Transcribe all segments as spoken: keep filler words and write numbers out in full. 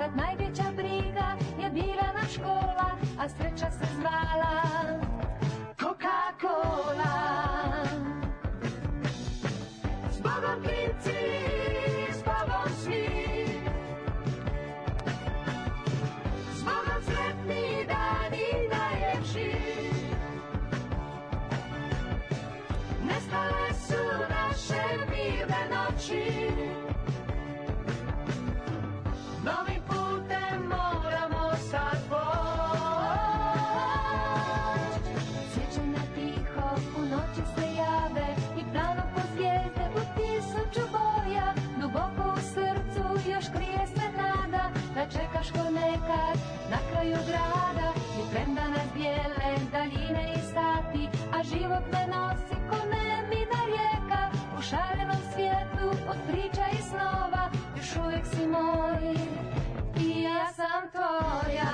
kad najveća briga je bila na škola, a sreća se zvala Coca-Cola. Zbogom klinci, zbogom svi, zbogom sretni dani najljepši. Nestale su naše mirne noći, novim putem moramo sad poći. Sjećanja tiho u noći se jave i plano po zvijezde u tisuću boja. Duboko u srcu još krije se nada da čekaš ko nekad na kraju grada. I premda nas bijele daljine i sati, a život ne nosi ko nemina rijeka. U šarenom svijetu od priča i snova još uvijek si moj i ja sam tvoja.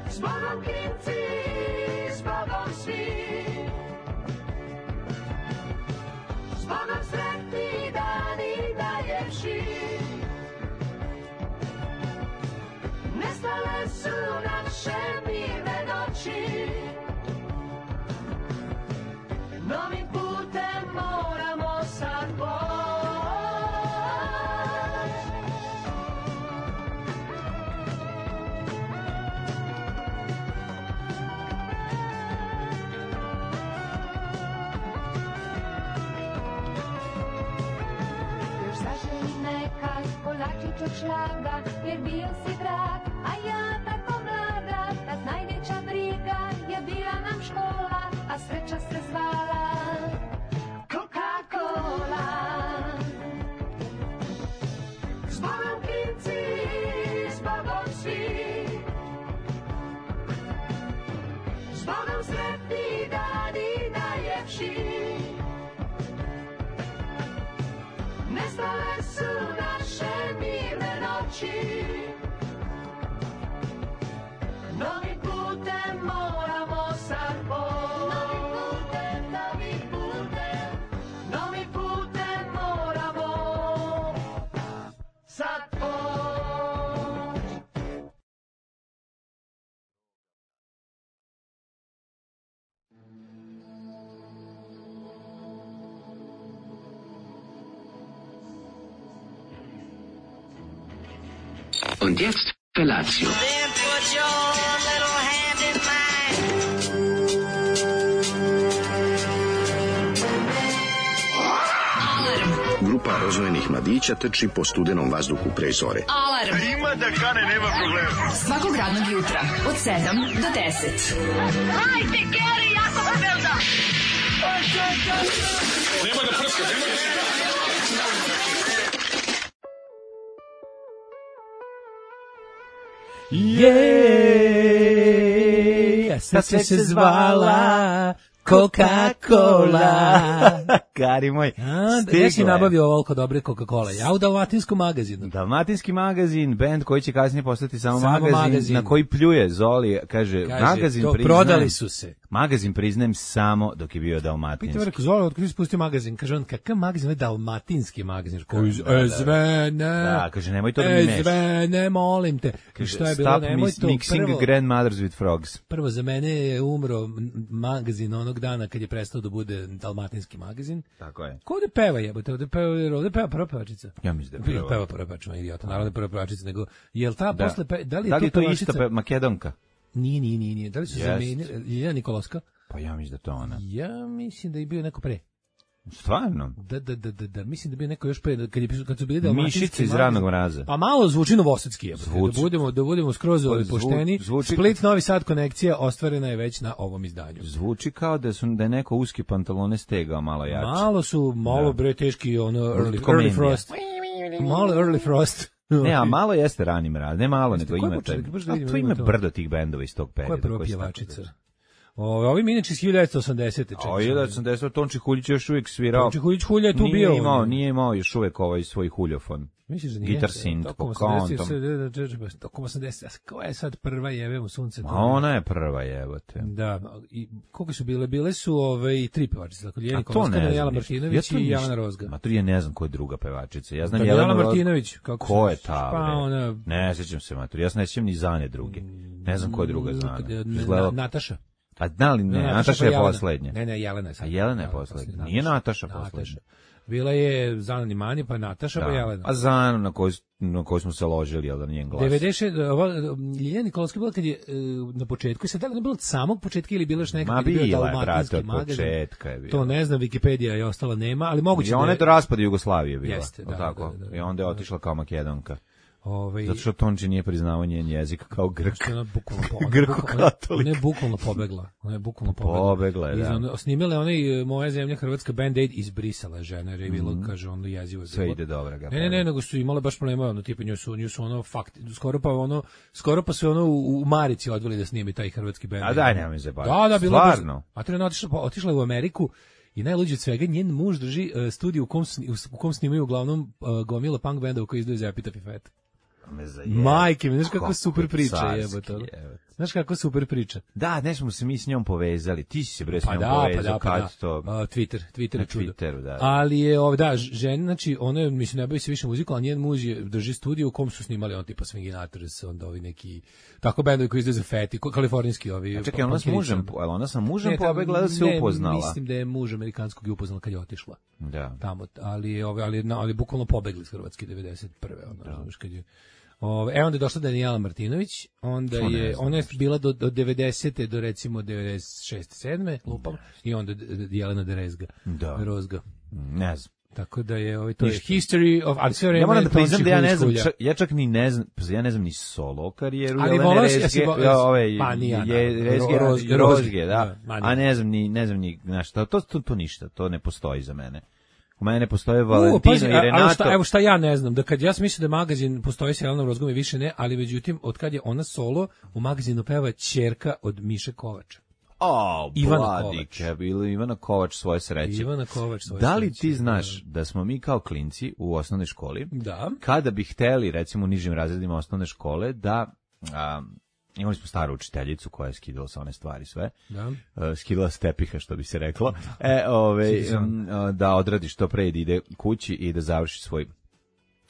Zbogom klinci, zbogom svi, zbogom sretni dani najljepši. Nestale su naše mirne noći, novim putem moramo sad poći. Još zaželi nekad kolačić od šlaga, jer bio si drag, a ja tako mlada. Kad najveća briga je bila nam škola, a sreća se zvala Coca-Cola. Zbogom klinci, zbogom svi, zbogom sretni dani najljepši. Nestale su naše mirne noći, novim putem moramo sad poći. Novim putem, novim putem, novim putem moramo sad poći. Und jetzt Felatio. Then put your little hand in mine. Grupa rozvojenih mladića trči po studenom vazduhu pre zore. Alarm. Ima da kane, nema problema. Svakog radnog jutra od sedam do deset. Hajde, Geri, jako se velda. Nema da prska, nema da prska. Jej, sad se se zvala Coca-Cola. Kari moj, ja si nabavio ovoliko dobre Coca-Cola. Ja u Dalmatinskom magazinu. Dalmatinski magazin, band koji će kasnije postati samo, samo magazin, magazin, na koji pljuje Zoli, kaže, kaže magazin to priznajem, prodali su se. Magazin priznajem samo dok je bio dalmatinski. Pita rekao, Zoli, otkud si spustio magazin? Kaže on, kakav magazin? Ovo je dalmatinski magazin. Koji, Da, da, e, zvene. Da, kaže, nemoj to da mi E, meš. zvene, molim te. Kaže, Šta je bilo? stop Nemoj mis- to. mixing Prvo, grandmothers with frogs. prvo, za mene je umro m- magazin onog dana kad je prestao da bude dalmatinski magazin. Tako je. Ko ovde peva jebote? Ovde peva, ovde peva prva pevačica. Ja mislim da je Peva, prva. peva prva pevačica, idiota. Naravno da je prva pevačica, nego jel ta Da. posle pe, da li je Da li je to to pevačica? isto pe, Makedonka? Nije, nije, nije, nije. Da li su Jest. zamenili Ljiljana Nikolovska? Pa ja mislim da to ona. Ja mislim da je bio neko pre. Stvarno? Da, da, da, da, da, mislim da bi neko još pre, kad, je, kad su bili dalmatinski Mišice iz magazin. Ranog mraza. Pa malo zvuči novosadski je. Zvuči. Da budemo, da budemo skroz ovaj zvu- pošteni. zvuči- Split Novi Sad konekcija ostvarena je već na ovom izdanju. Zvuči kao da su da je neko uski pantalone stegao malo jače. Malo su, malo Da. bre teški ono early, Komendija. early frost. Malo early frost. Ne, a malo jeste Rani mraz, ne malo, Jeste, nego ko je ima početak? taj. Baš da A vidimo, tu ima ima to. brdo tih bendova iz tog perioda. Ko je prva koji su tako pjevačica? bili. Ove, ovi mi inače iz hiljadu devetsto osamdesete. A hiljadu devetsto osamdesete. Tonči Huljić je još uvijek svirao. Tonči Huljić Hulja je tu nije bio. Imao, nije imao još uvijek ovaj svoj huljofon. Misliš da nije? Gitar synth po kontom. Tokom osamdeset. Koja je sad prva jebe u sunce? A ona je prva jebote. Da, i koliko su bile? Bile su ove i tri pevačice, dakle Ljeljana to Kolska, ne znam Jela ništa. Martinović Ja to i Jelena ništa- Rozga. Ma to ja ne znam ko je druga pevačica. Ja znam Da, Jelenu Jelena Roz- Martinović, kako Ko se- je ta? pa bre? ona- Ne sjećam se, maturi. Ja se ne sjećam ni Zane druge. Ne znam ko je druga Zana. Kad je- Izgledalo- Na- Nataša. A da li ne? Ne, Nataša pa je Jelena. poslednja. Ne, ne, Jelena je sad. A Jelena je Jelena poslednja. poslednja. Nije Nataša Nataša. poslednja. Bila je Zana Nimani, pa Nataša, pa Da. Jelena. A Zanu na koju, na koju smo se ložili, jel da njen glas? devedeset šest ova Ljiljana Nikolska bila kad je e, na početku, i sad da li ne bilo od samog početka ili bilo još nekako Ma kad je bio bila je, dalmatinski brate, od magazin. početka je bila. To ne znam, Wikipedija je ostala nema, ali moguće I da ona je... je do raspada Jugoslavije bila. Jeste, da, tako? da, da, da. I onda je otišla kao Makedonka. Ovaj, Zato što Tonči nije priznao njen jezik kao Grk. Što je ona bukvalno po, Grko-katolik. Ona je bukvalno pobegla. Ona je bukvalno pobegla. Pobegla je, Iz da. ono- Snimila je onaj e, Moja zemlja Hrvatska Band-Aid, izbrisala je žena, jer je bilo, kaže, ono jezivo. je Sve bilo. ide dobro. Ga Ne, ne, ne, nego su imale baš problema, ono, tipa nju su, nju su ono, fakt, skoro pa ono, skoro pa su ono u, u Marici odveli da snimi taj hrvatski bend. A daj, nemoj se baviti. Da, da, bilo je baš- Stvarno? A to je ona otišla, pa otišla je u Ameriku i najluđe od svega, njen muž drži uh, studiju u kom, sni- u kom snimaju uglavnom uh, gomila punk benda u koji izdaju za Epitaph i Fat. Me zajebe. Majke mi, znaš kako Kako super priča carski, jebote. ono. jebote. Znaš kako super priča. Da, ne smo se mi s njom povezali. Ti si se bre s Pa njom da, pa povezao da, pa kad da. to... A, Twitter, Twitter Na je čudo. Twitteru, da. Ali je, ov, da, žena, znači, ona je, mislim, ne bavi se više muzikom, ali njen muž je, drži studiju u kom su snimali on tipa Swinginators, onda ovi neki, tako bendovi koji izdaju za Feti, ko- kalifornijski ovi. A čekaj, ona s punkirice. mužem, jel ona sa mužem Ne, tamo- pobegla da se ne, upoznala? Mislim da je muž amerikanskog je upoznala kad je otišla Da. tamo, ali je, ove, ali, ali, ali bukvalno pobegli iz Hrvatske devedeset prve ono, razumiješ, kad je... Ove, e onda je došla Danijela Martinović, onda To ne je, znam ona je nešto. bila do, do devedesete do recimo devedeset šeste sedme lupam, i onda D- D- Jelena Derezga, Da. Rozga. Ne znam. Tako da je, ovaj, to je Ništa. history of, ali sve vreme Ja moram da Tonči priznam da ja ne Huljić znam, Hulja. čak, ja čak ni ne znam, pa ja ne znam ni solo karijeru Ali Jelene volao si- Rezge, jesi vo- ja, ove, pa ni ja, je, da. Rezge, Ro- Rozge, Rozge, Rozge, da, da, ma ni. a ne znam ni, ne znam ni, znaš, to, to, to, to ništa, to ne postoji za mene. U mene postoje U, Valentino pazi, i a- Renato. ali šta, evo šta ja ne znam, da kad ja sam mislio da magazin postoji sa Jelenom Rozgom i više ne, ali međutim, od kad je ona solo, u magazinu peva ćerka od Miše Kovača. O, Ivana Vladike, Kovač. bilo Ivana Kovač svoje sreće. Ivana Kovač. svoje Da li sreće. ti znaš da smo mi kao klinci u osnovnoj školi, Da. kada bi hteli, recimo u nižim razredima osnovne škole, da a, imali smo staru učiteljicu koja je skidala sa one stvari sve, Da. uh, skidala s tepiha, što bi se reklo, e, ove, um, uh, da odradi što pre i da ide kući i da završi svoj,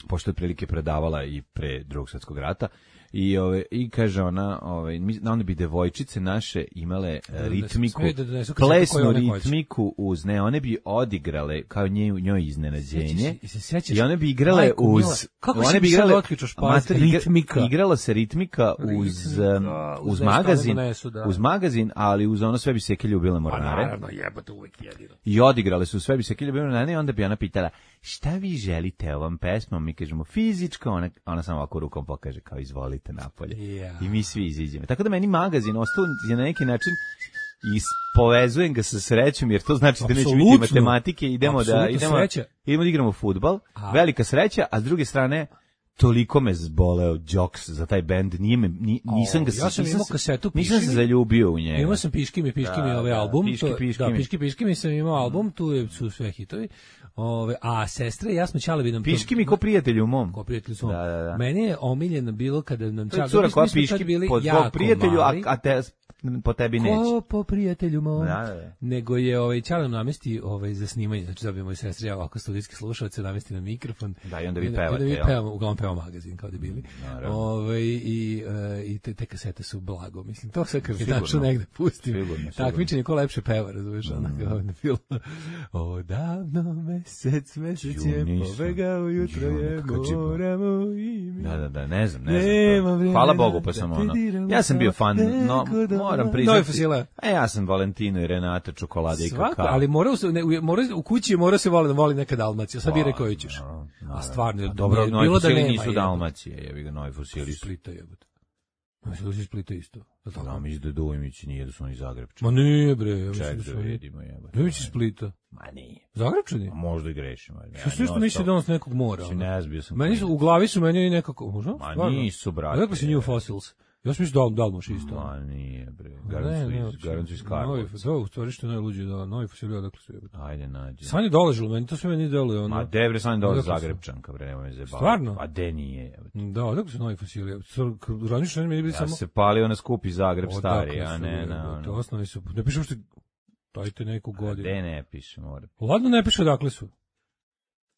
pošto je prilike predavala i pre drugog svjetskog rata, i ove i kaže ona, ovaj mi onda bi devojčice naše imale e, ritmiku, sve da donesu kasetu koju plesnu one hoće. ritmiku uz ne, one bi odigrale kao nje, njoj iznenađenje. Sećaš- se sećaš? I one bi igrale Majko uz mila, kako one si bi mi sad igrale otključaš pamet? master, igra- Ritmika. Igrala se ritmika uz Ritmika, um, uz uz nešto magazin, one donesu, da. uz magazin, ali uz ono sve bi se ljubile Pa mornare. naravno, jebote, uvek jedino. I odigrale su sve bi se ljubile mornare i onda bi ona pitala šta vi želite ovom pesmom, mi kažemo fizičko, ona, ona samo ovako rukom pokaže kao izvolite napolje. Ja. I mi svi iziđemo. Tako da meni magazin ostao je na neki način i s- povezujem ga sa srećom, jer to znači da neće biti Apsolutno. matematike, idemo da Apsolutno idemo, sreća. idemo da igramo fudbal, A. velika sreća, a s druge strane toliko me zboleo Jocks za taj bend, nije me, ni, nisam O, ga ja sam nisam imao se- kasetu nisam se Piški mi. zaljubio u njega. Imao sam Piški mi, Piški mi Da, ovaj da, album. Piški, to- Piški da, mi. Piški, Piški mi sam imao album, tu je, su sve hitovi. Ove, a sestre, ja smo Ćalevi nam to- Piški mi ko prijatelj u mom. Ko prijatelj smo. Da, da, da. Meni je omiljeno bilo kada nam To je Čale- cura mi smo- koja mi smo tad piški bili po tvog jako prijatelju, a, mali. a te, po tebi neće. Ko po prijatelju mom. Da, da, da. Nego je ovaj Ćale nam namesti ovaj za snimanje, znači da bi moji sestri ja ovako studijski slušaoci namesti na mikrofon. Da, i onda vi onda- pevate, onda mi jel? pevamo, uglavnom pevamo magazin kao debili. Naravno. Ovaj i e, i te, te kasete su blago, mislim to sve kad mi Sigurno. naču negde pustim. Sigurno, sigurno. Takmičenje ko lepše peva, razumiješ, mm. onako kao na filmu. O davno mesec, mesec Ju, je nisam. pobegao, jutro Ju, je nekako džiba. moramo i mi. Da, da, da, ne znam, ne Nema znam. To. vremena Hvala Bogu, pa da sam te ono. diram Ja sam bio fan, kako no, da- moram priznati. Novi fosila. A ja sam Valentino i Renata, čokolada i Svako, kakao. ali mora, u- ne, u- mora u kući mora se voli da voli neka Dalmacija. Sad biraj koju ćeš. Naravno, A naravno. stvarno, A dobro, nije- novi bilo da fosili nema, nisu jebote. Dalmacije, jebi ga, novi fosili Iz su. Splita jebote. Mislim da se iz Splita isto. Jel tako? Da, mi da Dujmić nije da su oni Zagrebčani. Ma nije bre, ja mislim Ček da da su oni. vidimo, jebote. Dujmić iz Splita. Ma nije. Zagrebčani? A možda i grešimo. Što sve što misli da on s nekog mora? Si ono? ne zbio sam. Meni su, u glavi su meni nekako, možda? Ma Stvarno? nisu, brate. A kako si New Fossils? Ja sam mislio da Dalmoš isto. Ma nije, bre. Ne, Garancu ne, iz, garancu iz Karlovca. Da, u stvari što je najluđi, da, novi fosilija, odakle su jebati. Ajde, nađi. Sanja dolažilo, meni to sve meni deluje. Ono. Ma de, bre, Sanja dolazi Odakle su? Zagrebčanka, bre, nemoj me zajebavati. Stvarno? Pa de nije, jebote. Da, odakle su novi fosilija? Razmišljam, meni bili Ja samo... se palio na skupi Zagreb Odakle stari, a su, ne jebote, na ono. Osnovi su, ne piše uopšte, dajte neku A godinu. de ne piše, mora. Ladno ne piše odakle su.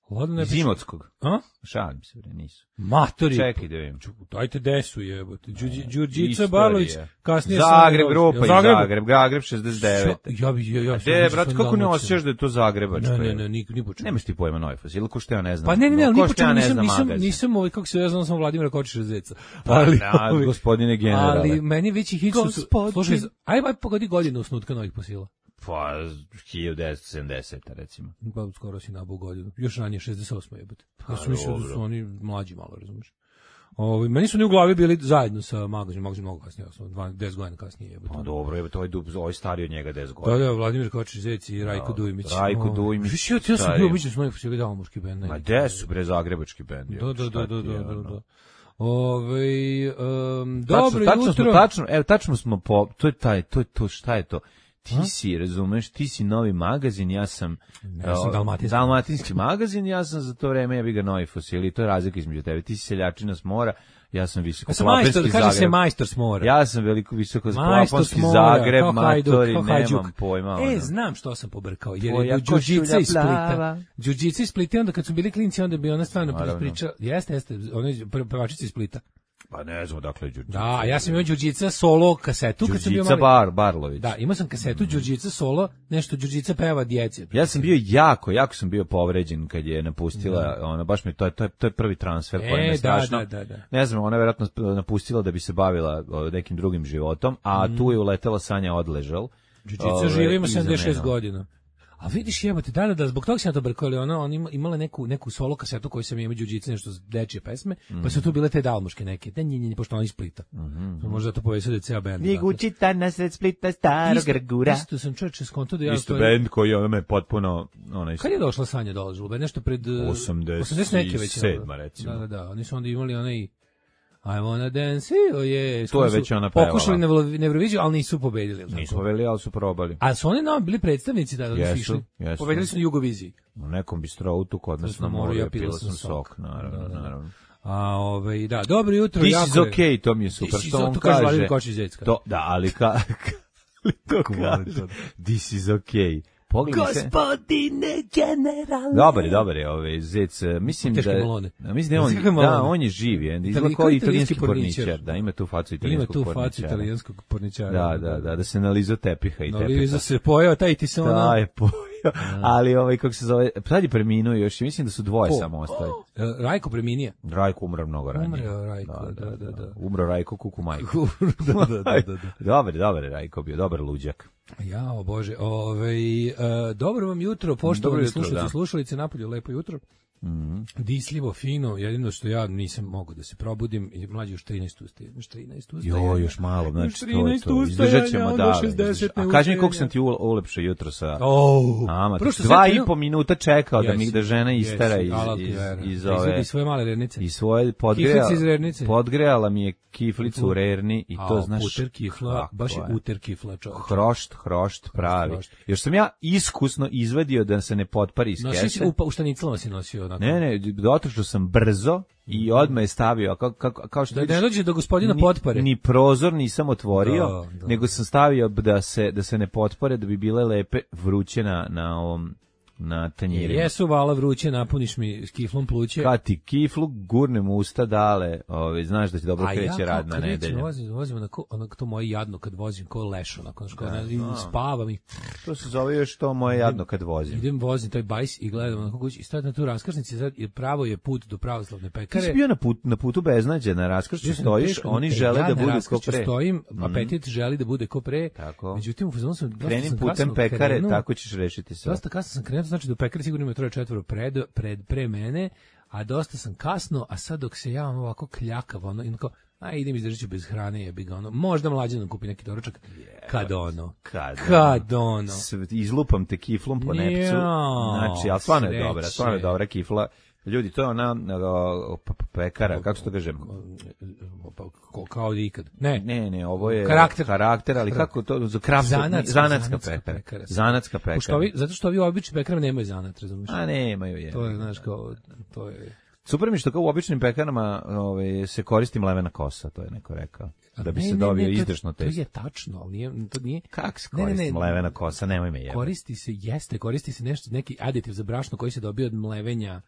Ladno ne Iz piše. Imotskog. A? Šalim se, bre, nisu. Matori. Čekaj da vidim. Dajte desu jebote. Đurđi- Đurđica Istorija. Barlović, kasnije Zagreb, sam- grupa iz Zagrebu. Zagreb, Zagreb šezdeset devet. Ja bi ja ja. De, brate, kako ne osjećaš da je to Zagrebačko? Ne, ne, ne, ni ni počeo. Nemaš ti pojma novi fosil, ko što ja ne znam. Pa ne, ne, ne, Ko ni što počeo, ja ne nisam znam nisam magazin. nisam ovaj kako se ja znam sam Vladimira Kočiša Zeca. Ali, Ali ovaj- gospodine generale. Ali meni već ih isto su. Gospodin. Slušaj, aj aj pogodi godinu osnutka novih fosila. Pa, hiljadu devetsto sedamdeseta recimo. Pa skoro si nabao godinu. Još ranije šezdeset osma jebote. Ja sam Pa, mislio da dobro. su oni mlađi malo, razumiješ. Ovaj meni su oni u glavi bili zajedno sa magazinom, magazin mnogo kasnije, odnosno deset godina kasnije jebote. Pa dobro, evo to ovaj dub, ovaj stariji od njega deset godina. Da, da, Vladimir Kočić Zec i Rajko Da, Dujmić. Rajko Ovaj, Dujmić, Viš, ja, ja sam stari. bio obično s novih fosila dalmoški bend. Ma gde su bre zagrebački bendi? Da, da, Šta da, da, ti da, je, da, ono? da. Ove, um, Tačno, dobro tačno jutro. smo, tačno, evo, tačno smo po, to je taj, to je to, šta je to? Ti si, razumeš, ti si novi magazin, ja sam, Ja sam o, dalmatinski. dalmatinski magazin, ja sam za to vreme, ja bi ga novi fosili, to je razlika između tebe. Ti si seljačina s mora, ja sam visoko Ja sam majstor, kaže se majstor s mora. Ja sam veliko visoko Majstor s plafonski mora, Zagreb, kao Hajduk, matori, kao nemam Hajduk. pojma. E, ono. znam što sam pobrkao, jer Tvoja je Đurđica košulja iz Splita. plava. Đurđica iz Splita, onda kad su bili klinci, onda bi ona stvarno Naravno. pričala. Jeste, jeste, ona je pevačica iz Splita. Pa ne znam dakle Đurđica. Da, a ja sam imao Đurđica solo kasetu kad sam bio Đurđica mali. Bar, Barlović. Da, imao sam kasetu Đurđica solo, nešto Đurđica peva djeci. Ja sam bio jako, jako sam bio povređen kad je napustila, ona baš mi to je to je to je prvi transfer koji E, me da, strašno. da, da, da. Ne znam, ona je verovatno napustila da bi se bavila o, nekim drugim životom, a tu je uletela Sanja Odležal. Đurđica Ove, živi, ima iza sedamdeset šest mene. godina. A vidiš jebote, da, da, da, zbog toga sam ja to brkao, ali ona, ona ima- imala neku, neku solo kasetu koju sam imao Đurđice, nešto z dečije pesme, pa su tu bile te dalmuške neke, da nje, nje, pošto ona iz Splita. Možda to povezao da je ceo bend. Ligućita na sred Splita starog Isto, Grgura. isto sam čovječe skonto da ja... Isto stvari- bend koji ona me potpuno onaj Kad je došla Sanja Dolažul? Nešto pred... uh, osamdeset osamdeset neke već. sedma, recimo. Da, da, da. Oni su onda imali onaj... I wanna dance, oh yeah. To je Su već ona pevala. Pokušali na Evro- na Euroviziju, ali nisu pobedili. jel Nisu tako? poveli, ali su probali. A su oni nam bili predstavnici da, da su Jesu, išli? jesu. Pobedili su na Jugoviziji. U nekom bistroutu kod nas na na moru, moru ja je pila pila sam sam sok. sok, naravno, Da, da, da. naravno. A ovaj da, dobro jutro, This jako is je- okay, to mi je super This is što okay, on to kaže kaže. Vladimir Kočić Zecka. To, da, ali ka, ali to kaže. This is okay. Pogledaj se. Gospodine generale. Dobar je, dobar je ovaj Zec. Mislim Teške da, malone. da mislim da je on, Teške malone. da, on je živ, je. Izgleda Italijski- kao italijanski italijanski porničar. porničar, da, ima tu facu Ima italijanskog tu porničara. facu italijanskog porničara. Da, da, da, da se nalizo tepiha i No, tepiha. Liza se pojeo, taj ti se ono... Da, je pojio. Ali ovaj, kako se zove, sad je preminuo još, mislim da su dvoje Ko? samo ostali. E, Rajko preminije. Rajko umro mnogo ranije. Umro Rajko, da, da, da. Umro Rajko Kukumajko. da, da, da, da, da. Dobar, dobar je Rajko bio, dobar luđak. Jao, Bože, ovaj, e, dobro vam jutro, poštovani Dobro jutro, slušalice da. i slušalice, napolju lepo jutro. Mhm. Disljivo, fino, jedino što ja nisam mogao da se probudim, i mlađi još trinaest ustaje, još trinaest ustaje. Jo, još malo, znači to je trinaest to. ustajanja, Izdržat ćemo onda da. šezdeset A kaži mi koliko neustajanja. sam ti ule- ulepšao jutro sa... Oh, Ama, prvo što dva sad i krenuo- po minuta čekao da mi Jesi, da žena istera jesi, iz, alal ti iz, vera. iz Da ove... izvadi svoje male rernice. I svoje podgrejala, Kiflice iz rernice. podgrejala mi je kiflicu u rerni i to A, znaš... uter kifla, kako baš je uter kifla, čovječe. Hrošt, hrošt pravi. hrošt. Još sam ja iskusno izvadio da se ne potpari iz Nosio si kese. u, pa- u štanicama si nosio onako. Ne, ne, dotrošao sam brzo i odmah je stavio, kao, kao, kao što Da vidiš, ne dođe do gospodina ni- potpore. Ni prozor nisam otvorio, Da, da. nego sam stavio da se da se ne potpore, da bi bile lepe vruće na, na ovom na tanjirima. Jesu vala vruće, napuniš mi s kiflom pluće. Kad ti kiflu gurnem u usta dale, ovaj, znaš da će dobro A kreće ja rad kao na kad recimo nedelju. vozim, vozim onako, onako to moje jadno kad vozim ko leš, onako, znaš, kao, Da, ne, i da. spavam i To se zove još to moje jadno kad vozim. idem vozim taj bajs i gledam onako kući i stojim na tu raskrsnici, sad je pravo je put do pravoslavne Ti pekare. si bio na, put, na putu beznađe, na raskršću Ja sam stojiš, teško- oni e, žele ja da na budu ko raskršću pre. stojim, apetit želi da bude ko pre. Tako. Međutim, u fazonu sam dosta Kreni sam putem kasno pekare, krenuo. tako ćeš rešiti sve. Dosta kasno sam krenuo, znači do pekare sigurno ima troje četvoro pred, pred, pre mene, a dosta sam kasno, a sad dok se ja ono ovako kljakav, ono, i onako, a idem izdržat ću bez hrane, jebi ga, ono, možda mlađe nam kupi neki doručak, kad ono, Kad, kad ono. Sve- izlupam te kiflom po nepcu. Jao, Znači, ali stvarno je sreće. dobra, stvarno je dobra kifla. Ljudi, to je ona o, p- p- pekara, kako se to kažem? pa, ko, kao i ikad. Ne, Ne, ne, ovo je Karakter. karakter, ali kako to za kraft Zanatska- zanatska zanatska pekara. pekara. Zanatska pekara. Pošto ovi, zato što ovi obični pekari nemaju zanat, razumiješ? A nemaju je. To je, znaš, kao, to je... Super mi što kao u običnim pekarama ovaj, se koristi mlevena kosa, to je neko rekao. Da bi Ne, se ne, dobio ne, to- izdržno To testo. je tačno, ali nije, to nije... Kako se Ne, ne, koristi ne, mlevena kosa? Nemoj me jebati. Koristi se, jeste, koristi se nešto, neki aditiv za brašno koji se dobio od mlevenja,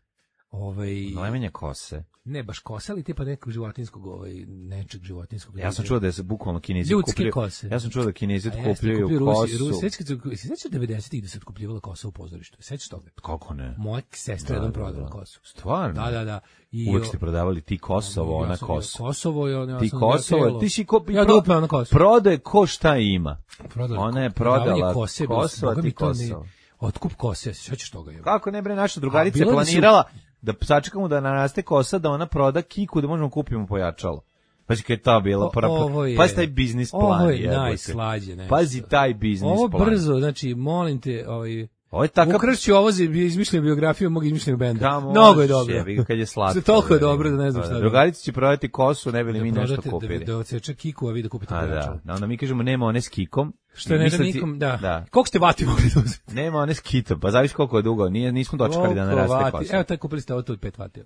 ovaj... Mlevenje kose. Ne, baš kosa, ali tipa nekog životinskog, ovaj, nečeg životinskog. Ja sam čuo da je se bukvalno Kinezi Ljudske otkupljuju. kose. Ja sam čuo da Kinezi A jeste, otkupljuju kupljuju Rusi, kosu. Rusi, sećaš kad se- se sećaš devedesetih da se otkupljivala kosa u pozorištu? Sećaš toga? Kako ne? Moja sestra jednom prodala kosu. Stvarno? Da, da, da. I Uvijek ste prodavali ti Kosovo, Ja ona sam- kosa. Kosovo je ona. Ti ja sam Kosovo, telo. ti si ko... Ja pro- dupla ona kosu. Prodaje ko šta ima. Prodali Ona je ko- prodavanje prodala kose je bilo- Kosovo, Boga ti mi to ne- Kosovo. Otkup kose, sećaš toga je. Kako ne bre, naša drugarica A, je bilo da su- planirala da sačekamo da naraste kosa, da ona proda kiku, da možemo kupimo pojačalo. Pazi kad je ta bila O- prva. ovo je- Pazi taj biznis plan. Ovo je jebote. najslađe nešto. Pazi taj biznis Ovo plan. brzo, znači, molim te, ovaj... Ovo je takav... Ukršću ovo za izmišljenu biografiju mog izmišljenog benda. Kamo Mnogo je možeš, dobro. jebi ga, kad je slatko. Sve toliko je jebi ga. dobro da ne znam Da, šta da. da- Drugarica će prodati kosu, ne bi li mi Da nešto prodate, kupili. Da, da odseče kiku, a vi da kupite A pojačalo. da, da, onda mi kažemo nema one s kikom. Što ne da Mislim ti- nikom, da. da. Koliko ste vati mogli da uzeti? Nema one s kitom, pa zavisi koliko je dugo. Nije, nismo dočekali da Koliko naraste vati? kosa. Evo, taj kupili ste auto od pet vati.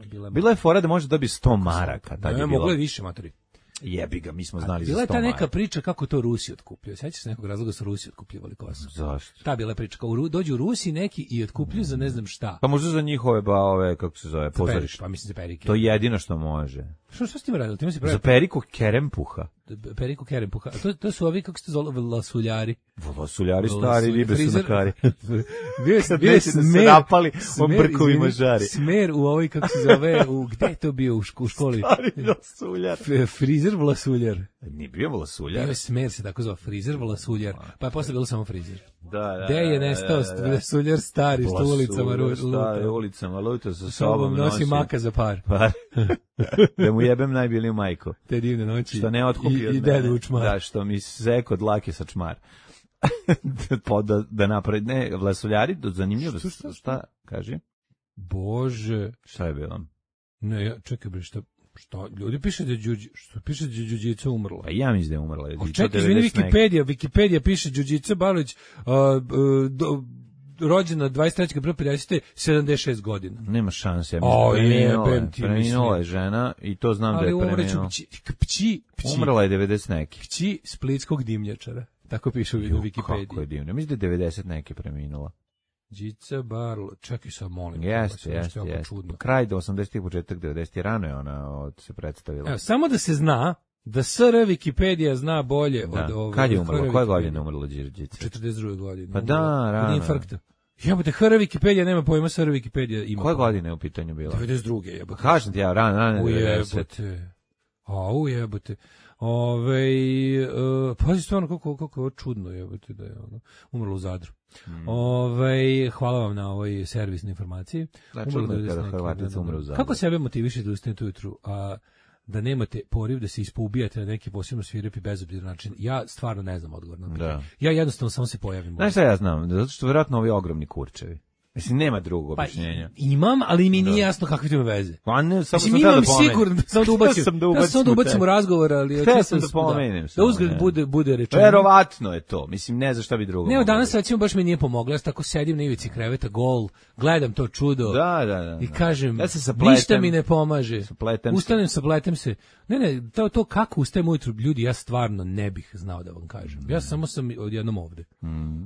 Bila je, Bila je fora da može dobiti sto maraka. Tad ne, je moglo bilo. je više, matori. Jebi ga, mi smo znali Bila za je sto ta maraka. neka priča kako to Rusi otkupljuju. Sećaš se nekog razloga su Rusi otkupljivali kosu? Zašto? Ta bila je priča. Kao u Ru- dođu Rusi neki i otkupljuju za ne znam šta. Pa možda za njihove, ba, ove, kako se zove, Za pozorište. Periku, pa mislim za Perike. To je jedino što može. Što, što s tim radili? Ti si Za pravi Periku Kerempuha. Periku Kerempuha. A to, to su ovi, kako se to zove, lasuljari. Vasuljari stari, Vlasulj- ribe su na frizer- kari. Bio je, Kad bio je neće da se smer, napali, on smer, brkovima izvini, žari. Smer u ovoj, kako se zove, u, gde je to bio u, ško- u školi? Stari vlasuljar. F- Frizer vlasuljar. Nije bio vlasuljar. Bio je smer se tako zove, frizer vlasuljar. Pa je posle bilo samo frizer. Da, da. Gde je da, nestao da, da. vlasuljar stari, što u ulicama Vlasuljar stari, luta. ulicama luta sa Sa sobom sobom nosi maka za par. Pa, da mu jebem najbiliju majku. Te divne noći. Što ne otkupi I, od i mene. dedu učmar. Da, što mi zek od lake sa čmar. Pa da, da napravi, ne, vlasuljari, do- zanimljivo, Što, što, šta, kaži? Bože. Šta je bilo? Ne, ja, čekaj bre, šta, šta, ljudi piše da je Đuđi, što piše da je Đuđica umrla. Pa ja mislim da je umrla. O, I to čekaj, izvini, devedeset neki. Wikipedia, Wikipedia piše Đuđica Balović, uh, uh, do, rođena dvadeset trećeg aprila pedesete, sedamdeset šest godina. Nema šanse, ja O, mislim, preminula je. jebem ti, Preminula je mislim. žena i to znam da Ali je umreću preminula. pći, pći, pći, Umrla je devedeset neki. pći splitskog dimnjačara. Tako piše u Ju, Wikipediji. kako je divno. Mislim da je devedeset neki preminula. Đica Barlo, čekaj sad molim. Jeste, ovo je jeste, jako jeste. čudno. Kraj do osamdesetih, početak devedesetih, rano je ona od, se predstavila. Evo, samo da se zna da S R Wikipedia zna bolje Da. od ove. Kad je od umrla? H R Koje Wikipedia. godine umrla Đirđica? četrdeset druge godine. Pa umrla da, od rano. infarkta. Jebote, H R Wikipedia nema pojma, S R Wikipedia ima. Koje pojma. godine je u pitanju bila? devedeset druge jebote. Kažem ti ja, rano, rano devedeset. Ujebote. A, ujebote. Ove, uh, pazi stvarno kako, kako je ovo čudno jebote da je ono, umrlo u Zadru. Mm. Ove, hvala vam na ovoj servisnoj informaciji. Znači, Umrlo čudno je devedeset kada neki, Hrvatica da, da, umre u da. Zadru. Kako sebe motivišete da ustanete ujutru, a da nemate poriv da se ispoubijate na neki posebno svirepi bezobziran način? Ja stvarno ne znam odgovor na to. Da. Ja jednostavno samo se pojavim. Znaš šta ja znam? Zato što vjerojatno ovi ogromni kurčevi. Mislim, nema drugog Pa objašnjenja. imam, ali mi nije Da. jasno kakve to ima veze. Pa ne, samo Mislim, sam tada imam pomenem. sigurno, samo da ubacim, Htio sam da ja sam samo da ubacim u ubacim u tekst. razgovor, ali... Htio čisto sam da pomenem Da, samo, uzgled ne. bude, bude rečeno. Verovatno je to. Mislim, ne znam šta bi drugo. Ne, moglo danas biti. recimo baš mi nije pomoglo, ja tako sedim na ivici kreveta, gol, gledam to čudo Da, da, da. i da. kažem, Ja se sapletem. ništa mi ne pomaže. Sapletem se. Ustanem, sapletem se. Ne, ne, to, to kako ustajem ujutru, ljudi, ja stvarno ne bih znao da vam kažem. Ja samo sam odjednom ovde. Mm.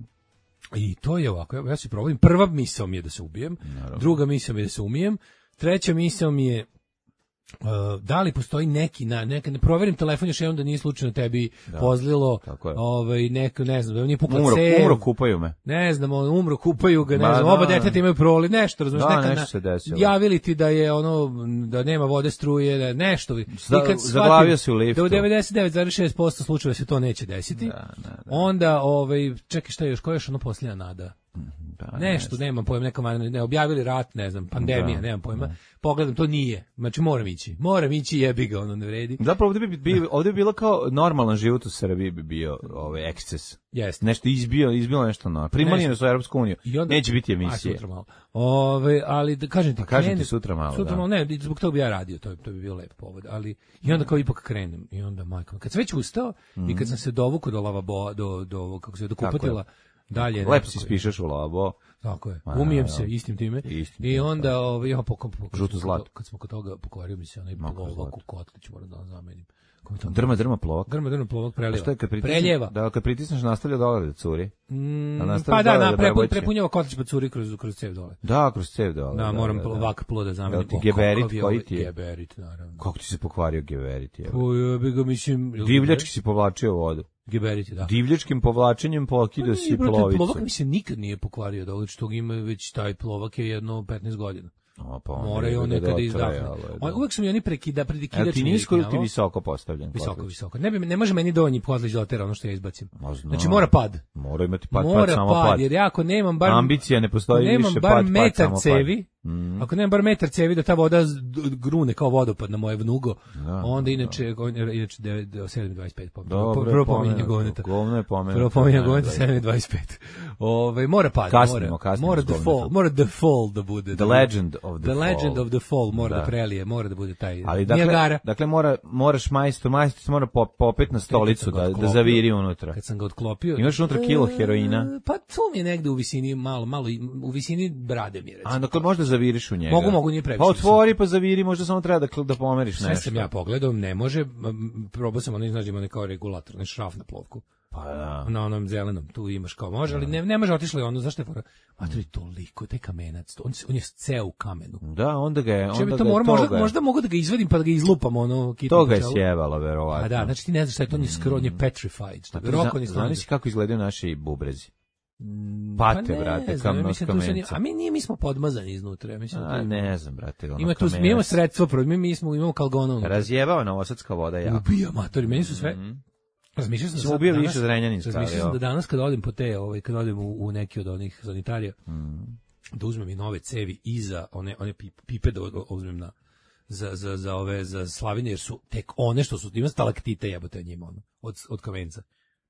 I to je ovako, ja, ja se provodim. Prva misao mi je da se ubijem, Naravno. druga misao mi je da se umijem, treća misao mi je uh, da li postoji neki na neka ne proverim telefon još jednom da nije slučajno tebi Da, pozlilo tako je. ovaj neko ne znam da vam nije pukla Umro, cev. umro, kupaju me. Ne znam, on umro, kupaju ga, ne Ma, znam, da. oba deteta imaju proliv, nešto, razumiješ, Da, neka nešto na- se desilo. javili ti da je ono, da nema vode, struje, da nešto. I Za- kad zaglavio shvatim si u liftu. Da u devedeset devet zarez šest posto slučajeva se to neće desiti, Da, da, da. onda, ovaj, čekaj šta je još, koja je još ono posljednja nada? Da, nešto, nemam pojma, neka vanredna, ne, objavili rat, ne znam, pandemija, Da, nemam pojma. da. Pogledam, to nije. Znači, moram ići. Moram ići, jebi ga, ono ne vredi. Zapravo ovdje bi, bi, ovdje bi bilo kao normalan život u Srbiji bi bio ovaj eksces. Jeste. Nešto izbio, izbilo nešto no. Primanje nas u Europsku uniju. I onda- Neće biti A, emisije. sutra malo. Ove, ali da kažem ti, Pa kažem ti krenem- sutra malo, Sutra da. malo, ne, zbog toga bi ja radio, to, to bi bio lep povod, ali i onda kao ipak krenem, i onda majko, kad sam već ustao i kad sam se dovukao do lavabo, do, do, ovog, kako se zove, do Tako kupatila, dalje. Lepo nekako- si spišeš u lavabo. Tako je, Ma, umijem da, se da. istim time, Istim i tim, onda, ovaj, ja, po, po, po, Žuto zlato. Kad smo kod toga, pokvario mi se onaj Mako plovak zlato. u kotlić, moram da vam zamenim. Kako to- Drma, drma plovak. Grma, drma, plovak A prelijeva. što je kad pritisneš? Preljeva. Da, kad pritisneš nastavlja dole da curi. Mm, A nastavlja pa da, dole na, da prepun, preboće. prepunjava kotlić pa curi kroz, kroz cev dole. Da, kroz cev dole. Da, moram da, da. ovak plo da zamenim. Jel ti O, geberit, kakav je koji ovaj ti je? Geberit, naravno. Kako ti se pokvario geberit? Je? Pa ja bi ga, mislim... jel Divljački si povlačio vodu. Geberit je, da. Divljačkim povlačenjem pokidao Pa si nije, brate, plovicu. Plovak mi se nikad nije pokvario, dole što ga ima već taj plovak je jedno petnaest godina. O, pa onda Mora i je on da nekada dotraje, izdahne. ali, da. On- Uvek su mi oni prekida, Jel prekidač ti mi nisko ili ti riknjavao. visoko postavljen? Visoko, kotlić? visoko. Ne, bi, ne može meni donji kotlić da otera ono što ja izbacim. Ma, znam. Znači mora pad. Mora imati pad, Mora pad, samo pad, pad. jer ja ako nemam bar... Ambicija ne postoji nemam više, bar pad, pad, metar samo pad. cevi, Mm. ako nemam bar metar cevi da ta voda z- d- grune kao vodopad na moje vnugo, Da, onda inače, on- inače sedam dvadeset pet Dobro, Prvo je pominjanje pomenuto. govneta. Govno je pomenuto. Prvo pominjanje Da, govneta da. sedam dvadeset pet Ove, mora pad, Kasnimo, mora, kasnimo mora s the govnetom. fall, mora the fall da bude. The legend of the The legend fall. of the fall mora da, Da. prelije, mora da bude taj Ali dakle, Niagara. dakle mora, moraš majstor, majstor se mora pop, popet na stolicu Kad sam ga da, da otklopio- zaviri unutra. Kad sam ga otklopio. Imaš unutra kilo heroina? E, Pa tu mi je negde u visini, malo, malo, i- u visini brade mi je, recimo. A dakle možda zaviriš u njega. Mogu, mogu, nije previše. Pa otvori pa zaviri, možda samo treba da, da pomeriš Sve nešto. sam ja pogledao, ne može, m, probao sam onaj, znaš, ima onaj kao regulator, onaj šraf na plovku. Pa da. Na onom zelenom, tu imaš kao može, ali ne, ne može, otišlo je ono, zašto je fora? Matori, toliko, taj kamenac, to- on, se- on je ceo u kamenu. Da, onda ga je, Če bi onda to ga je mora, možda, toga, možda mogu da ga izvadim pa da ga izlupam, ono, kitno to ga je po čelu. sjebalo, verovatno. A da, znači ti ne znaš šta je to, on je skoro, on je petrified, što bi roko ni Znaš si kako izgledaju naši bubrezi? Mm, Pate, pa ne brate, znam, kam ja nos mislim, tu se ni- kamenca. A mi nije, mi smo podmazani iznutra, ja mislim. da A to- ne znam, brate, ono Ima tu, mi kamenac. imamo sredstvo, pro- mi, mi smo, imamo kalgona unutra. Razjebava novosadska voda jako. Ubija matori, meni su sve. Razmišljao sam Smo sad ubio danas- više Zrenjaninska, Razmišljao ali, sam da evo. danas kad odem po te, ovaj kad odem u, u neki od onih sanitarija, da uzmem i nove cevi iza one one pip- pipe da o- uzmem na za za za ove za slavine jer su tek one što su ima stalaktite jebote njima ono od od kamenca.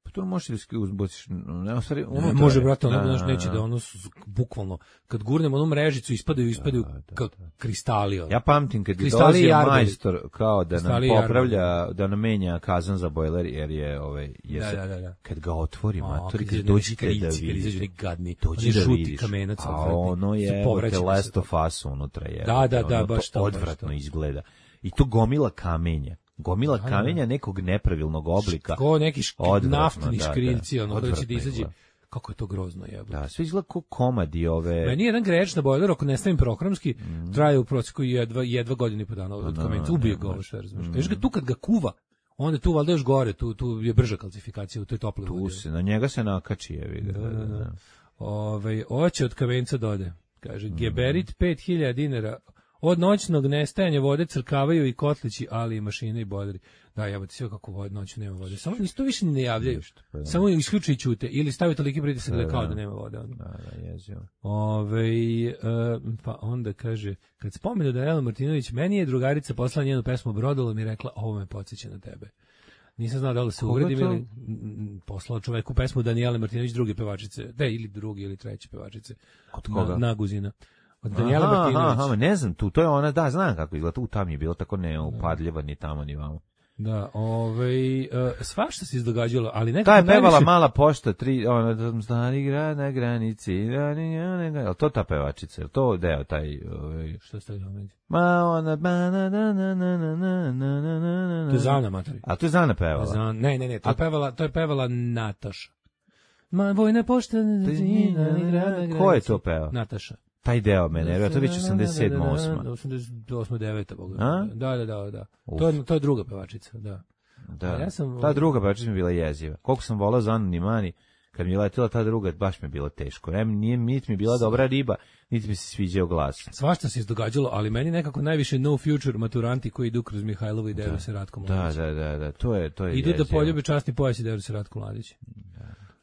Pa to možeš da ski- uzbociš, ne, u stvari, Ne, unutra može je. brate, ono Da, znaš da, neće da. da ono su, bukvalno kad gurnemo onu mrežicu ispadaju ispadaju kao kristali. ono. Ja pamtim kad je Kristali i dolazio jarboli. majstor kao da nam Kristali i popravlja, da nam menja kazan za bojler, jer je, ovaj, jer Da, se- da, da, da. kad ga otvori, A, matori, kad kad izađu dođete neki da krici, kad izađu vidiš. neki gadni, Dođi oni da žuti vidiš. kamenac A odvratni. ono Su je, povraćeni bote, Last sve of Us unutra je. Da, da, da, ono, baš to, to baš odvratno to. izgleda. I to gomila kamenja. Gomila Da, da, kamenja nekog nepravilnog oblika. Ko neki šk, Odvratno, naftni da, da. škriljci, ono koji će Odvratno ti izađe. izgleda. Kako je to grozno jebote. Da, sve izgleda kao komadi ove... Meni je jedan greć na bojleru, ako ne stavim programski, traje u prosjeku jedva, jedva godinu i po dana od Da, kamenca. da, Ubije da, ga ovo da. sve, razumiješ. Još ga tu kad ga kuva, onda je tu valjda još gore, tu, tu je brža kalcifikacija u toj toploj Tu vodi. se, na njega se nakači, je vidi. Da, da, da. Ovaj, oće od kamenca dode. Kaže, Mhm. geberit pet hiljada dinara. Od noćnog nestajanja vode crkavaju i kotlići, ali i mašine i bojleri. Da, jebote, sve kako vod, noću nema vode. Samo isto više ne javljaju. pa da. Samo isključe i ćute. Ili stavi toliki pritisak da, Da, kao da. da nema vode. Onda. Da, da, jezio. Ove, e, pa onda kaže, kad spomenu da je Ela Martinović, meni je drugarica poslala njenu pesmu Brodolo mi rekla, ovo me podsjeća na tebe. Nisam znao da li se Koga uvredim to? ili mm, poslao čoveku pesmu Danijele Martinović, druge pevačice, da, ili drugi ili treće pevačice. Od koga? Na, Naguzina. Od Danijele Aha, Martinović. aha, ne znam, tu, to je ona, da, znam kako izgleda, tu tam je bilo tako neupadljiva, ni tamo, ni vamo. Da, ovaj, uh, svašta se izdogađalo, ali nekako Ta je pevala najviše- Mala pošta, tri, ona, stari grad na granici, da, ni, ja, ne, je li to ta pevačica, je li to deo taj, ovaj, Što ste ovdje? ma ona, ba, na, na, na, na, na, na, na, na, na, na. To je Zana Matari. A to je Zana pevala. Zan, ne, ne, ne, to je pevala, to je pevala Nataša. Ma vojna pošta, Ko je to pevao? Nataša. Taj deo mene, jer to je već osamdeset sedma, osma. osamdeset osma, deveta Boga. A? Da, da, da, da. Uf. To je, to je druga pevačica, da. Da, A ja sam- ta druga pevačica mi je bila jeziva. Koliko sam volao Zanu Nimani, kad mi je letila ta druga, baš mi je bilo teško. Ne, nije, niti mi je bila dobra riba, niti mi se sviđao glas. Svašta se izdogađalo, ali meni nekako najviše no future maturanti koji idu kroz Mihajlovo i deru se Ratko Da, Mladić. da, da, da, to je, to je Idu da jezivo. poljube časni pojas i deru se Ratko Mladić.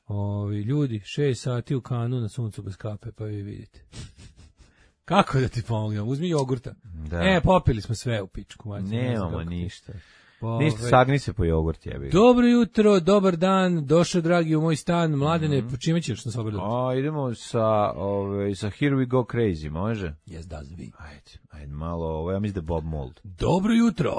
Ovi, ljudi, šest sati u kanu na suncu bez kape, pa vi vidite. Kako da ti pomognem? Uzmi jogurta. Da. E, popili smo sve u pičku. Mađe, Nemamo ništa. Ove, Ništa, sagni se po jogurt, jebi. Dobro jutro, dobar dan, došao dragi u moj stan, Mladene, mm. čime ćeš nas obraditi? A, idemo sa, ove, sa Here We Go Crazy, može? Yes, does we. Ajde, ajde malo, ovo, ja mislim da je Bob Mould. Dobro jutro.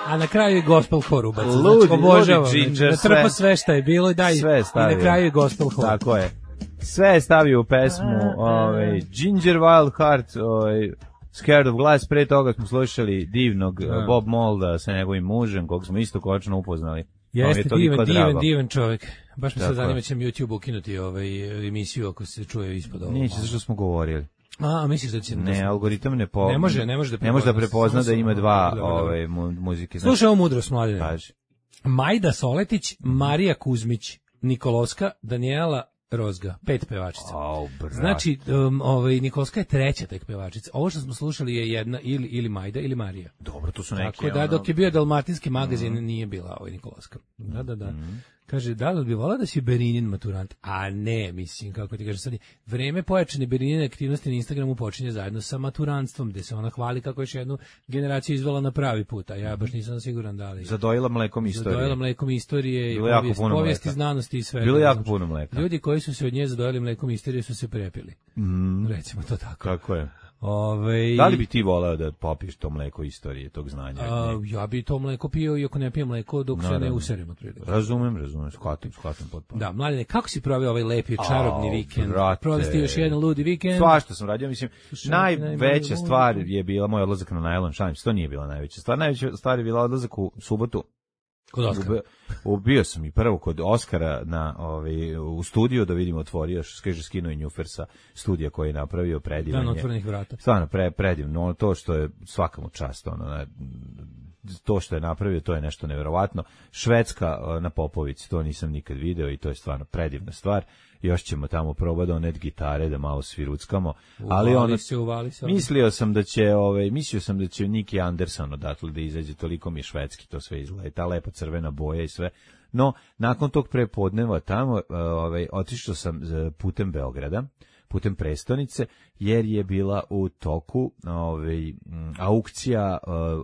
A na kraju je gospel hor ubaca. Ludi, znači, obožavam. ludi Ginger, Natrpa sve. sve šta je bilo i daj. Sve stavio. I na kraju je gospel hor. Tako je. Sve je stavio u pesmu, ovaj, Ginger Wild Heart, ovaj, Scared of Glass, pre toga smo slušali divnog da. Bob Moulda sa njegovim mužem, kog smo isto konačno upoznali. Jeste, je divan, divan, drago. divan čovjek. Baš mi se Tako zanima je. će mi YouTube ukinuti ovaj emisiju ako se čuje ispod ovoga. Neće, zašto smo govorili. A, a misliš da će... Ne, algoritam ne po... Ne može, ne može da ne može da prepozna, prepozna samo da ima samo- dva dobro, dobro. ove mu- muzike. Slušaj ovo mudrost, Mladene. Kaži. Majda Soletić, Marija Kuzmić, Nikolovska, Daniela Rozga, pet pevačica. Au, brat. Znači, um, ovaj, Nikolska je treća tek pevačica. Ovo što smo slušali je jedna ili, ili Majda ili Marija. Dobro, to su neke... Tako da, ono- dok je bio dalmatinski magazin, mm. nije bila ovaj Nikolovska. Da, da, da. Mm. Kaže, da li bi volao da si Berinin maturant? A ne, mislim, kako ti kaže sad, je vreme pojačane Berinine aktivnosti na Instagramu počinje zajedno sa maturantstvom, gde se ona hvali kako je još jednu generaciju izvela na pravi put, a ja baš nisam siguran da li... Zadojila mlekom istorije. Zadojila mlekom istorije, Bilo i jako povijest, puno povijesti, mleka. znanosti i sve. Bilo jako puno mleka. Ljudi koji su se od nje zadojili mlekom istorije su se prepili. Mm. Recimo to tako. Kako je? Ove, Da li bi ti voleo da popiješ to mleko istorije, tog znanja? a, ja bi to mleko pio, iako ne pijem mleko dok se Naravno. ne userem od prilike. Razumem, razumem, shvatim, shvatim potpuno. Da, Mladene, kako si proveo ovaj lepi, čarobni Au, vikend? brate. Proveo si ti još jedan ludi vikend? Svašta sam radio, mislim, Slušaj, najveća najbolje stvar volim. je bila moj odlazak na najlon, šalim se, to nije bila najveća stvar. Najveća stvar je bila odlazak u subotu. Kod Oskara. Ube- Ubio sam i prvo kod Oskara na, ovaj, u studiju da vidimo otvorio, kaže skinuo i Njufer sa studija koji je napravio predivan. Dan je. otvorenih vrata. Stvarno pre, predivno, ono, to što je svakamu čast, ono, na, to što je napravio, to je nešto neverovatno. Švedska uh, na Popovici, to nisam nikad video i to je stvarno predivna stvar. Još ćemo tamo probati donet gitare da malo sviruckamo, ali Uvali ono, se, uvali se. mislio sam da će, ovaj, mislio sam da će Nicky Anderson odatle da izađe, toliko mi je švedski to sve izgleda, i ta lepa crvena boja i sve. No, nakon tog prepodneva tamo, ovaj, otišao sam putem Beograda, putem prestonice, jer je bila u toku ovaj, aukcija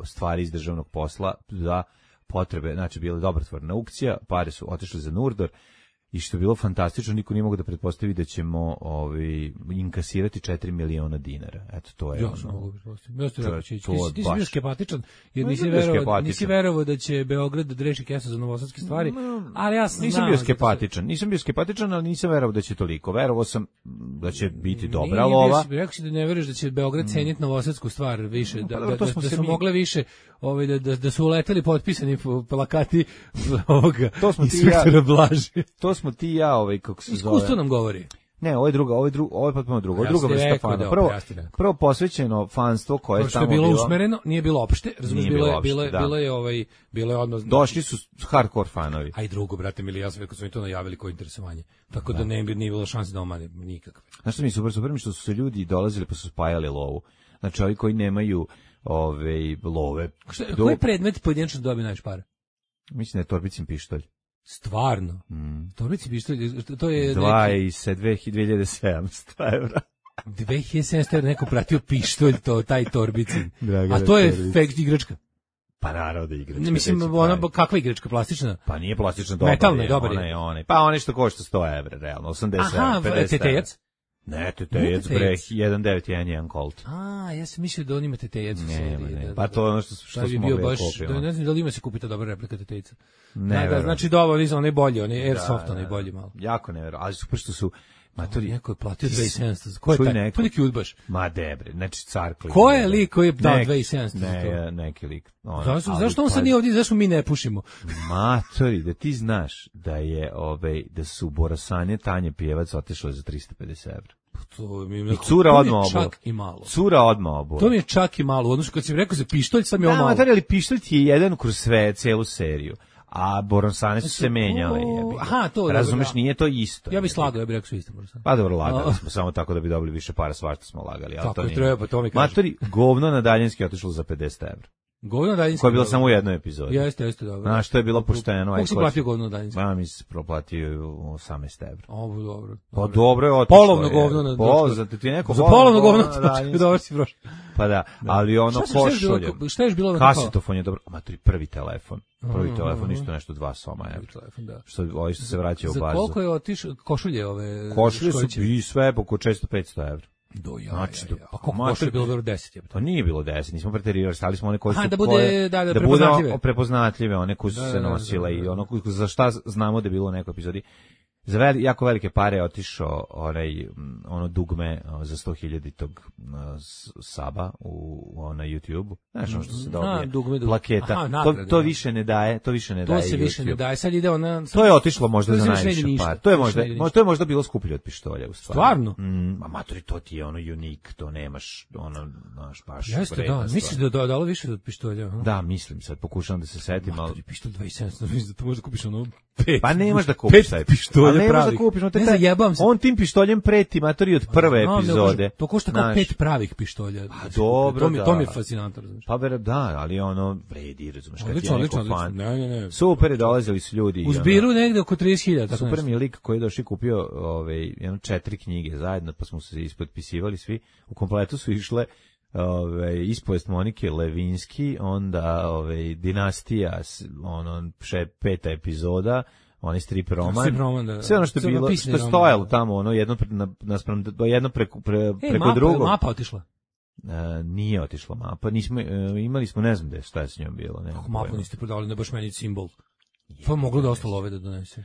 stvari iz državnog posla za potrebe, znači bila je dobrotvorna aukcija, pare su otišle za Nurdor, i što je bilo fantastično, niko nije mogu da pretpostavi da ćemo ovaj, inkasirati četiri miliona dinara. Eto, to je Ja ono. sam mogu pretpostaviti. Ja sam To je- rekao će ići. to Ti, je si- ti si bio baš- skepatičan, jer Ma, nisi nisam bio verovao, skepatičan. nisi verovao da će Beograd da reši kesu za novosadske stvari, ali ja sam Nisam znao bio da to se- skepatičan, nisam bio skepatičan, ali nisam verovao da će toliko. Verovao sam da će biti dobra Nije bio lova. si- Rekao si da ne veruješ da će Beograd ceniti novosadsku stvar više, da, Pa da, dobro, to da, smo da se su mi- mogle više, ovaj, da, da, da su uleteli potpisani po- plakati ovoga To smo ti inspektora ja- Blaže. To smo ti i ja, ovaj, kako se Iskustvo zove. nam govori. Ne, ovo je druga, ovo je drugo, ovo je potpuno drugo, ovo je Ja druga sam ti vrsta rekao fana. da, Prvo, ja sam ti rekao. prvo posvećeno fanstvo koje je To što tamo je bilo bilo. usmereno, nije bilo opšte, razumiješ, Nije bilo bilo je, bilo je, opšte, da. bilo je, ovaj, bilo je odnos. Došli su hardcore fanovi. A i drugo, brate mili, ja sam rekao su mi to najavili kao interesovanje. Tako da, ne bi nije bilo šanse da omane nikakve. Znaš što mi je super, super mi što su se ljudi dolazili pa su spajali lovu. Znači, ovi koji nemaju ove love. Šta, do- koji predmet pojedinačno dobije najviše para? Mislim da je torbicin pištolj. Stvarno. Mm. Torbici pištolj, to je Dva neki i se dve hiljade sedamsto evra. dve hiljade sedamsto evra neko pratio pištolj, to, taj torbicin. Dragana A to je Torbica. fake igračka. Pa naravno da igračka. Ne, mislim, gde će ona, pravi. kakva igračka, plastična? Pa nije plastično dobar. Metalna, je, dobar je. ona je, ona je. Pa one što košta sto evra, realno, osamdeset Aha, evra, pedeset evra. tetejac? Ne, tetejac, Nije bre, tetejac. jedan devet jedan jedan Colt. A, ja sam mislio da on ima tetejac u Ne, seriji. ne, da, pa da, to je ono što, što da bi smo bio mogli baš, da kupimo. da, ne znam da li ima se kupi ta dobra replika tetejca. Ne, Da, da, verujem. znači dobro, nisam, onaj bolji, onaj Airsoft, Da, onaj da, bolji malo. Jako nevjerojatno, ali super što su matori. Neko je platio dve hiljade sedamsto. Ko je Čuj taj? neko. To je neki udbaš. Ma debre, znači car klin. Ko je lik koji je dao Neki- dve hiljade sedamsto za to? Ne, neki lik. Ono, Zašto, ali zašto on sad pazi, nije ovdje, zašto mi ne pušimo? Matori, da ti znaš da je, ovaj, da su Borasanje Tanje Pjevac otišle za trista pedeset evra. To mi je, I cura to mi odmah je obula. čak i malo. Cura odmah obula. To mi je čak i malo. Odnosno, kad si mi rekao za pištolj, sad mi je ovo Da, malo. matori, ali pištolj ti je jedan kroz sve, celu seriju. A Borosane su se menjale. o, jebi ga. aha, to, dobro, razumeš, da. nije to isto. Ja bih jebi slagao, ja bih rekao su isto. možda. Pa dobro, lagali A. smo, samo tako da bi dobili više para, svašta smo lagali. Ali Tako to je, nije. treba, pa to mi kažem. Matori, govno na daljinski otišlo za pedeset evra. Govno daljinski. Koja je bila samo u jednoj epizodi. Jeste, jeste, dobro. Znaš, što je bilo pošteno. Kako si platio govno daljinski? Ja mi se proplatio osamnaest evra. Ovo, dobro. Pa dobro je otišlo. Polovno govno na Po, zato ti je neko za polovno govno, daljinski. dobro si prošao. Pa da, ali ono košulje. Šta je bilo? Kasetofon je dobro. Matri, prvi telefon. Prvi telefon isto nešto dva soma evra. Telefon, da. Što ovi što se vraća u bazu. Za koliko je otišao košulje ove? Košulje su i sve oko često petsto evra. Do ja, znači, ja, ja. Pa koliko košulje je bilo dobro deset? Je. Pa nije bilo deset, nismo preterirali, stali smo one koje su Aha, da bude, koje, da, da, da bude prepoznatljive, one koje su da, se nosile da, da, da, da. I ono za šta znamo da je bilo u nekoj epizodi. Za vel, jako velike pare je otišao onaj, ono dugme za sto hiljada tog saba u, na YouTube-u. Znaš ono što se dobije? A, dugme, dugme. Plaketa. Aha, nagrade, to, to više ne daje, to više ne to daje se YouTube. Više ne daje, sad ide ona... To je otišlo možda za najviše par. To je možda, to je možda bilo skuplje od pištolja u stvari. Stvarno? Mm, a matori, to ti je ono unik, to nemaš, ono, znaš, baš jeste, da, misliš da je dalo više od pištolja? Aha. Da, mislim, sad pokušavam da se setim, ali... Pištolj dvadeset sedam, mislim da to možda kupiš ono pet. Pa nemaš da kupiš taj pištolj pravi. Ne zajebam se. On tim pištoljem preti matori od prve no, epizode. To košta kao naš... pet pravih pištolja. Pa dobro, to mi, da. To mi je fascinantno, razumiješ. Pa ver, da, ali ono vredi, razumiješ, kad odlično, je neko odlično, fan. Ne, ne, ne. Super je, dolazili su ljudi. U zbiru ono, negde oko trideset hiljada. Super mi je lik koji je došao i kupio ovaj, jedno četiri knjige zajedno, pa smo se ispotpisivali svi. U kompletu su išle ove, ispovest Monike Levinski, onda ove, Dinastija, ono, še, peta epizoda, onaj strip roman, roman da, sve ono što je bilo, što je stojalo tamo, ono, jedno, naspram, jedno preko, pre, preko e, mapa, drugog. Mapa otišla? E, nije otišla mapa, nismo, e, imali smo, ne znam da je šta je s njom bilo. Kako mapu niste prodavali, ne baš meni simbol? Pa moglo da ostalo ove da donese.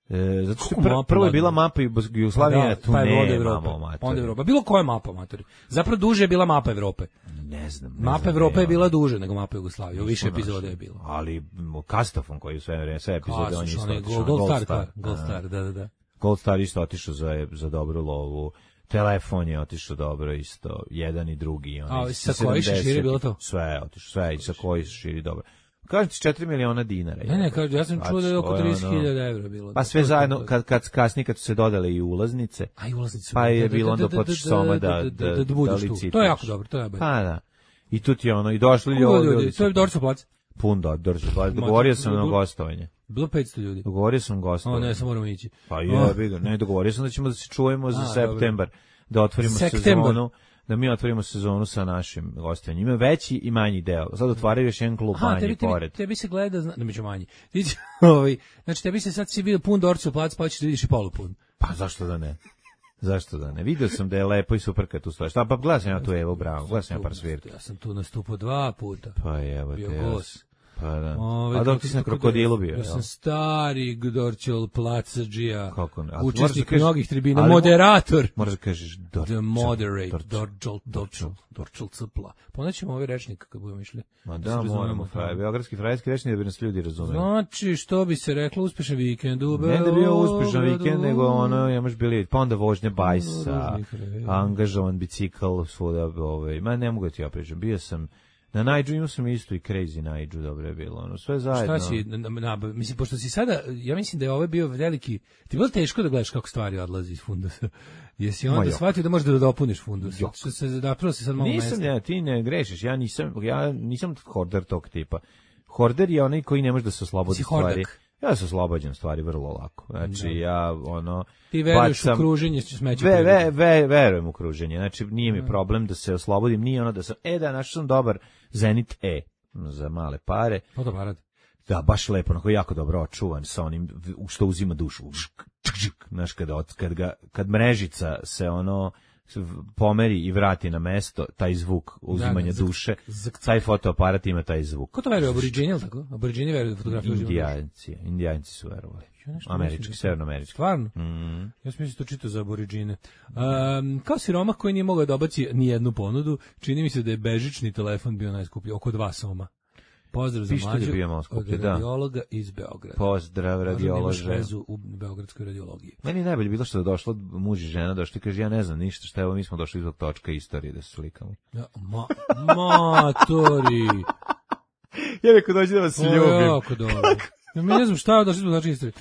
E, zato što pr, prvo je bila mapa Jugoslavije, da, tu pa ne imamo matori. Onda Evropa. Bilo koja mapa, matori? Zapravo duže je bila mapa Evrope. Ne znam. Ne mapa znam Evrope je bila duže nego mapa Jugoslavije. U više epizode je bilo. Ali Kastafon koji sve, sve epizode on je isto otišao. Gold, Gold Star, Gold Star, da, da, da. Gold Star isto otišao za, za dobru lovu. Telefon je otišao dobro isto. Jedan i drugi. A sa koji se širi bilo to? Sve je otišao, sve i sa koji se širi dobro. Kažem ti četiri miliona dinara. Ne, ne, kažem, ja sam čuo da je oko trideset hiljada evra bilo. Pa sve zajedno, kad, kad kasnije, kad su se dodale i ulaznice, a i ulaznice, pa je bilo onda potiš soma da, da, da, da licitaš. To je jako dobro, to je bolje. Pa da. I tu ti je ono, i došli ljudi. To je Dorčo plac. Pun da, Dorčo plac. Dogovorio sam na gostovanje. Bilo petsto ljudi. Dogovorio sam gostovanje. O, ne, sam moramo ići. Pa je, ne, dogovorio sam da ćemo da se čujemo za septembar, da otvorimo sezonu. Da mi otvorimo sezonu sa našim gostovanjem. Ima veći i manji deo. Sad otvaraju još jedan klub manji tebi, pored. Tebi se gleda, da među manji. Ovaj, znači tebi se sad si vidio pun Dorčo plac, pa ćeš da vidiš i polupun. Pa zašto da ne? Zašto da ne? Vidio sam da je lepo i super kad tu stojiš. Pa gledam sam ja tu Evo Bravo, gledam sam ja par svirki. Ja sam tu nastupao dva puta. Pa evo te. Bio gost. Pa da. Ove, a dok ti si na krokodilu bio, ja sam stari Dorčol placadžija, kako ne? učesnik mnogih tribina, moderator. Moraš da kažeš Dorčol. The moderate, Dorčol, Dorčol, Dorčol cpla. Ponećemo ovaj rečnik kad budemo išli. Ma da, moramo, fraj, beogradski frajski rečnik da bi nas ljudi razumeli. Znači, što bi se reklo, uspešan vikend u Beogradu. Ne da bio uspešan vikend, nego ono, imaš bili, pa onda vožnja bajsa, angažovan bicikl, svuda, ovaj, ma ne mogu da ti opričam, bio sam na Najdžu, imao sam isto i Crazy Najdžu, dobro je bilo, ono, sve zajedno. Šta si, na, na, mislim, pošto si sada, ja mislim da je ovo bio veliki, ti je bilo teško da gledaš kako stvari odlazi iz fundusa. Jesi onda shvatio da možeš da dopuniš fundus? Što se zapravo se sad malo mesta. Nisam, ja, ti ne grešiš, ja nisam, ja nisam horder tog tipa. Horder je onaj koji ne može da se oslobodi stvari. Ja se oslobađam stvari vrlo lako. Znači, da. ja, ono... Ti veruješ u kruženje smeća? Ve, ve, ve, verujem u kruženje. Znači, nije mi problem da se oslobodim. Nije ono da sam, e da, našao sam dobar Zenit E za male pare. Fotoaparat. Da, baš lepo, onako jako dobro očuvan sa onim što uzima dušu. Znaš, kad, kad, ga, kad mrežica se ono pomeri i vrati na mesto, taj zvuk uzimanja da, da, duše, taj fotoaparat ima taj zvuk. Ko to veruje, aboriđini, ili tako? Aboriđini veruju da fotografiju uzimaju duše? Indijanci, indijanci su verovali. Američki, severnoamerički. Stvarno? Mm. Ja sam mislim to čitao za aboriđine. Um, kao siromah koji nije mogao da obaci ni jednu ponudu, čini mi se da je bežični telefon bio najskuplji, oko dva soma. Pozdrav za mlađu od radiologa iz Beograda. Pozdrav radiolože. Vezu u beogradskoj radiologiji. Meni najbolje bilo što je došlo muž i žena, došli i kaže ja ne znam ništa, šta evo mi smo došli izvog točka istorije da se slikamo. Ja, ma, matori. Ja rekao dođi da vas ljubim. Jako dobro. Ja mi ne znam šta je došli izvog točka istorije.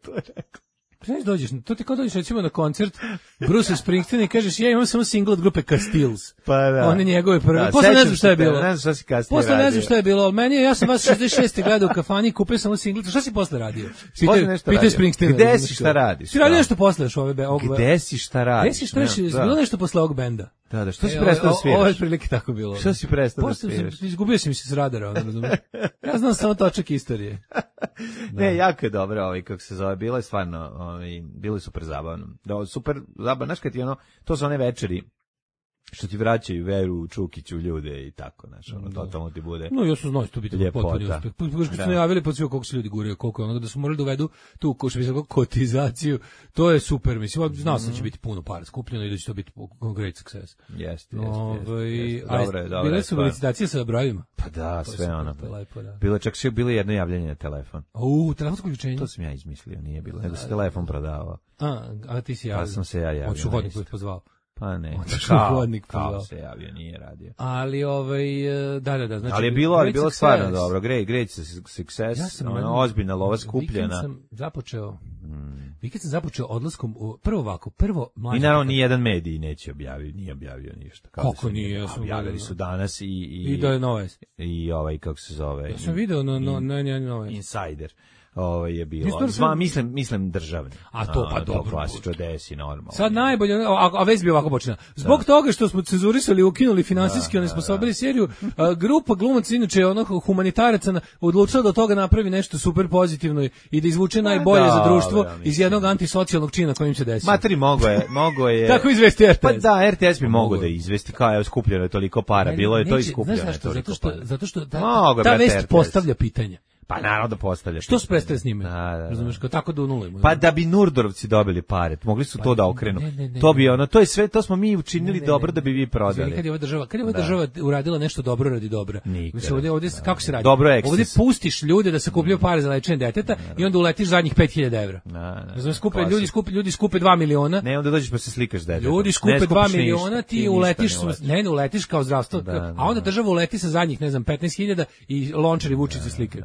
To je rekao. Znaš, dođeš, to ti kao dođeš recimo na koncert Bruce Springsteena i kažeš, ja imam samo single od grupe Castiles. Pa da. One njegove prve. Da, Posle ne sećam znam šta je se te, bilo. ne znam šta si kasnije Posle ne radio. znam šta je bilo, ali meni je, ja sam vas šezdeset šeste gledao u kafani, kupio sam single. Šta si posle radio? Posle nešto radio. Springsteena. Gde si, šta radiš? Si radio nešto posle još ove be, ovog be- Gde si, šta radiš? Gde si, šta radiš? Da. Bilo nešto posle ovog benda? Da, da, što si E, prestao da o- Ovo je sviraš? prilike tako bilo. Što si prestao da Posle sviraš? sam, izgubio sam se s radara, ono, razumiješ? Ja znam samo točak istorije. Ne, jako je dobro, ovaj, kako se zove, bilo je stvarno, ovaj, bilo je super zabavno. Da, super zabavno, znaš kad ti ono, to su one večeri, što ti vraćaju veru u Čukiću u ljude i tako, znaš, ono, totalno ti bude. No, ja sam znao to biti Ljepota. potpuni uspeh. Pošto Da. su najavili pod sve koliko se ljudi guraju, koliko je onoga da su morali da uvedu tu ko što bi se rekao, kotizaciju. To je super, mislim, znao sam da će biti puno para skupljeno i da će to biti great success. Jeste, jeste, Ovaj, jeste. ali Dobro je, dobro bile je su stvar. licitacije sa brojevima. Pa da, To je sve super, ono. to je lepo, da. Bilo je čak sve bilo jedno javljanje na telefon. U, telefonsko uključenje. To sam ja izmislio, nije bilo, nego se telefon prodavao. A, a ti si javio. Pa sam se ja javio. Hoću na hodnik isto. koji pozvao. Pa ne, Otišao kao, hodnik kao pozvao. se javio, nije radio. Ali ovaj da da da, znači Ali je bilo, ali great bilo success. stvarno dobro, great, great success, Ja sam ono, jednom- ozbiljna lova Vikend skupljena. sam započeo. Vikend sam započeo odlaskom u prvo ovako, prvo mlađe. I naravno ni jedan medij neće objaviti, nije objavio ništa. Kao da Kako se nije, ja sam objavili gledao. su danas i i I da je noves. i ovaj kako se zove. Ja sam video na no na na noves. Insider. Ovaj je bilo. Mislim, Zva, sam- mislim, mislim državni. A to, pa to dobro, klasično desi normalno. Sad najbolje, a, a već bi ovako počinjala. Zbog toga što smo cenzurisali i ukinuli finansijski, onesposobili seriju, a, grupa glumaca, inače onog humanitaraca, na- odlučila da od toga napravi nešto super pozitivno i da izvuče najbolje za dobro, društvo mislim. iz jednog antisocijalnog čina kojim se desio. Materi mogo je, mogo je. Tako izvesti R T S. Pa da, R T S bi Mogo mogao je. da izvesti, kao je skupljeno je toliko para, bilo je to Neće, iskupljeno znaš je zašto? toliko Zato što, para. zato što ta, Mogu, ta brate, vest R T S. postavlja pitanja. Pa naravno da postavlja. Što se prestaje s njime? Da, da, da. Razumeš, kao tako da unulimo. Pa da bi Nurdorovci dobili pare, mogli su to da okrenu. ne, ne, ne, to bi ne. ono, to je sve, to smo mi učinili Ne, ne, dobro ne. da bi vi Izvini, prodali. kad je ova država, kad je ova Da. država uradila nešto dobro radi dobra. Nikada. Mislim, ovdje, ovdje, kako se radi? Dobro je Ovdje eksces. pustiš ljude da se kupljaju pare za lečenje deteta i onda uletiš zadnjih pet hiljada evra. Da, da, Razumeš, skupe, klasik. ljudi skupe, ljudi skupe dva miliona. Ne, onda dođeš pa se slikaš s detetom. Ljudi Ne skupe skupiš dva ništa, miliona, ti ništa uletiš, ne uletiš. ne, ne uletiš kao zdravstvo, Da, da, a onda da. država uleti sa zadnjih, ne znam, petnaest hiljada i lončari Vučić se slikaju.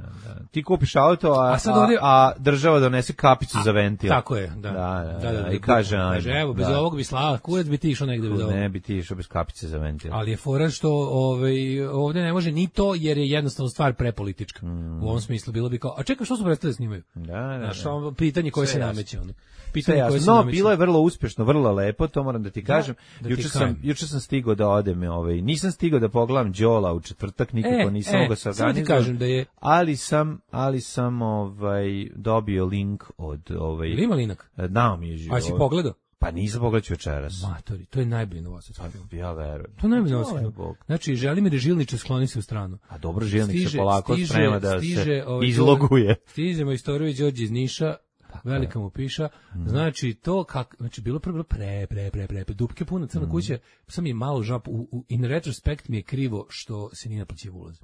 Ti kupiš auto, a, A sad ovdje- a, a država donese kapicu za ventil. Tako je, da. Da, da, da, i kaže, kaže, ajde, evo, bez da. ovog bi slava, kurac bi ti išao negde bez ovog. Ne bi ti išao bez kapice za ventil. Ali je fora što ovaj, ovdje ne može ni to, jer je jednostavno stvar prepolitička. U ovom smislu bilo bi kao, a čekaj, što su prestali da snimaju? Da, da, Znaš, da. ono pitanje koje Sve se jasno. nameće. Ono. Sve Pitanje koje se jasno. No, nameće. bilo je vrlo uspješno, vrlo lepo, to moram da ti kažem. da ti juče sam kažem. juče sam stigao da odem, ovaj, nisam stigao da pogledam Đola u četvrtak, nikako E, nisam e, mogao se samo ti organizovati. kažem da je- ali sam, ali sam ovaj dobio link od ovaj Jel ima linak? Dao mi je živo. A si pogledao? Pa nisam pogledao večeras. Matori, to je najbolji novosadski film. Ja verujem. To je najbolji Joj, novosadski film. Bog. Znači, Želimir Žilnić skloni se u stranu. A dobro, Žilnik se Stiže- polako stiže- sprema da stiže, se ovaj, izloguje. Stiže Majstorović Đorđe iz Niša, velika mu piša. Mm. Znači, to kak, znači, bilo pre, bilo pre, pre, pre, pre, pre, dupke puna crna Mm. kuća, sam je malo žap, u, u, in retrospekt mi je krivo što se nije naplaćivo ulaz.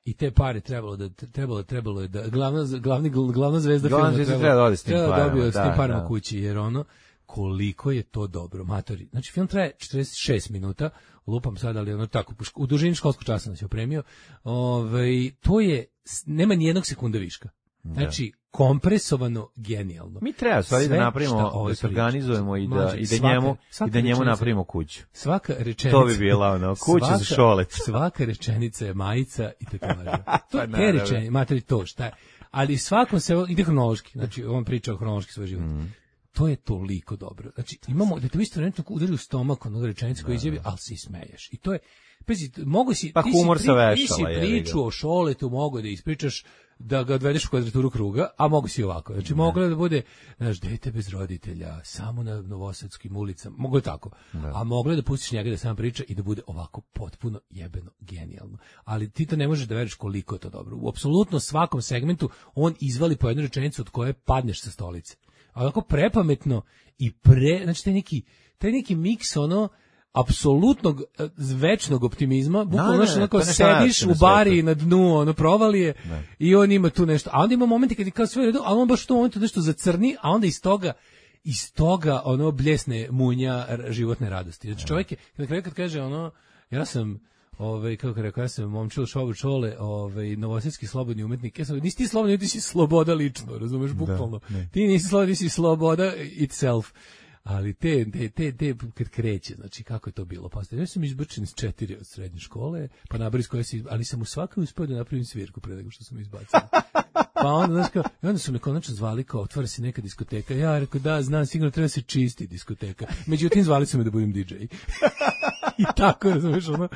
I te pare trebalo da trebalo trebalo je da glavna glavni glavna zvezda Glavna filma zvezda treba da ode s tim treba da parama, dobije s tim da, parama da. kući, jer ono koliko je to dobro, matori. Znači film traje četrdeset šest minuta, lupam sad, ali ono tako u dužini školskog časa nas je opremio. Ovaj to je nema ni jednog sekunda viška. Znači kompresovano genijalno. Mi treba stvari da Sve napravimo, šta ovaj da se priča. organizujemo i da Mlađe, i da svaka- njemu svaka i da njemu rečenica- napravimo kuću. Svaka rečenica. To bi bila ono, kuća za svaka- šolec. Svaka rečenica je majica i tetovaža. To Pa je naravno. rečenica, materi to, šta je. Ali svakom se, ide hronološki, znači on priča o hronološki svoj život. Mm. To je toliko dobro. Znači, imamo, da te u isto vreme udari u stomak onog rečenica koji izjavi, ali se i smeješ. I to je, pazi, mogu si, Pa ti si humor pri- sa vešala, ti si jebi ga. priču o Šoletu mogu da ispričaš, da ga odvedeš u kvadraturu kruga, a mogu si ovako. Znači, moglo je da bude, znaš, dete bez roditelja, samo na novosadskim ulicama, mogu je tako. A moglo je da pustiš njega da sam priča i da bude ovako potpuno jebeno genijalno. Ali ti to ne možeš da veriš koliko je to dobro. U apsolutno svakom segmentu on izvali po jednu rečenicu od koje padneš sa stolice. A onako prepametno i pre, znači taj neki, taj neki miks ono, apsolutnog e, večnog optimizma, bukvalno ne, znaš, ne, onako to je nešto sediš najlepše u na bari svetu. na dnu, ono provalije i on ima tu nešto, a onda ima momenti kad je kao sve u redu, a on baš u tom momentu nešto zacrni, a onda iz toga iz toga ono bljesne munja r- životne radosti. Znači čovjek je, na kraju kad kaže ono, ja sam ovaj kako rekao, ja sam momčilo šovu čole, ovaj novosadski slobodni umetnik. Ja sam, nisi ti slobodni, ti si sloboda lično, razumeš, bukvalno. Da, ti nisi slobodni, ti si sloboda itself. Ali te, te, te, te, kad kreće, znači, kako je to bilo? Pa, ja sam izbačen iz četiri od srednje škole, pa nabris koje si, ali sam u svakom uspio da napravim svirku pre nego što sam izbacio. Pa onda, znaš, kao, i onda su me konačno zvali kao, otvara se neka diskoteka. Ja rekao, da, znam, sigurno treba se čisti diskoteka. Međutim, zvali su me da budem di džej. I tako, razumiješ, ono,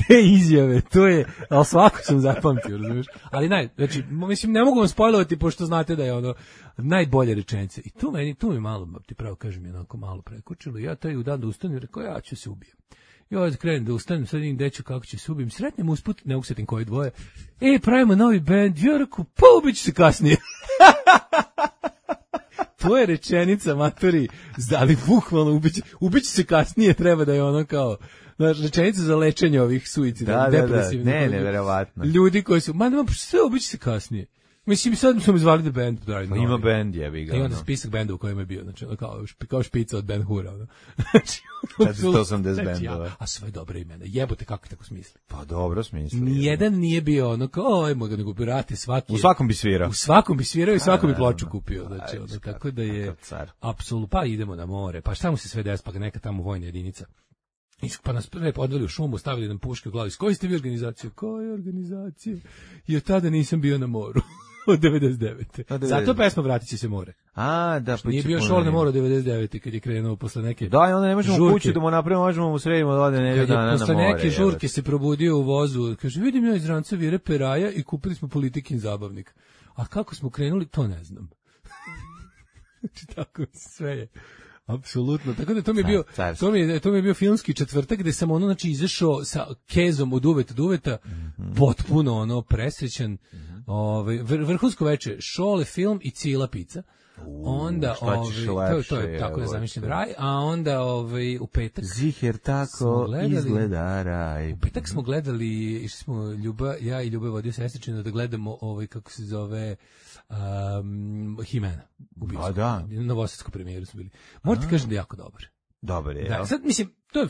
te izjave, to je, ali svako sam zapamtio, razumiješ. Ali naj, znači, mislim, ne mogu vam spojlovati, pošto znate da je ono, najbolje rečenice. I tu meni, tu mi malo, ti pravo kažem, je onako malo prekučilo. Ja taj u dan da ustanem, rekao, ja ću se ubijem. I ovaj krenem da ustanem, sad vidim deću kako će se ubijem. Sretnem usput, ne usetim koji dvoje. E, pravimo novi bend. Ja rekao, pa ubiću se kasnije. To je rečenica, matori, ali bukvalno ubiću, ubiću se kasnije, treba da je ono kao, znaš, rečenica za lečenje ovih suicida, da, depresivnih. Da, da, ne, neverovatno. Ljudi koji su, ma nema, sve ubiću se kasnije. Mislim, sad smo izvali da band. Da, pa ima band, jebi ga. I onda spisak benda u kojem je bio, znači, kao, kao špica od Ben Hura. Ono. Znači, četiristo osamdeset bendova. A sve dobre imena. Jebote, kako tako smisli? Pa dobro smisli. Nijedan nije bio ono kao, ajmo ga nego birati svaki. U svakom bi svirao. U svakom bi svirao i svakom bi ploču kupio. Znači, ono, tako da je, apsolutno, pa idemo na more, pa šta mu se sve desi, pa ga neka tamo vojna jedinica. Pa nas prve odveli u šumu, stavili nam puške u glavi. S koje ste vi organizacije? Koje organizacije? I od tada nisam bio na moru. Od devedeset devete. Zato pesma Vratit će se more. A, da, pa nije bio šor na moru devedeset devete kad je krenuo posle neke. Da, i onda ne možemo žurke. Kući da mu napravimo, možemo mu sredimo da ode nedelju dana na more. Posle neke žurke se probudio u vozu, kaže, vidim ja iz ranca vire peraja i kupili smo Politikin zabavnik. A kako smo krenuli, to ne znam. Znači, tako sve je. Apsolutno. Tako da to mi je bio, to mi je, to mi je bio filmski četvrtak gde sam ono, znači, izašao sa kezom od uveta do uveta, mm-hmm. potpuno ono presrećan, mm-hmm. ovaj vr, vrhunsko veče, šole, film i cijela pizza. U, onda ovaj to, to je tako je zamišljen raj, a onda ovaj u petak Ziher tako gledali, izgleda raj. U petak smo gledali, išli smo Ljuba, ja i Ljubav vodio sestričinu da gledamo ovaj kako se zove um, Himena. A da. Na novosadskoj premijeri smo bili. Morate kažem da je jako dobar. Dobar je. Da, sad mislim to je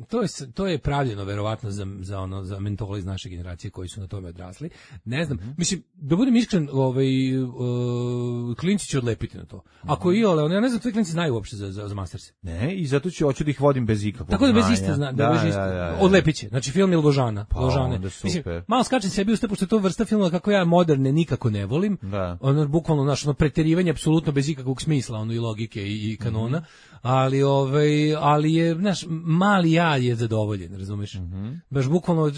to je to je pravljeno verovatno za za ono za mentole iz naše generacije koji su na tome odrasli. Ne znam, mm-hmm. mislim da budem iskren, ovaj uh, klinci će odlepiti na to. Ako i ole, ja ne znam, tvoji klinci znaju uopšte za za, za Masters. Ne, i zato ću hoću da ih vodim bez ikakvog. Tako da bez iste zna, da, da bez iste. Da, da, da. Odlepiće. Znači film je Ložana, pa, Ložane. Mislim, malo skačem sebi u pošto je to vrsta filma kako ja moderne nikako ne volim. Da. Ono bukvalno naše ono preterivanje apsolutno bez ikakvog smisla, ono i logike i, i kanona. Mm-hmm. Ali ovaj ali je naš mali ja je zadovoljen, razumeš? Mm-hmm. Baš bukvalno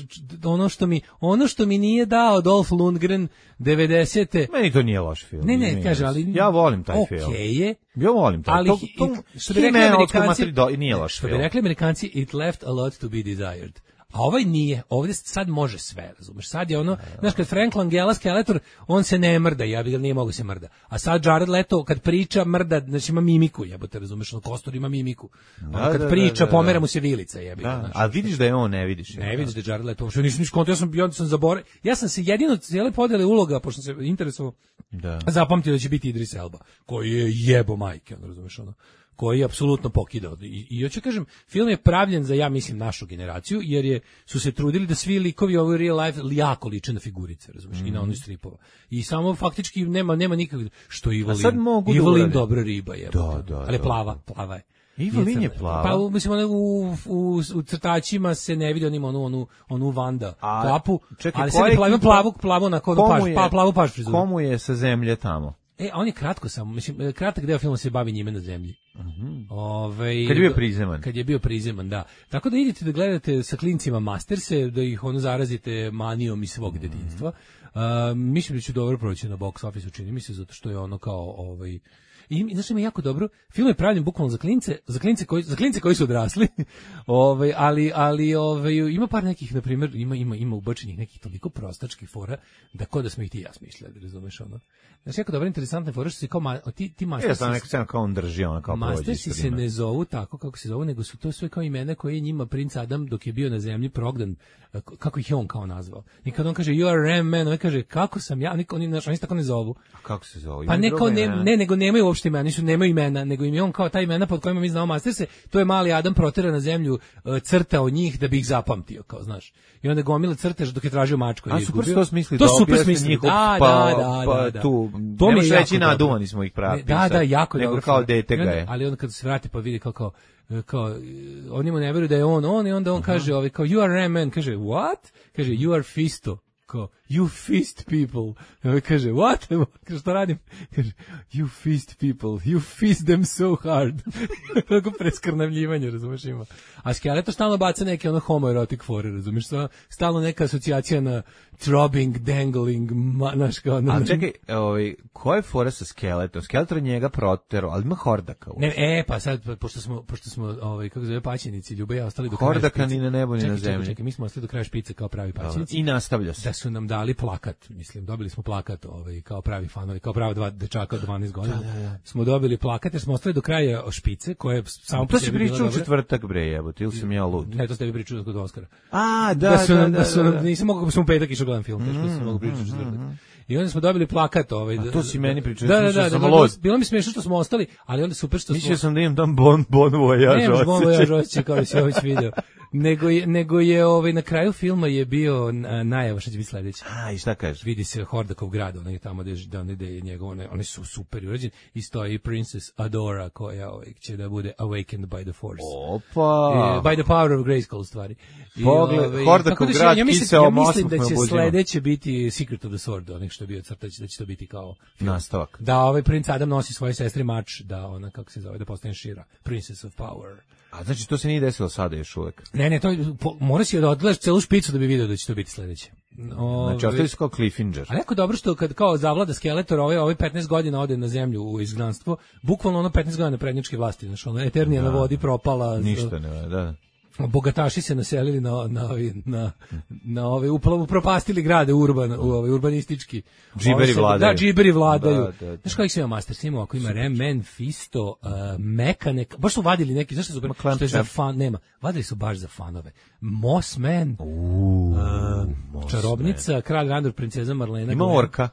ono što mi ono što mi nije dao Dolph Lundgren devedesete. Meni to nije loš film. Ne, ne, kaže, ali ja volim taj okay film. Okej je. Ja volim taj. Ali to, to, što bi rekli Amerikanci, nije loš što film. bi rekli Amerikanci, it left a lot to be desired. A ovaj nije, ovdje sad može sve, razumeš, sad je ono, znaš, kad Frank Langella Skeletor, on se ne mrda, ja bih ga nije mogo se mrda, a sad Jared Leto, kad priča, mrda, znači ima mimiku, jebote, razumeš, ono, Kostor ima mimiku, ono, kad da, priča, da, da, pomera mu se vilica, jebi ga, znači. A vidiš da je on, ne vidiš. Ne vidiš da je Jared Leto, što nisam niš konto, ja sam, ja sam zaboravio, ja sam se jedino cijele podele uloga, pošto sam se interesovao, da. zapamtio da će biti Idris Elba, koji je jebo majke, ono, razumeš, ono, koji je apsolutno pokidao. I, i hoću kažem, film je pravljen za, ja mislim, našu generaciju, jer je, su se trudili da svi likovi ovo real life jako liče na figurice, razumiješ, mm. i na ono stripova. I samo faktički nema nema nikakvog, što Ivolin, Ivolin da dobra riba je. Da, da, ali da, plava, da. plava je. Ivolin je plava. Pa mislim, ono, u, u, u crtačima se ne vidi, on ima onu, onu, onu Vanda A, kapu, čekaj, ali se ne plavu, plavu, plavu na kodu paš, pa, plavu paš frizuru. Komu je sa zemlje tamo? E, on je kratko samo, mislim, kratak deo filma se bavi njime na zemlji. Mm-hmm. Ove, kad je bio prizeman. Kad je bio prizeman, da. Tako da idete da gledate sa klincima Masterse, da ih ono zarazite manijom iz svog mm-hmm. detinjstva. Uh, mislim da će dobro proći na box office, čini mi se, zato što je ono kao, ovaj, i znači ima jako dobro. Film je pravljen bukvalno za klince, za klince koji za klince koji su odrasli. Ovaj ali ali ovaj ima par nekih, na primjer, ima ima ima ubačenih nekih toliko prostačkih fora da kod da smo ih ti ja smišljali, razumeš ono. Znači jako dobro, interesantne fore što se kao ma, ti ti Masters. Ja sam neko scena kao on drži, ona kao Mastersi se ne zovu tako kako se zovu, nego su to sve kao imena koje je njima princ Adam dok je bio na zemlji progdan, kako ih je on kao nazvao. I kad on kaže you are Ram Man, on kaže kako sam ja, niko, oni, oni se tako ne zovu. A kako se zovu? Pa ne, kao, ne, ne, nego nemaju uopšte imena, nisu, nemaju imena, nego im je on kao ta imena pod kojima mi znamo Masterse, to je mali Adam protera na zemlju, uh, crtao njih da bi ih zapamtio, kao znaš. I onda gomile crtež dok je tražio mačku. A super to smisli, to da super smisli, njihov, da, pa, da, da, pa, da, da. tu, To mi je reći jako naduvani smo ih pravi. Da, da, jako nego dobro. kao dete ga je. Ali onda kad se vrati pa vidi kao, kao kao oni mu ne veruju da je on on i onda on uh-huh. kaže ovaj kao you are Ram Man, kaže what, kaže you are Fisto, kao you fist people, ovaj kaže what, kaže šta radim, kaže you fist people, you fist them so hard. Tako preskrnavljivanje, razumeš, ima. A Skeletor stalno baca neke ono homoerotic fore, razumeš, stalno neka asocijacija na throbbing, dangling, naš kao... A čekaj, ovaj, koja je fora sa Skeletor? Skeletor njega protero, ali ima Hordaka. Ne, e, pa sad, pošto smo, pošto smo ovaj, kako zove, paćenici, Ljuba i ja ostali do kraja špice. Hordaka ni na nebu, ni čekaj, na zemlji. Čekaj, čekaj, mi smo ostali do kraja špice kao pravi paćenici. I nastavlja se. Da su nam dali plakat, mislim, dobili smo plakat ovaj, kao pravi fanovi, kao prava dva dečaka od dvanaest godina. Da, da, da. Smo dobili plakat jer smo ostali do kraja špice, koje je samo po sebi bila dobra. To si pričao u četvrtak, bre, jebote, ili sam ja lud? Ne, to ste vi pričali kod Oskara. A, da, da, su nam, da, da, su nam, da. nisam mogao, smo u petak išao gledam film, teško sam mogu pričati u četvrtak. I onda smo dobili plakat ovaj. A to si meni pričao, da, da, da, sam da, lud. Bilo mi smiješno što smo ostali, ali onda super što smo... Mislio sam da imam tam bon, bon vojaž osjećaj. Ne, bon vojaž osjećaj, kao da si ovo video. Nego je, nego je ovaj, na kraju filma je bio najava šta će biti sledeće. A, i šta kažeš? Vidi se Hordakov grad, onaj tamo gde, gde je njegov, one, one su super urađeni, i stoji Princess Adora koja ovaj, će da bude awakened by the force. Opa! I, by the power of Grayskull, u stvari. I, Pogled, ovaj, Hordakov da grad, ja mislim, kiseo ja mislim mosmog da će me sledeće biti Secret of the Sword, onih što je bio crtać, da će to biti kao film. Nastavak. Da ovaj princ Adam nosi svoje sestri mač, da ona, kako se zove, da postane Shira, Princess of Power. A znači to se nije desilo sada još uvek? Ne, ne, to po, mora si da odgledaš celu špicu da bi video da će to biti sledeće. Ove, znači, ostali su kao Cliffinger. A jako dobro što kad kao zavlada Skeletor, ovaj, ovaj petnaest godina ode na zemlju u izgnanstvo, bukvalno ono petnaest godina prednjačke vlasti, znači ono Eternija da, na vodi propala. Ništa ne, da. Bogataši se naselili na na na na, na ove upravo propastili grade urban, u ovaj urbanistički. Džiberi vladaju. Da, džiberi vladaju. Da, da, da. Znaš kako se ima Master Sim, ako ima Ram Man, Fisto, uh, Mekanek, baš su vadili neki, znaš što su super, što je za fan, nema. Vadili su baš za fanove. Mossman, uh, uh, čarobnica, man. Kralj Randor, princeza Marlena. Ima orka.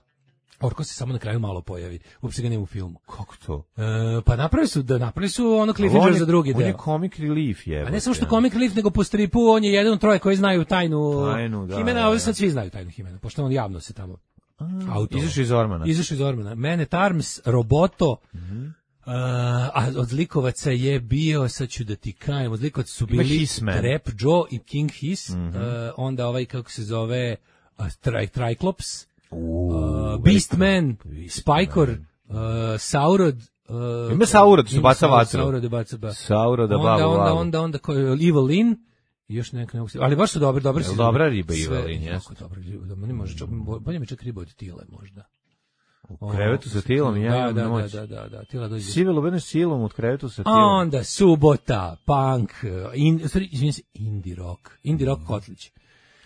Orko se samo na kraju malo pojavi. Uopšte ga nema u filmu. Kako to? E, pa napravili su, da napravili su ono Cliffinger za drugi deo. On je comic relief, je. A ne samo što comic relief, nego po stripu on je jedan od troje koji znaju tajnu, tajnu da, Himena, da, ovdje sad svi znaju tajnu Himena, pošto on javno se tamo auto. Izašao iz Ormana. Izašao iz Ormana. Man at Arms, Roboto, mm-hmm. Uh, a od zlikovaca je bio, sad ću da ti kajem, od zlikovaca su bili Trap Joe i King Hiss, mm-hmm. uh, onda ovaj, kako se zove, uh, tri, Triclops, Uh, Beastman, Spikor, uh, Saurod, uh, ima Saurod, su baca vatru. Saurod je baca ba. Saurod da onda, babu, onda, babu. onda, onda, onda, Evil Lin, još neka, neka, ali baš su dobri, dobri su. Dobra riba Evil Lin, jes. Dobro, meni može čak, bolje mi čak riba od Tile, možda. U krevetu sa Tilom, ja da, imam noć. Da, da, da, Tila dođe. Sivelo bene silom u krevetu sa Tilom. Onda Subota, Punk, in, sorry, izvinim se, Indie Rock, Indie Rock Kotlić.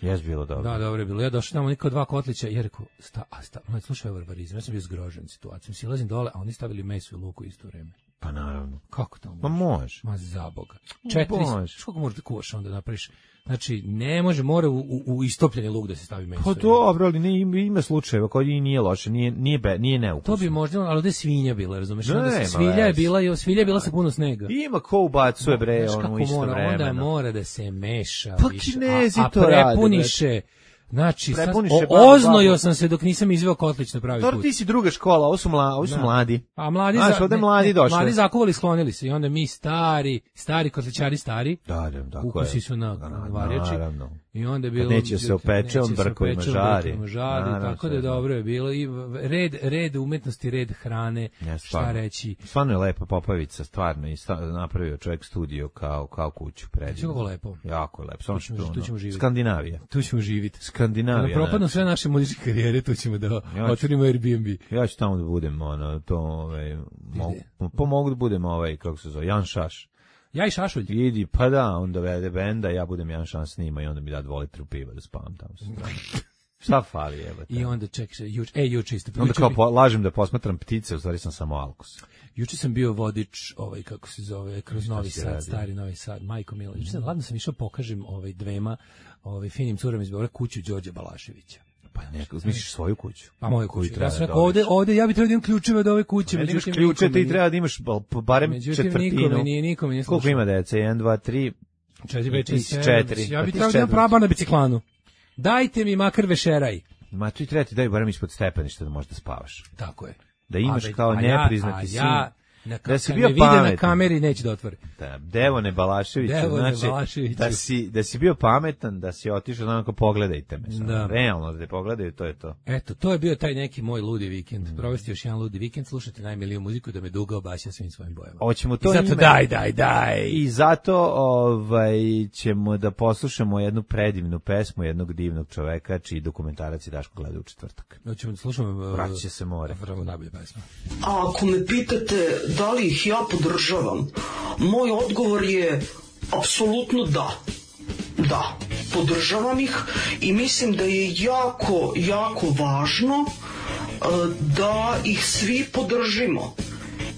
Jes bilo dobro. Da, dobro je bilo. Ja došao tamo niko dva kotlića i ja rekao, sta, a sta, no, slušaj barbarizam, ja sam bio zgrožen situacijom. Silazim dole, a oni stavili meso i luku isto vreme. Pa naravno. Kako to može? Ma može. Ma za Boga. Četiri, kako možeš da kuvaš onda napraviš? Znači, ne može, mora u, u, u istopljeni luk da se stavi meso. Pa dobro, ali ne, ima, ima slučajeva koji nije loše, nije, nije, be, nije neukusno. To bi možda, ali ovdje je svinja bila, razumeš? Ne, onda svilja je bila, svilja je bila sa puno snega. Ima ko ubacuje bre, ono u isto mora, vremena. Onda mora da se meša. Pa više, Kinezi a, a to rade. prepuniše. Znači, sad, Prepuniše o, babu, oznojio babu. sam se dok nisam izveo kotlić na pravi Dobro, put. ti si druga škola, ovo su, mla, ovo su Da. mladi. A mladi, Znaš, za, ovde ne, mladi ne, došli. mladi zakovali, sklonili se i onda mi stari, stari kotličari stari, Da, da, tako ukusi je. su na Da, varjači. naravno. I onda je Kad bilo neće se opeče, on brkovima žari. žari Naravno, tako da je sve dobro je bilo i red red umetnosti, red hrane, Ja, šta stvarno. reći. Stvarno je lepa Popovica, stvarno, i sta, napravio čovjek studio kao, kao kuću predivno. Kako lepo. Jako je lepo, samo Tu ćemo- što tu ono, ćemo živjeti. Skandinavija. Tu ćemo živjeti. Skandinavija. Kada propadnu znači. sve naše muzičke karijere, tu ćemo da Ja ću- otvorimo Airbnb. Ja ću tamo da budem, ono, to, ovaj, mogu, pa mogu da budem, ovaj, kako se zove, Jan Šaš. Ja i Šašulj. Idi, pa da, on dovede benda, ja budem Jan Šaš snima i onda mi da dva litru piva da spavam tamo. Šta fali, jebote? I onda čekaj, juče, e, juče isto. Onda kao po, lažem da posmatram ptice, u stvari sam samo alkus. Juče sam bio vodič, ovaj kako se zove, kroz Šta Novi si Sad, radio? stari Novi Sad, majko milo. Juče sam ladno sam išao pokažem ovaj dvema, ovaj finim curama iz Beograda kuću Đorđe Balaševića. Pa neko, misliš svoju kuću? A moju Koju kuću. treba Ja sam da rekao, ovde, dobiješ. ovde ja bih trebao da imam ključeve od ove kuće. Ne imaš međutim, ključe, nikome ti treba da imaš bal- barem Međutim, četvrtinu. nikome nije, nikome nije Koliko slušao. ima dece? jedan, dva, tri, Četiri, pet, ti šest, si sedam. četiri. Ja Pa bih ti trebao da imam četiri. praba na biciklanu. Dajte mi makar vešeraj. Ma ti treba ti daj barem ispod stepeništa da možeš da spavaš. Tako je. Da imaš A već- kao a ja- nepriznati a sin. ja, na, Da si kad bio me vide na pametan. kameri neće da otvori. Da, Devone Balaševiću, Devone znači, Balaševiću. da si, da si bio pametan, da si otišao, da onako pogledajte me. Samo. Da. Realno da te pogledaju, to je to. Eto, to je bio taj neki moj ludi vikend. Mm. Provesti još jedan ludi vikend, slušati najmiliju muziku da me duga obaća svim svojim bojama. Hoćemo I to zato ime- daj, daj, daj. I zato ovaj, ćemo da poslušamo jednu predivnu pesmu jednog divnog čoveka, čiji dokumentarac je Daško gleda u četvrtak. Hoćemo da slušamo... uh, Vratit će se more. Vrlo najbolje pesma. A ako me pitate da li ih ja podržavam, moj odgovor je apsolutno da. Da, podržavam ih i mislim da je jako, jako važno e, da ih svi podržimo.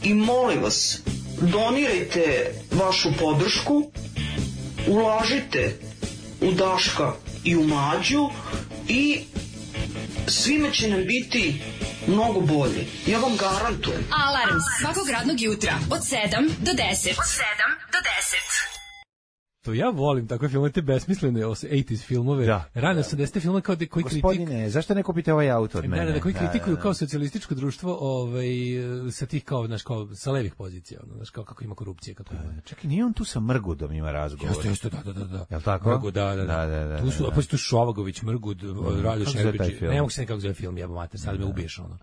I molim vas, donirajte vašu podršku, ulažite u Daška i u Mlađu i svime će nam biti mnogo bolje. Ja vam garantujem. Alarm svakog radnog jutra od sedam do deset. Od sedam do deset. To ja volim takve filmove, te besmislene osamdesetih filmove, Da. rane osamdesete filmove kao da koji kritik... Gospodine, zašto ne kupite ovaj auto od mene? Da, da, da, koji kritikuju da, kao socijalističko društvo, ovaj, sa tih kao, znaš, kao, sa levih pozicija, ono, znaš, kao kako ima korupcije, kako ima... Čekaj, nije on tu sa Mrgudom ima razgovor? Jeste, jeste, da, da, da, da. Jel tako? Mrgud, da, da, da. Da, da, da, Tu su, da, da. pa tu Šovagović, Mrgud, Radoš Kako se zove taj Šerbeđi, film? ne mogu se nekako zove film, jebo mater, sad me ubiješ, ono.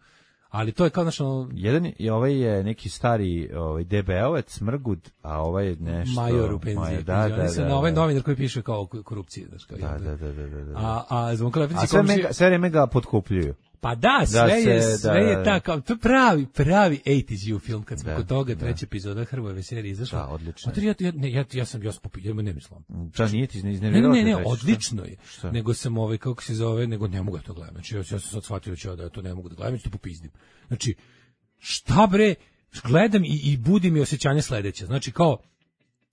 Ali to je kao, znaš, ono, Jedan je, ovaj je neki stari ovaj D B O-ec, Mrgud, a ovaj je nešto... major u penziji. Major, da, da, da, da, da. ovaj novinar koji piše kao o korupciji, znaš, kao. Da, da, da, da, da, da. A, a Zvonko A sve, mega, sve vreme ga potkupljuju. Pa da, sve Da je, se- sve da, je da. tako, to je pravi, pravi osamdeset you film, kad smo Da, kod toga, da. treća epizoda Hrvojeve serije izašla. Da, odlično. A to ja, ja, ne, ja, ja sam, ja sam popio, ja ne mislim. Šta, nije ti Ne, iznervirao? ne, ne, te ne, treći, šta? odlično je. Šta? Nego sam ovaj, kako se zove, nego ne mogu ja to gledam. Znači, ja, ja sam sad shvatio da ću ja da ja to ne mogu da gledam, ja ću to popizdim. Znači, šta bre, gledam i, i budi mi osjećanje sledeće. Znači, kao,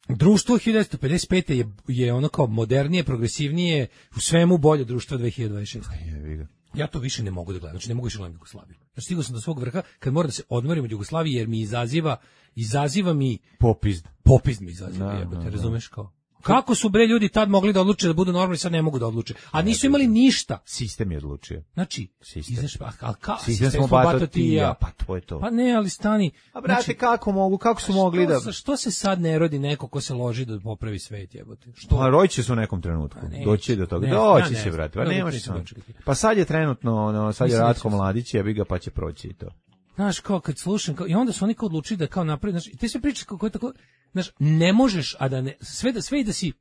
društvo hiljadu devetsto pedeset pete je, je ono kao modernije, progresivnije, u svemu bolje društvo dve hiljade dvadeset šeste. Jebi ga. Ja to više ne mogu da gledam, znači ne mogu više gledati Jugoslaviju. Znači stigao sam do svog vrha kad moram da se odmorim od Jugoslavije jer mi izaziva, izaziva mi, Popizd. popizd mi izaziva, Da, jebote, da, da. razumeš kao? Kako su bre ljudi tad mogli da odluče da budu normalni, sad ne mogu da odluče. A nisu imali ništa. Sistem je odlučio. Znači, Sistem. izaš, a, a, ka, Sistem smo bato ti i ja, pa to je to. Pa ne, ali stani. A brate, znači, kako mogu, kako su mogli što, da... sa- Što se sad ne rodi neko ko se loži da popravi svet, jebote? Što? Pa roći će se u nekom trenutku. Pa neće. Doći do toga. Ne, Doći ja ne će, znam. brate. Pa Ja nemaš neću sam. dočekati. Pa sad je trenutno, ono, sad je Mislim da Ratko će se- Mladić, jebi ga, pa će proći i to. Znaš, kao kad slušam, kao, i onda su oni kao odlučili da kao napravi, znaš, i te sve priče kako je tako, znaš, ne možeš, a da ne, sve da, sve i da si,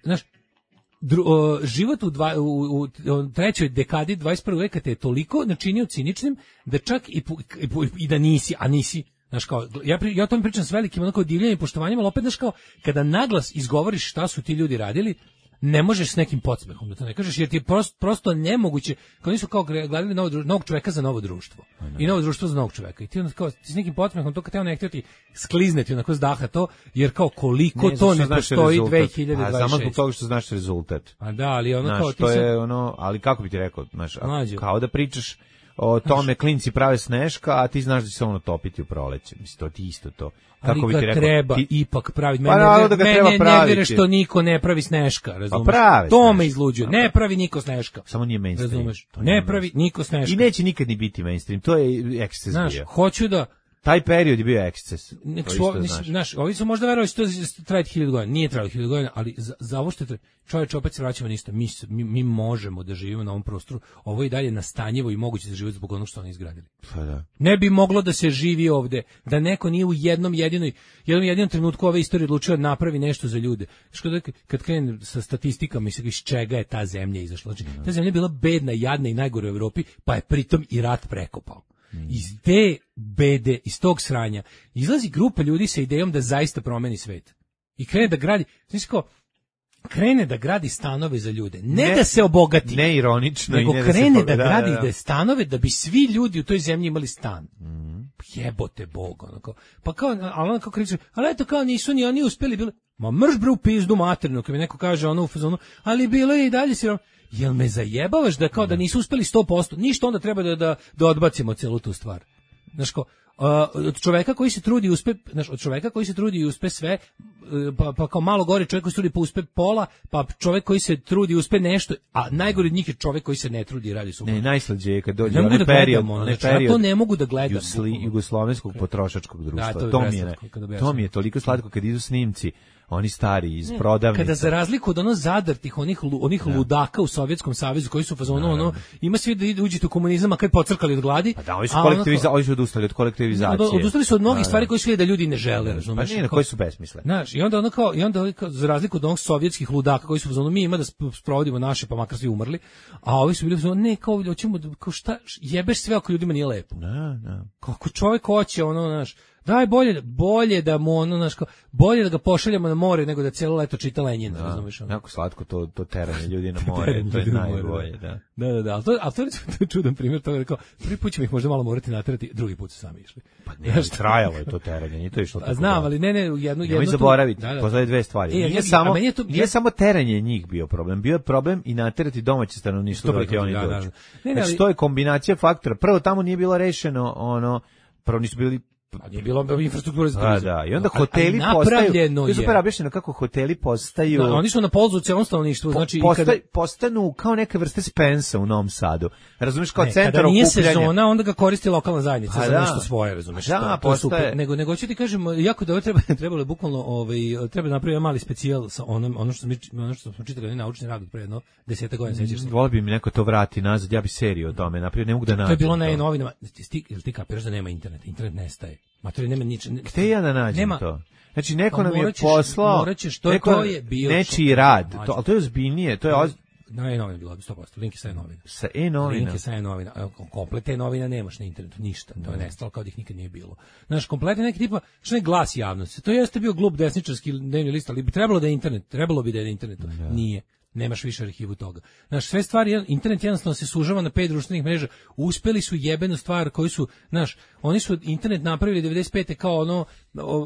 znaš, dru, o, život u, dva, u, u, u trećoj dekadi dvadeset prvog veka te je toliko načinio ciničnim, da čak i, pu- i, pu- i da nisi, a nisi, znaš, kao, ja, pri, ja o tome pričam s velikim onako divljenjem i poštovanjem, ali opet, znaš, kao, kada naglas izgovoriš šta su ti ljudi radili, ne možeš s nekim podsmehom da to ne kažeš, jer ti je prosto, prosto nemoguće, kao nisu kao gledali novo, dru- novog čoveka za novo društvo. I novo društvo za novog čoveka. I ti onda kao, ti s nekim podsmehom, to kad te on ne htio ti sklizneti onako s daha to, jer kao koliko Ne, to zato što ne znaš postoji rezultat. dve hiljade A dvadeset šeste. samo zbog toga što znaš rezultat. A da, ali ono kao Znaš, ti to sad, je ono, ali kako bi ti rekao, znaš, a- Mlađo. kao da pričaš o tome klinci prave sneška, a ti znaš da će se ono topiti u proleće. Mislim, to ti isto to. ali Kako bi ga ti rekao, treba ti, ipak praviti. Pa Mene, naravno ne, da ga mene treba ne praviti. vjere što niko ne pravi sneška, razumeš? pravi To me sneška. izluđuje. Pa Ne pravi. pravi niko sneška. samo nije mainstream. Razumeš? To nije Ne pravi mainstream. niko sneška. I neće nikad ni biti mainstream, to je eksces Znaš, bio. hoću da Taj period je bio eksces. Nek To su, isto ovi- znaš. znaš, ovi su možda verovali da će to trajati hiljadu godina. Nije trajalo hiljadu godina, ali za, za ovo što je čovječ, opet se vraćamo na isto. Mi, s- mi, mi možemo da živimo na ovom prostoru. Ovo je i dalje nastanjivo i moguće za život zbog onog što oni izgradili. Pa da. Ne bi moglo da se živi ovde, da neko nije u jednom jedinoj, jednom jedinom trenutku ove istorije odlučio da napravi nešto za ljude. Što kad, kad krene sa statistikama i se iz čega je ta zemlja izašla. Znači, ta zemlja je bila bedna, jadna i najgore u Evropi, pa je pritom i rat prekopao. Iz te bede, iz tog sranja, izlazi grupa ljudi sa idejom da zaista promeni svet. I krene da gradi, znači kao, krene da gradi stanove za ljude, ne, ne da se obogati, ne ironično, nego i ne krene da, se da, da gradi da, da. da stanove da bi svi ljudi u toj zemlji imali stan. Mm. Jebote Bog, onako. Pa kao, ali onako kriče, ali eto kao nisu ni oni uspeli, bilo, ma mrš bre u pizdu materinu, kad mi neko kaže ono u fazonu, ali bilo je i dalje si, jel me zajebavaš da kao da nisu uspeli sto posto, ništa onda treba da, da, da odbacimo celu tu stvar. Znaš ko, Uh, od čoveka koji se trudi i uspe, znaš, od čoveka koji se trudi i uspe sve, uh, pa, pa kao malo gore čovjek koji se trudi pa uspe pola, pa čovjek koji se trudi i uspe nešto, a najgori od njih je čovjek koji se ne trudi i radi super. Ne, najslađe je kad dođe ne onaj da period, gledam, onaj znači, period. Ja to ne mogu da gledam. Jusli, jugoslovenskog potrošačkog društva. Da, to, to mi je, to mi je toliko slatko kad idu snimci. Oni stari iz prodavnica. Kada za razliku od ono zadrtih onih onih da. ludaka u Sovjetskom savezu koji su fazonu da, ono ima svi da ide uđete u komunizam, a kad pocrkali od gladi. Pa da, oni su kolektivizacija, oni su odustali od kolektivizacije. Od, odustali su od mnogih da, stvari koje su da ljudi ne žele, razumeš? Pa nije, koji su besmisle. Znaš, i onda ono kao i onda kao, za razliku od onih sovjetskih ludaka koji su fazonu mi ima da sprovodimo naše, pa makar svi umrli, a ovi su bili fazonu ne, kao hoćemo kao šta jebeš sve ako ljudima nije lepo. Da, da. Kako čovjek hoće ono, znaš, daj bolje, bolje da mu ono, znaš, bolje da ga pošaljemo na more nego da cijelo leto čita Lenjina, da, razumiješ ono. Jako slatko to, to teranje ljudi na more, to je najbolje, da. Da, da, da, ali to, ali to, to je čudan primjer, to je rekao, prvi put ćemo ih možda malo morati naterati, drugi put su sami išli. Pa ne, trajalo je to teranje, nije to išlo tako. A znam, ali ne, ne, jednu, jednu... Nemoj zaboraviti, da, da. Postoje dve stvari. E, nije ja, samo, to, nije ja... samo teranje njih bio problem, bio je problem i naterati domaće stanovništvo da ti oni da, dođu. Da, da. Ne, ne, znači, to je kombinacija faktora. Prvo, tamo nije bilo rešeno, ono, prvo nisu bili a nije bilo infrastrukture za turizam. Da, da, i onda hoteli postaju, to je super objašnjeno kako hoteli postaju... Da, oni su na polzu celom stanovništvu, znači... Posta, kada... Postanu kao neka vrste Spensa u Novom Sadu. Razumiješ, kao ne, centar okupljanja. Kada nije sezona, onda ga koristi lokalna zajednica a za da. nešto svoje, razumiješ. Da, to, to je super. Nego, nego ću ti kažem, jako da ovo treba, trebalo je bukvalno, ovaj, treba napraviti jedan mali specijal sa onom, ono što, mi, ono što smo čitali, naučni rad od pre jedno deseta godina, sećaš se. Volio bi mi neko to vrati nazad, ja bi seriju o tome napravio, ne mogu da nađem. To je bilo na novinama, ti, jel ti kapiraš da nema interneta, internet nestaje. Matori nema nič. Gde ja da nađem nema, to? Znači neko pa nam je ćeš, poslao, ćeš, to, neko, to je bio nečiji rad, to, ali to je ozbiljnije, to je oz... Na e-novina bilo sto posto, link je sa e-novina. Sa e-novina? Link je sa e-novina, komplet e-novina nemaš na internetu, ništa, to je nestalo kao da ih nikad nije bilo. Znaš, kompletno neki tipa, što je glas javnosti, to jeste bio glup desničarski dnevni list, ali bi trebalo da je internet, trebalo bi da je na internetu, da. Nije. Nemaš više arhivu toga. Znaš, sve stvari, internet jednostavno se sužava na pet društvenih mreža. Uspeli su jebenu stvar koju su, znaš, oni su internet napravili devedeset pete kao ono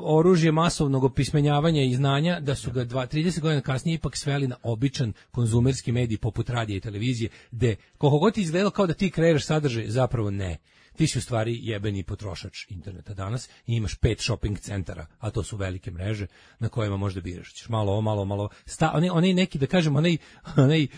oružje masovnog opismenjavanja i znanja, da su ga trideset godina kasnije ipak sveli na običan konzumerski medij poput radija i televizije, gde koliko god ti izgledalo kao da ti kreiraš sadržaj, zapravo ne. Ti si u stvari jebeni potrošač interneta danas i imaš pet shopping centara, a to su velike mreže na kojima možda biraš. Ćeš malo ovo, malo, malo. Sta, onaj, onaj neki, da kažem, onaj, onaj uh,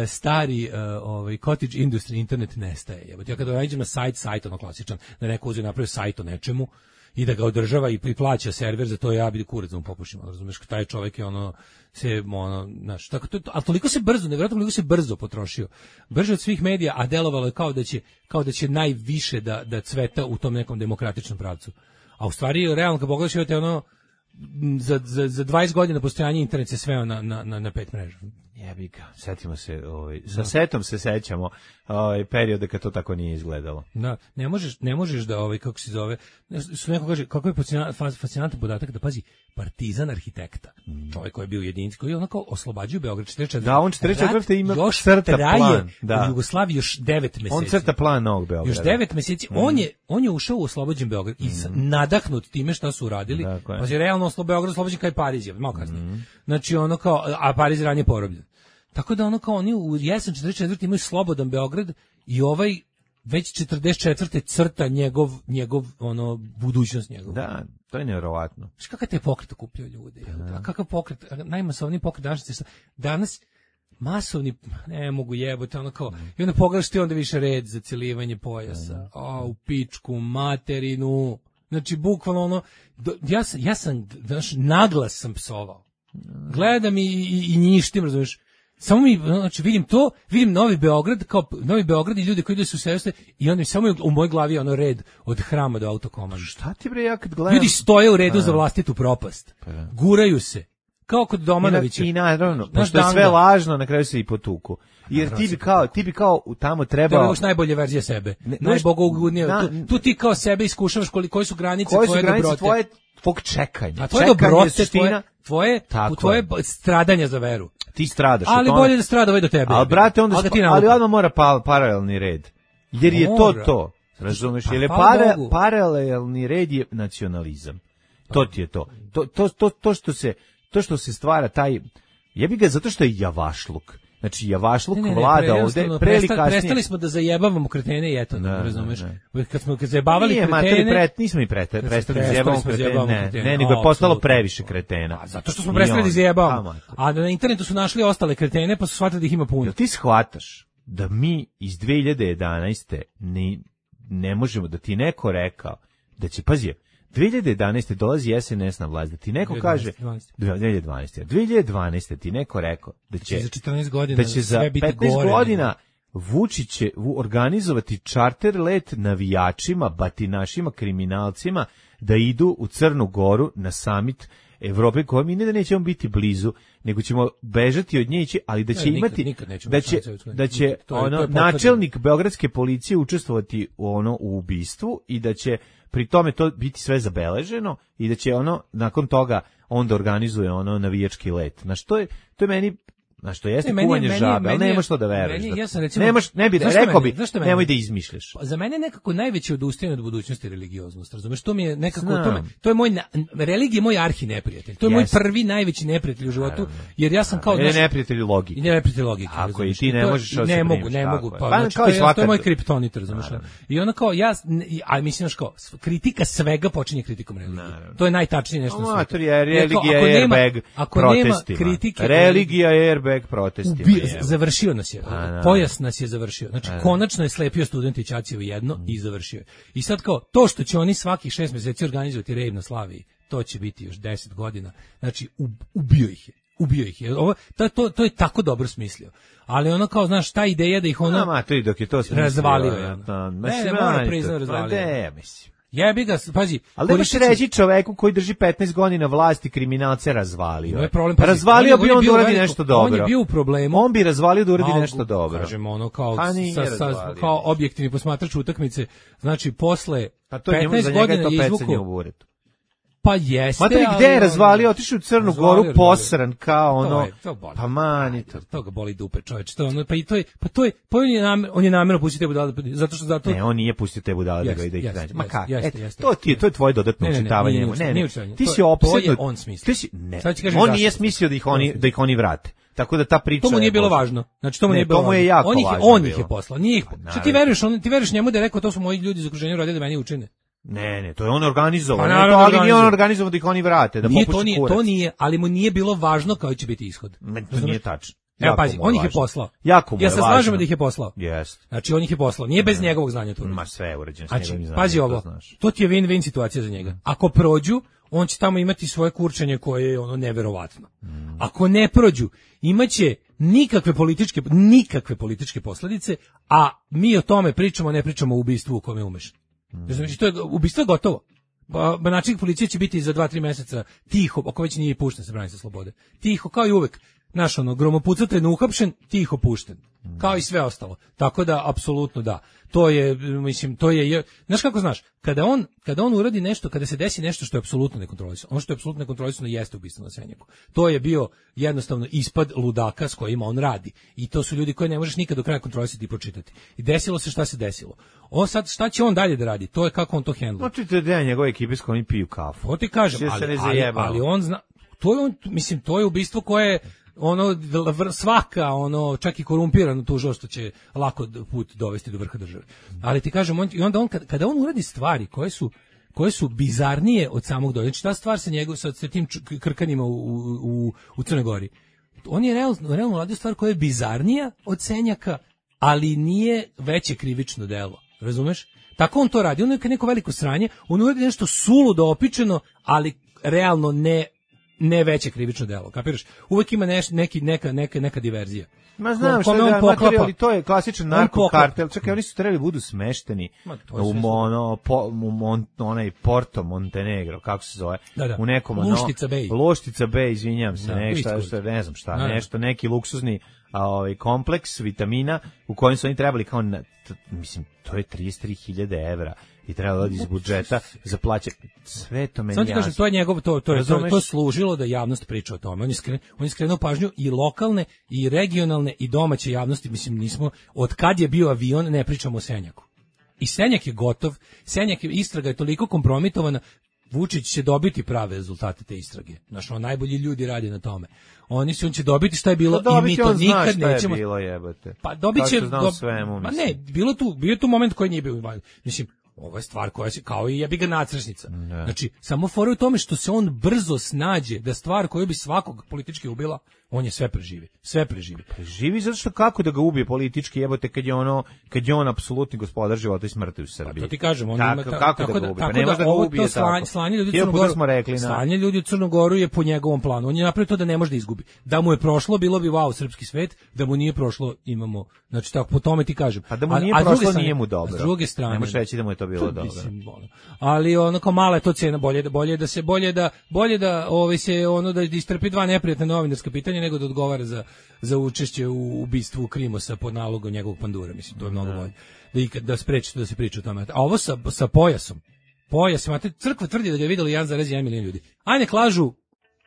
stari uh, ovaj, cottage industry internet nestaje. Jebate, ja kada nađem na sajt, sajt ono klasičan, da neko uzeo napravi sajt o nečemu i da ga održava i plaća server za to, ja bi kurac da mu popušim, razumeš, taj čovjek je ono se ono, znaš, tako to, a toliko se brzo, nevjerojatno toliko se brzo potrošio. Brže od svih medija, a delovalo je kao da će kao da će najviše da da cveta u tom nekom demokratičnom pravcu. A u stvari realno kad pogledaš imate ono za za za dvadeset godina postojanja internet se sveo na na na, na pet mreža. Jebi ga, setimo se, ovaj, sa setom se sećamo ovaj, periode kad to tako nije izgledalo. Da, ne možeš, ne možeš da, ovaj, kako se zove, što neko kaže, kako je fascinantan podatak da pazi, Partizan arhitekta, mm. čovjek koji je bio jedinic, koji je onako oslobađao Beograd četrdeset četvrte. Da, on četrdeset četvrte ima još crta traje plan. Da. U Jugoslaviji još devet meseci. On crta plan novog Beograda. Još devet meseci, mm. on, je, on je ušao u oslobođen Beograd i mm. nadahnut time šta su uradili, pa je realno oslo Beograd oslobođen kao i Pariz, je, malo kasnije. Mm. Znači ono kao, a Pariz ranije porobljen. Tako da ono kao oni u jesen četrdeset četvrte imaju slobodan Beograd i ovaj već četrdeset četvrte crta njegov njegov ono budućnost njegov. Da, to je nevjerovatno. Znaš kakav te pokret okupljao ljude? Da. A kakav pokret, najmasovniji pokret danas, danas masovni, ne mogu jebote, ono kao, i onda pogledaš ti onda više red za celivanje pojasa, a u pičku, materinu, znači bukvalno ono, do, ja sam, ja sam, znaš, naglas sam psovao. Gledam i, i, i njištim, razumiješ, samo mi, znači vidim to, vidim Novi Beograd, kao Novi Beograd i ljudi koji idu su seste i onda samo u mojoj glavi je ono red od hrama do autokomanda. Šta ti bre, ja kad gledam? Ljudi stoje u redu a, za vlastitu propast. Pa, guraju se. Kao kod Domanovića. I naravno, pošto je sve lažno, na kraju se i potuku. Jer ti bi kao, ti bi kao tamo trebao... Treba još najbolje verzije sebe. Najbogogodnije. Tu, tu ti kao sebe iskušavaš koliko, koje su granice koje tvoje su granice dobrote. Tvoje tvog čekanja. A tvoje dobrote, tvoje, tvoje, tvoje stradanja za veru. ti stradaš. Ali bolje da strada ovaj do tebe. Ali, brate, onda, ali, spa, ali odmah mora pa, paralelni red. Jer je to to. Razumeš? Jer je para, paralelni red je nacionalizam. To ti je to. To, to, to, to, što se, to što se stvara taj... Jebi ga zato što je javašluk. Znači, javašluk ne, ne, ne, vlada pre, ovde, pre ili kasnije... Prestali smo da zajebavamo kretene i eto, ne, razumeš? Ne, ne. Kad smo kad zajebavali Nije, kretene... Nije, pret, nismo i prete, prestali da zajebavamo kretene, ne, kretene. Ne, nego je postalo previše kretena. A, zato što smo prestali da zajebavamo. A na internetu su našli ostale kretene, pa su shvatili da ih ima puno. Jel ti shvataš da mi iz dve hiljade jedanaeste ne, ne možemo, da ti neko rekao, da će, pazi, dve hiljade jedanaeste dolazi S N S na vlast, da ti neko kaže dve hiljade dvanaeste dve hiljade dvanaeste ti neko rekao da će za četrnaest godina da će za petnaest godina Vučić će organizovati čarter let navijačima, batinašima, kriminalcima da idu u Crnu Goru na samit Evrope, koja mi ne da nećemo biti blizu, nego ćemo bežati od nje, ali da će ne, imati nikad, nikad da će da će nikad, to je, ono to je načelnik beogradske policije učestvovati u ono u ubistvu i da će pri tome to biti sve zabeleženo i da će ono nakon toga onda organizuje ono navijački let. Znaš, to je to je meni na što jeste ne, kuvanje meni, žabe, ali nemaš što da veruješ. Meni, ja sam recimo, nemaš, ne bi, rekao bi, nemoj da izmišljaš. Za mene je nekako najveće odustajanje od budućnosti religioznost, razumeš? To mi je nekako, to, me, to je moj, religija je moj arhi neprijatelj. To je yes. moj prvi najveći neprijatelj u životu, jer ja sam kao... Ne, neprijatelj logike. Ne, neprijatelj logike. Ako i ti ne možeš to, ne mogu, ne mogu. Pa, znači, to, je, to je moj kriptonit, razumeš? I onda kao, ja, a mislim, kao, kritika svega počinje kritikom religije. To je najtačnije nešto na svijetu. Religija je airbag protestima. Religija je airbag protestima. Završio nas je. Pojas nas je završio. Znači, konačno je slepio studenti Ćaćevo jedno i završio je. I sad kao, to što će oni svakih šest mjeseci organizovati rejv na Slaviji, to će biti još deset godina. Znači, ubio ih je. Ubio ih je. Ovo, to, to, to je tako dobro smislio. Ali ono kao, znaš, ta ideja da ih ono... Nama, to i dok je to smislio. Razvalio je. Ne, ne, mora priznao razvalio. Ne, mislim. Jebi ga, pazi. Ali nemaš reći čoveku koji drži petnaest godina vlasti kriminalce razvalio. Je problem, pa razvalio bi on da uradi nešto dobro. On je bio u problemu. On bi razvalio da uradi nešto dobro. Kažemo ono kao, sa, sa, kao objektivni posmatrač utakmice, znači posle pa to petnaest godina je izvukao. Pa jeste, Matri, gde je razvalio, otišao u Crnu Goru posran kao ono. To je, to boli. Pa mani to. To ga boli dupe, čoveče. To ono, pa i to je, pa to je, pa on je namerno, on je namerno pustio te budale, zato što zato. Ne, on nije pustio te budale da ga ide ih nađe. Ma kako? Jeste, to ti je, to je tvoje dodatno učitavanje. Ne, ne, ti si opsedno. On smislio. Ti si, ne. On nije smislio da ih oni, da ih oni vrate. Tako da ta priča to mu nije bilo važno. Znači to mu nije bilo. To mu je jako on ih, važno. On ih je poslao, nije ih. Što ti veruješ, on ti veruješ njemu da je rekao to su moji ljudi iz okruženja radili da meni učine. Ne, ne, to je on organizovao. Pa, ne, to, ali nije on organizovao da ih oni vrate, da nije, popuši to nije, kurac. To nije, ali mu nije bilo važno kao će biti ishod. Ne, to nije tačno. Evo pazi, on ih je poslao. Jako mu je ja se slažem da ih je poslao. Jeste. Znači on ih je poslao. Nije bez njegovog znanja to. Ma sve je urađeno s znači, njegovim znanjem. Pazi ovo. To ti je win-win situacija za njega. Ako prođu, on će tamo imati svoje kurčenje koje je ono neverovatno. Mm. Ako ne prođu, imaće nikakve političke nikakve političke posljedice, a mi o tome pričamo, ne pričamo o ubistvu u kome umeš. Mm. Znači to je ubistvo je gotovo. Ba, načelnik policije će biti za dva tri mjeseca tiho, ako već nije pušten se brani sa slobode. Tiho kao i uvek. Naš ono gromopucatelj neuhapšen, tiho pušten. Kao i sve ostalo. Tako da apsolutno da. To je mislim to je znaš kako znaš, kada on kada on uradi nešto, kada se desi nešto što je apsolutno nekontrolisano. Ono što je apsolutno nekontrolisano jeste ubistvo na Senjaku. To je bio jednostavno ispad ludaka s kojima on radi. I to su ljudi koje ne možeš nikad do kraja kontrolisati i pročitati. I desilo se šta se desilo. On sad šta će on dalje da radi? To je kako on to hendla. Znači te da njegove ekipe s kojim piju kafu. To ti kažem, ali, ali, ali on zna, to je on, mislim to je ubistvo koje ono svaka ono čak i korumpirano tužio što će lako put dovesti do vrha države. Ali ti kažem on, i onda on kada on uradi stvari koje su koje su bizarnije od samog dođe. Znači ta stvar sa njegov sa tim krkanjima u u u Crnoj Gori. On je realno realno uradio stvar koja je bizarnija od Senjaka, ali nije veće krivično delo. Razumeš? Tako on to radi. On je neko veliko sranje, on uradi nešto suludo opičeno, ali realno ne ne veće krivično delo, kapiraš? Uvek ima neš, neki, neka, neka, neka diverzija. Ma znam što je materijal, ali to je klasičan narkokartel. Čekaj, oni su trebali budu smešteni u mono, po, u mon, onaj Porto Montenegro, kako se zove? Da, da. U nekom Luštica Bay. Luštica Bay, izvinjam se, da, nešto, što, ne znam šta, da, nešto, neki luksuzni a, ovaj, kompleks vitamina u kojem su oni trebali kao, na, t, mislim, to je trideset tri hiljade evra i trebalo da iz budžeta za plaće. Sve to meni jasno. Samo ti kažem, to je njegov, to, to, je, to, to služilo da javnost priča o tome. On je, skren, on je skrenuo pažnju i lokalne, i regionalne, i domaće javnosti. Mislim, nismo, od kad je bio avion, ne pričamo o Senjaku. I Senjak je gotov, Senjak je, istraga je toliko kompromitovana, Vučić će dobiti prave rezultate te istrage. Znaš, on najbolji ljudi radi na tome. Oni su, on će dobiti šta je bilo pa i mi to nikad šta nećemo. Je bilo, jebote. Pa dobit će, do... svemu, ma ne, bilo tu, bio tu moment koji nije bio, mislim, ovo je stvar koja se, kao i jebi ga nacršnica. Ne. Znači, samo fora u tome što se on brzo snađe da stvar koju bi svakog politički ubila, on je sve preživi. Sve preživi. Preživi zato što kako da ga ubije politički, jebote, kad je ono, kad je on apsolutni gospodar života i smrti u Srbiji. Pa to ti kažem, on tako, ima ta, kako tako da ga ubije. Tako Pa ne može da ga ubije to slanje, slanje ljudi u Crnu Goru. Smo rekli, na... Slanje ljudi u Crnu Goru je po njegovom planu. On je napravio to da ne može da izgubi. Da mu je prošlo, bilo bi wow, srpski svet, da mu nije prošlo, imamo, znači tako po tome ti kažem. A da mu nije a, a prošlo, strane, nije mu dobro. S druge strane, ne možeš reći da mu je to bilo to, dobro. Mislim, ali ono kao mala je to cena, bolje da bolje da se bolje da bolje da ovaj se ono da istrpi dva neprijatna novinarska pitanja nego da odgovara za za učešće u ubistvu Krimosa pod nalogom njegovog pandura, mislim, to je mnogo bolje. Da ikad da spreči da se priča o tome. A ovo sa sa pojasom. Pojas, imate crkva tvrdi da ga je videli jedan zarez jedan milion ljudi. Aj nek lažu,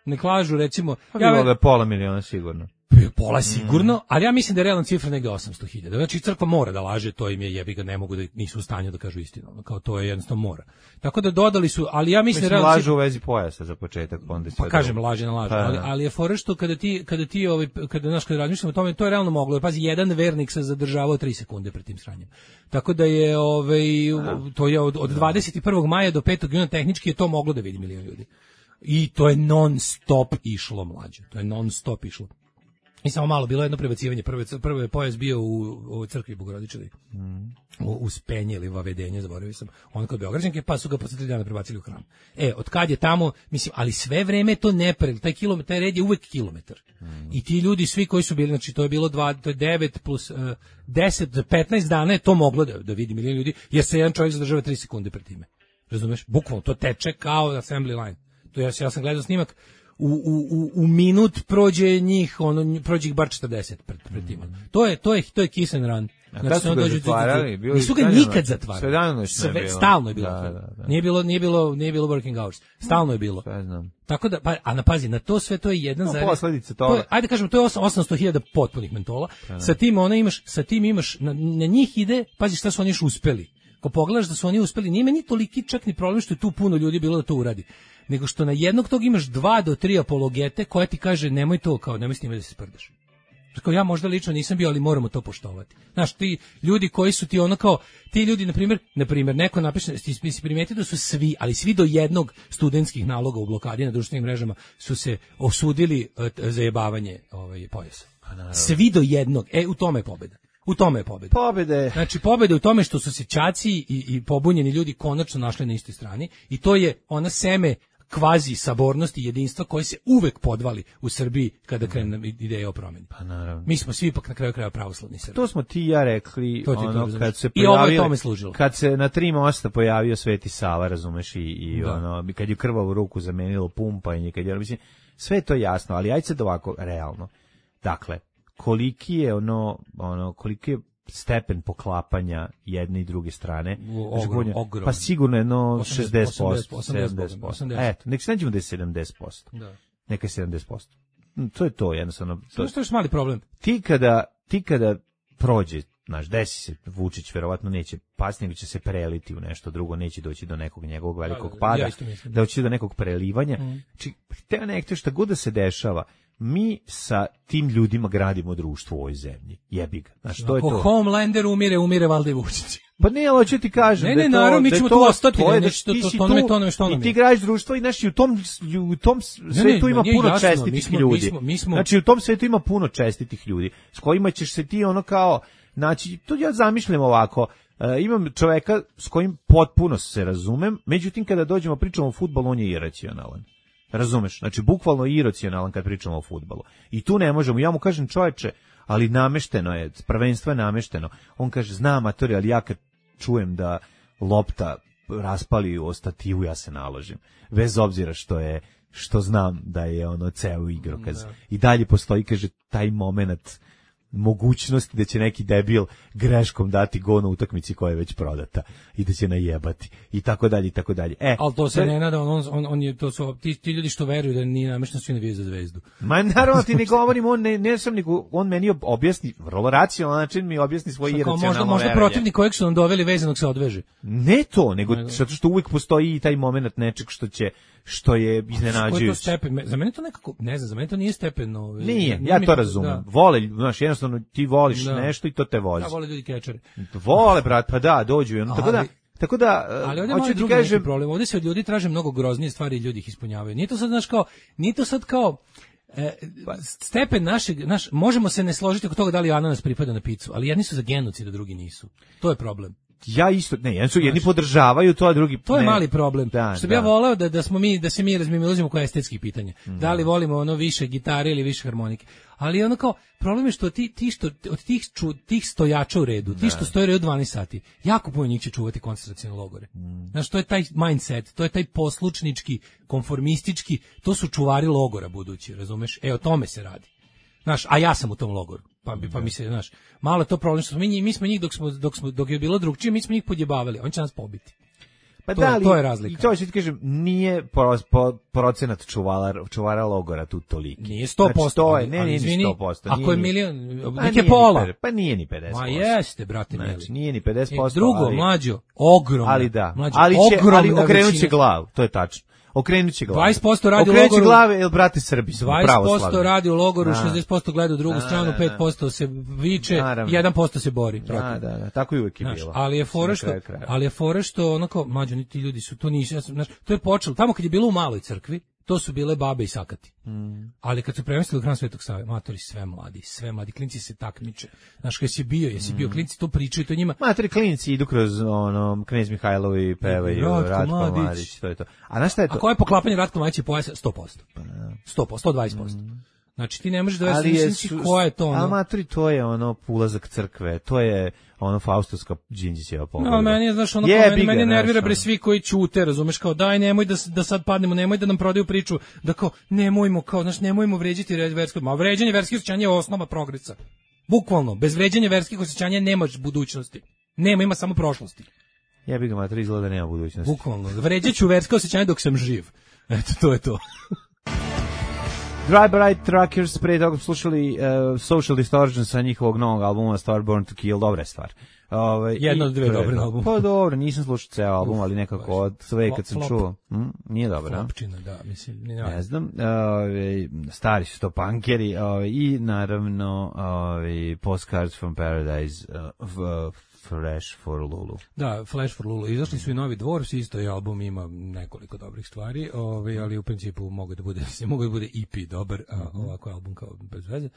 nek lažu recimo, pa ja bilo ga pola miliona sigurno. Pola sigurno, mm. ali ja mislim da je realna cifra negde osamsto hiljada. Znači crkva mora da laže, to im je jebi ga, ne mogu da nisu u stanju da kažu istinu. Kao to je jednostavno mora. Tako da dodali su, ali ja mislim, mislim da realna lažu u vezi pojasa za početak, onda pa kažem laže na laže, pa, ali, ali je fora što kada ti kada ti ovaj kada naš kada razmišljamo o tome, to je realno moglo. Pazi, jedan vernik se zadržavao tri sekunde pred tim sranjem. Tako da je ovaj to je od, od dvadeset i prvog maja do petog juna tehnički je to moglo da vidi milion ljudi. I to je non stop išlo, mlađe. To je non stop išlo. I samo malo bilo jedno prebacivanje. Prvo, prvo je pojas bio u, u crkvi Bogorodičeve. Mm. U, u Spenje ili u Vavedenje, zaboravio sam. On kod Beograđanke, pa su ga posle tri dana prebacili u hram. E, od kad je tamo, mislim, ali sve vreme to ne pre, taj kilometar, taj red je uvek kilometar. Mm. I ti ljudi, svi koji su bili, znači to je bilo dva, to je devet plus uh, deset, petnaest dana je to moglo da, da vidi milion ljudi, jer se jedan čovjek zadržava tri sekunde pred time. Razumeš? Bukvalno, to teče kao assembly line. To ja, ja sam gledao snimak, U, u, u minut prođe njih, ono, prođe ih bar četrdeset pred, pred tim. To je, to je, to je kiss and run. A znači, su ga zatvarali? Bili nisu ga nikad zatvarali. Sve dano Sve, bilo. Stalno je bilo. Da, da, da. Nije bilo, nije bilo, nije bilo working hours. Stalno je bilo. Sve znam. Tako da, pa, a na pazi, na to sve to je jedan no, zarez. Posledice toga. To je, ajde kažemo, to je osamsto hiljada potpunih mentola. Da, da. Sa tim ona imaš, sa tim imaš, na, na njih ide, pazi šta su oni još uspeli. Ko pogledaš da su oni uspeli, nije meni toliki čak ni problem što je tu puno ljudi bilo da to uradi, nego što na jednog tog imaš dva do tri apologete koja ti kaže nemoj to, kao nemoj s njima da se sprdaš. Kao ja možda lično nisam bio, ali moramo to poštovati. Znaš, ti ljudi koji su ti ono kao, ti ljudi, na primjer, na primjer, neko napiše, ti si primetio da su svi, ali svi do jednog studentskih naloga u blokadi na društvenim mrežama su se osudili uh, za jebavanje ovaj, pojasa. Svi do jednog. E, u tome je pobjeda. U tome je pobjeda. Pobjede. Znači, pobjeda u tome što su se ćaci i, i pobunjeni ljudi konačno našli na istoj strani i to je ona seme kvazi sabornosti i jedinstva koje se uvek podvali u Srbiji kada krene ideja o promjeni. Pa naravno. Mi smo svi ipak na kraju kraja pravoslavni Srbi. To smo ti i ja rekli, to ono, to kad se i ovo je tome služilo. Kad se na tri mosta pojavio Sveti Sava, razumeš, i, i da. ono, kad je krvavu ruku zamenilo pumpanje, kad je, mislim, sve je to jasno, ali ajde sad ovako, realno. Dakle, koliki je ono, ono, koliki je stepen poklapanja jedne i druge strane. Ogrom, ogrom. Pa sigurno jedno šezdeset posto, osamdeset posto, sedamdeset posto. Eto, nek se nađemo da je sedamdeset posto. Da. Neka je sedamdeset posto. To je to, jednostavno. To je još mali problem. Ti kada, ti kada prođe, znaš, desi se, Vučić verovatno neće pasti, nego će se preliti u nešto drugo, neće doći do nekog njegovog velikog pada, da doći do nekog prelivanja. Mm. Či, te nekto šta god da se dešava, mi sa tim ljudima gradimo društvo u ovoj zemlji. Jebi ga. Znaš, to je to. Ako Homelander umire, umire valjda i Vučić. Pa ne, ali ću ti kažem ne, da ne, to, naravno, mi da ćemo to, tu ostati, to je da nešto, ti to, si to, tu, to, to, to, i ti gradiš društvo i znaš, i u tom, u tom svetu ima puno jasno, čestitih mi smo, ljudi. Mi smo, mi smo... Znači, u tom svetu ima puno čestitih ljudi, s kojima ćeš se ti ono kao, znači, to ja zamišljam ovako, uh, imam čoveka s kojim potpuno se razumem, međutim, kada dođemo pričamo o fudbalu, on je iracionalan. Razumeš? Znači, bukvalno iracionalan kad pričamo o fudbalu. I tu ne možemo, ja mu kažem, čoveče, ali namešteno je, prvenstvo je namešteno. On kaže, zna amatori, ali ja kad čujem da lopta raspali o stativu, ja se naložim. Bez obzira što je, što znam da je ono ceo igrokaz. I dalje postoji, kaže, taj moment mogućnosti da će neki debil greškom dati go na utakmici koja je već prodata i da će najebati i tako dalje i tako dalje. E, ali to se ne nada, on, on, on je, to su ti, ti ljudi što veruju da nije namešno svi navijaju za Zvezdu. Ma naravno ti ne govorim, on ne, ne sam nego, on meni objasni, vrlo racionalan način mi objasni svoje iracionalno možda, možda verenje. protivnik kojeg su nam doveli vezanog se odveže. Ne to, nego zato što uvijek postoji i taj moment nečeg što će što je iznenađujuće. To stepen? Za mene to nekako, ne znam, za mene to nije stepeno. Nije, ja to razumem. Da. Vole, znaš, jednostavno ti voliš da. nešto i to te vozi. Ja vole ljudi kečere. Vole, brat, pa da, dođu i ono, tako da, tako da, ali ovdje hoću ti kažem, problem, ovdje se od ljudi traže mnogo groznije stvari i ljudi ih ispunjavaju. Nije to sad, znaš, kao, nije to sad kao, E, stepen našeg, naš, možemo se ne složiti oko toga da li ananas pripada na picu, ali jedni su za genocid, a drugi nisu. To je problem. Ja isto, ne, jedni, su, jedni podržavaju to, a drugi to je ne. mali problem. Da, što bi da. ja voleo da da smo mi da se mi razmimilazimo oko estetskih pitanja. Mm. Da li volimo ono više gitare ili više harmonike. Ali ono kao problem je što ti ti što od tih ču, tih stojača u redu, ti što stoje u redu dvanaest sati, jako puno njih će čuvati koncentracione logore. Mm. Znaš, to je taj mindset, to je taj poslušnički, konformistički, to su čuvari logora budući, razumeš? E, o tome se radi. Znaš, a ja sam u tom logoru. Pa pa mi se, znaš, malo je to problem što smo mi mi smo njih dok smo dok smo dok je bilo drugčije, mi smo njih podjebavali, oni će nas pobiti. Pa to, da, ali, to je razlika. I to ću ti kažem, nije pro, pro, procenat čuvala, čuvara logora tu toliki. Nije sto posto. Znači, to je, ne, nije ni sto posto. Ako je milion, nek je pola. Ni, pa nije ni pedeset posto. Ma jeste, brate mili. Znači, nije ni pedeset posto. Drugo, ali, mlađo, ogromno. Ali da, mlađo, ali će, ali okrenut će većina. glavu, to je tačno. Okrenut će glavu. dvadeset posto radi u logoru. Okrenut će glave, jel brate Srbi su dvadeset posto radi u logoru, šezdeset posto gleda u drugu da, stranu, da, da. pet posto se viče, Naravno. jedan posto se bori. Da, da, da, tako je uvijek je bilo. Ali je fora što, ali je fora što onako, mlađo, ni ti ljudi su, to nisu, ja sam, znaš, to je počelo, tamo kad je bilo u maloj crkvi, to su bile babe i sakati. Mm. Ali kad su premestili u hram Svetog Save, matori sve mladi, sve mladi, klinci se takmiče. Znaš, kad si bio, jesi mm. bio, klinci to pričaju, to njima. Matori klinci idu kroz ono, Knez Mihajlovi pevaju, Ratko, Ratko Mladić. Mladić, to je to. A znaš šta je to? A koje je poklapanje Ratko Mladića pojasa? sto posto. sto posto, sto dvadeset posto. Mm. Znači ti ne možeš da veš ko je to ono. A matori, to je ono ulazak crkve, to je ono Faustovska Đinđićeva pogleda. No, meni je, znaš, ono, je, meni, meni nervira ono. bre svi koji ćute, razumeš, kao daj, nemoj da, da sad padnemo, nemoj da nam prodaju priču, da kao, nemojmo, kao, znaš, nemojmo vređati versko, ma vređanje verskih osjećanja je osnova progresa. Bukvalno, bez vređanja verskih osjećanja nemaš budućnosti. Nema, ima samo prošlosti. Jebi ga, matori, izgleda nema budućnosti. Bukvalno, vređaću verska osjećanja dok sam živ. Eto, to je to. Drive-by Truckers, pre toga slušali uh, Social Distortion sa njihovog novog albuma Star Born to Kill, dobra stvar. Ove, Jedno od dve dobre albuma. Pa dobro, nisam slušao ceo album, ali nekako od sve kad sam čuo. Hm, nije dobro. Flopčina, da, mislim. Ne, ne znam, ove, stari su to punkeri ove, i naravno ove, Postcards from Paradise uh, Flash for Lulu. Da, Flash for Lulu. Izašli su i novi Dwarfs, isto je album, ima nekoliko dobrih stvari, ovaj, ali u principu mogu da bude, mogu da bude E P dobar, a ovako album kao bez veze.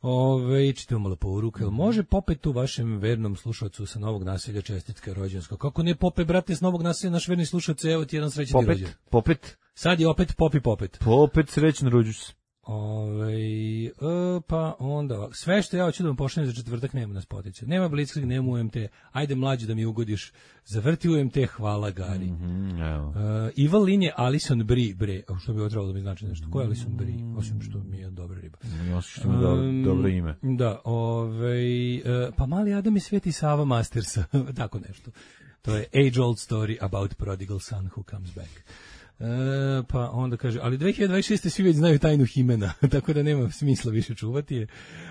Ove, čitamo malo poruke. Mm-hmm. Može Popet tu vašem vernom slušalcu sa Novog Naselja čestitka rođendanska? Kako ne Pope, brate, s Novog Naselja, naš verni slušalac, evo ti jedan srećan rođendan. Popet. Sad je opet Popi Popet. Popet, srećan rođus. Ove, e, pa onda sve što ja hoću da vam pošaljem za četvrtak nema nas potiče. Nema Blitzkrieg, nema U M T. Ajde mlađe da mi ugodiš. Zavrti U M T, hvala Gari. Mm-hmm, evo. E, Ival Lin je Alison Brie, bre. A što bi ovo trebalo da mi znači nešto? Ko je Alison Brie? Osim što mi je dobra riba. Osim što mi je dobro, um, dobro ime. Da, ovaj e, pa Mali Adam i Sveti Sava Mastersa. Tako nešto. To je age old story about prodigal son who comes back. E, pa onda kaže, ali dve hiljade dvadeset šeste svi već znaju tajnu Himena, tako da nema smisla više čuvati je.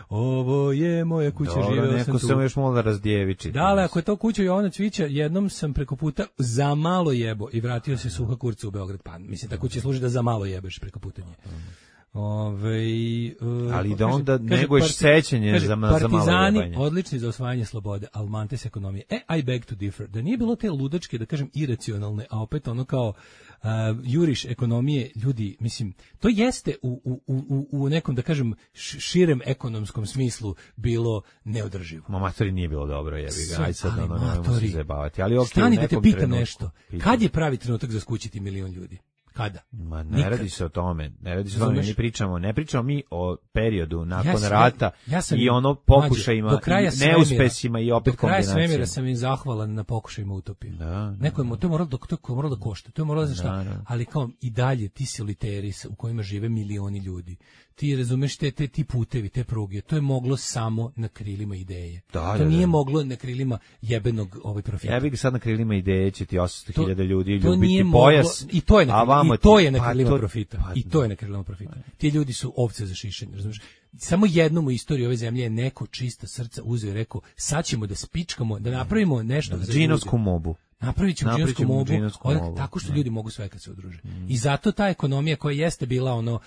Ovo je moja kuća, dobro, živeo neko sam tu. Dobro, neko još malo da razdjeviči. Da, ali ako je to kuća Jovana Cvića, jednom sam preko puta za malo jebo i vratio se suha kurca u Beograd. Pa, mislim, ta kuća služi da za malo jebeš preko puta nje. Ove, uh, ali da onda neguješ sećanje kaže, za, za malo jebanje. Partizani odlični za osvajanje slobode, Almantes ekonomije. E, I beg to differ. Da nije bilo te ludačke, da kažem, iracionalne, a opet ono kao uh, juriš ekonomije, ljudi, mislim, to jeste u, u, u, u nekom, da kažem, širem ekonomskom smislu bilo neodrživo. Ma matori nije bilo dobro, jebi ga, aj sad ono, nemojmo se zajebavati. Ali okay, stani da te pitam nešto, pitam. Kad je pravi trenutak za skućiti milion ljudi? Kada? Ma ne Nikad. Radi se o tome, ne radi se o tome, mi pričamo, ne pričamo mi o periodu nakon ja sam, rata ja sam, i ono pokušajima, i neuspesima i opet kombinacijama. Do kraja svemira sam im zahvalan na pokušajima utopije. Da, Neko je, to je moralo da, to je moralo da košta, to je moralo da šta, da, da. ali kao i dalje ti soliteri u kojima žive milioni ljudi, ti razumeš te, te ti putevi, te pruge, to je moglo samo na krilima ideje. Da, to da, nije da. moglo na krilima jebenog ovaj profita. Ja bih sad na krilima ideje će ti osamsto hiljada ljudi to ljubiti nije pojas. Moglo, I to je na, a vamo i to ti- je na pa krilima to- profita. pa- I to je na krilima profita. Ti ljudi su ovce za šišanje, razumeš? Samo jednom u istoriji ove zemlje je neko čista srca uzeo i rekao, sad ćemo da spičkamo, da napravimo nešto za Džinovsku ljude. mobu. Napravit ćemo Napravit džinovsku ćemo mobu, džinovsku onak- mobu, tako što da. ljudi mogu sve kad se udruže. I zato ta ekonomija koja jeste bila ono uh,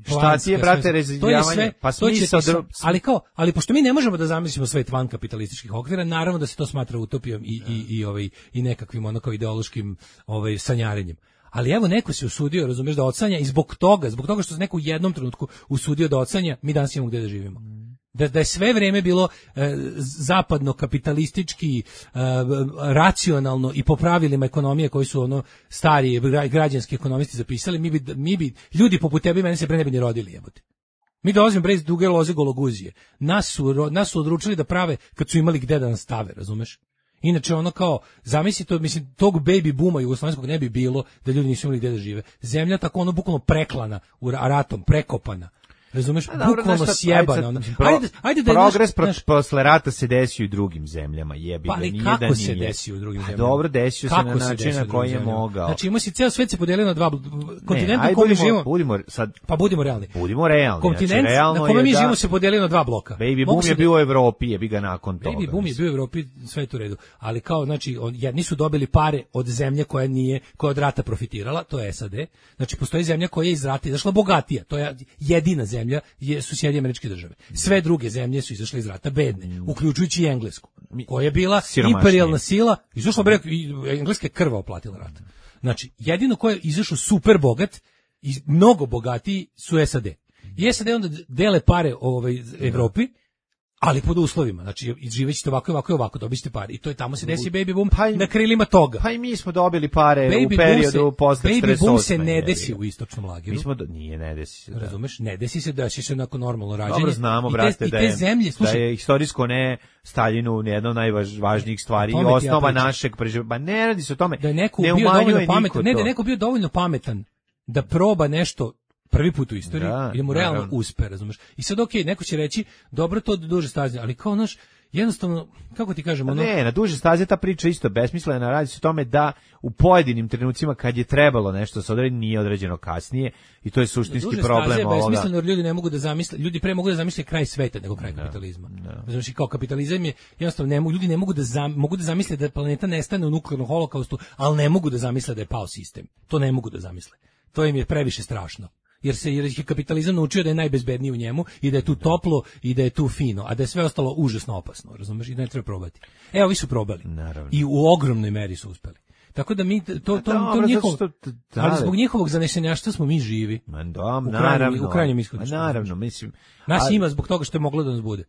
Šta planska, ti je, brate, sve- razjedinjavanje? to je sve, Pa to će smisao ti sa- dru- ali kao, ali pošto mi ne možemo da zamislimo svet van kapitalističkih okvira, naravno da se to smatra utopijom i i i ovaj i nekakvim onako ideološkim ovaj sanjarenjem. Ali evo neko se usudio, razumeš, da odsanja i zbog toga, zbog toga što se neko u jednom trenutku usudio da odsanja, mi danas imamo gde da živimo. Da, da je sve vreme bilo e, zapadno kapitalistički e, racionalno i po pravilima ekonomije koji su ono stari gra- građanski ekonomisti zapisali, mi bi mi bi ljudi poput tebe i mene se pre ne bi ni rodili, jebote. Mi dolazimo bre iz duge loze gologuzije. Nas su ro- nas su odlučili da prave kad su imali gde da nas stave, razumeš? Inače ono kao, zamisli to, mislim, tog baby booma jugoslovenskog ne bi bilo da ljudi nisu imali gde da žive. Zemlja tako ono bukvalno preklana u ra- ratom, prekopana. Razumeš, A dobro, bukvalno znaš šta, sjebana. ajde ono. sad, pro- Ajde, ajde da je progres naš- pro- naš- posle rata se desio i u drugim zemljama, jebi Pa ga, ali nije kako da se nije. desi u drugim A zemljama? dobro, desio se Kako na način desi u na drugim koji je zemljama? mogao. Znači ima se ceo svet se podelio na dva kontinenta aj, na kome budimo- živimo. budimo sad Pa budimo realni. budimo realni. Kontinent znači, realno na kome je mi da živimo se podelio na dva bloka. Baby Mogu boom se je da- bio u Evropi, jebi ga nakon toga. Baby boom je mislim. bio u Evropi, sve je to u redu. Ali kao, znači, on, jedni su dobili pare od zemlje koja nije, koja od rata profitirala, to je S A D. Znači, postoji zemlja koja je iz rata izašla bogatija. To je jedina zemlja, je, su Sjedinjene Američke Države. Sve druge zemlje su izašle iz rata bedne, uključujući i Englesku, koja je bila Siromašnije. imperijalna sila, izašla bre, i Engleska je krva oplatila rat. Znači, jedino ko je izašao super bogat i mnogo bogatiji su S A D. I S A D onda dele pare ovaj Evropi, ali pod uslovima. Znači, živećete ovako i ovako i ovako, dobit ćete pare. I to je tamo se desi baby boom Pa i- na krilima toga. Pa i mi smo dobili pare Baby u boom periodu se- posle Baby četrdeset osme. boom se ne jebi desi ga. u istočnom lageru. Mi smo do, nije ne desi se. Da. Razumeš? Ne desi se, desi se nakon normalno rađenje. Dobro znamo, I te- brate, i da te je, zemlje, da slušaj, je istorijsko ne Staljinu jedna od najvažnijih stvari i O tome ti ja osnova pričam. našeg preživljavanja. Pa ne radi se o tome. da je neko ne bio umanjuje dovoljno niko pametan, ne da je to. neko bio dovoljno pametan da proba nešto prvi put u istoriji Da, i da mu realno naravno. uspe, razumeš? I sad okej, neko će reći, dobro, to duže staze, ali kao naš, jednostavno, kako ti kažemo, ono, Ne, na duže staze ta priča isto besmislena, radi se o tome da u pojedinim trenucima kad je trebalo nešto se odredi, nije određeno kasnije i to je suštinski duže problem staze je ovoga. besmisleno, jer ljudi ne mogu da zamisle, ljudi pre mogu da zamisle kraj sveta nego kraj kapitalizma. Znači kao kapitalizam je jednostavno ne mogu, ljudi ne mogu da zam, mogu da zamisle da planeta nestane u nuklearnom holokaustu, ali ne mogu da zamisle da je pao sistem. To ne mogu da zamisle. To im je previše strašno. Jer se jer je kapitalizam naučio da je najbezbedniji u njemu i da je tu toplo i da je tu fino, a da je sve ostalo užasno opasno, razumeš? I da ne treba probati. Evo, vi su probali. Naravno. I u ogromnoj meri su uspeli. Tako da mi to to to, dobro, to njihov, zato što- da, ali da. zbog njihovog zanešenjaštva smo mi živi. Ma da, U krajnjem- naravno. u krajnjem ishodu, Ma što naravno, znaš. mislim. Nas ali- ima zbog toga što je moglo da nas bude.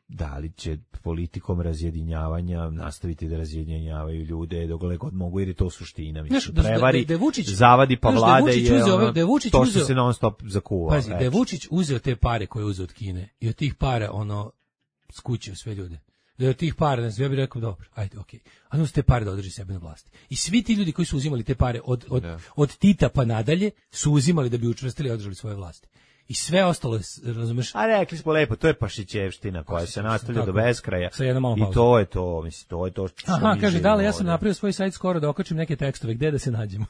Da li će politikom razjedinjavanja nastaviti da razjedinjavaju ljude dokle god mogu, jer je to suština. Mislim, Znaš, da- da- prevari, da je Vučić- zavadi pa znaš, da je vlade Vučić je, uzeo ove- ono, da je Vučić to što uzeo- se non stop zakuva. Pazi, da je reći. Vučić uzeo te pare koje je uzeo od Kine i od tih para ono skućio sve ljude. Da je od tih para, ne znam, ja bih rekao dobro, ajde, okej. A onda su te pare da održi sebe na vlasti. I svi ti ljudi koji su uzimali te pare od, od, Da. od Tita pa nadalje su uzimali da bi učvrstili i održali svoje vlasti. I sve ostalo, je, razumeš, A rekli smo lepo, to je pašićevština koja se nastavlja do tako. beskraja. Sa jednom malom I pauzom. to je to, mislim, to je to što aha, mi kaže, živimo dale, ja sam ovde. napravio svoj sajt skoro da okačim neke tekstove, gde da se nađemo.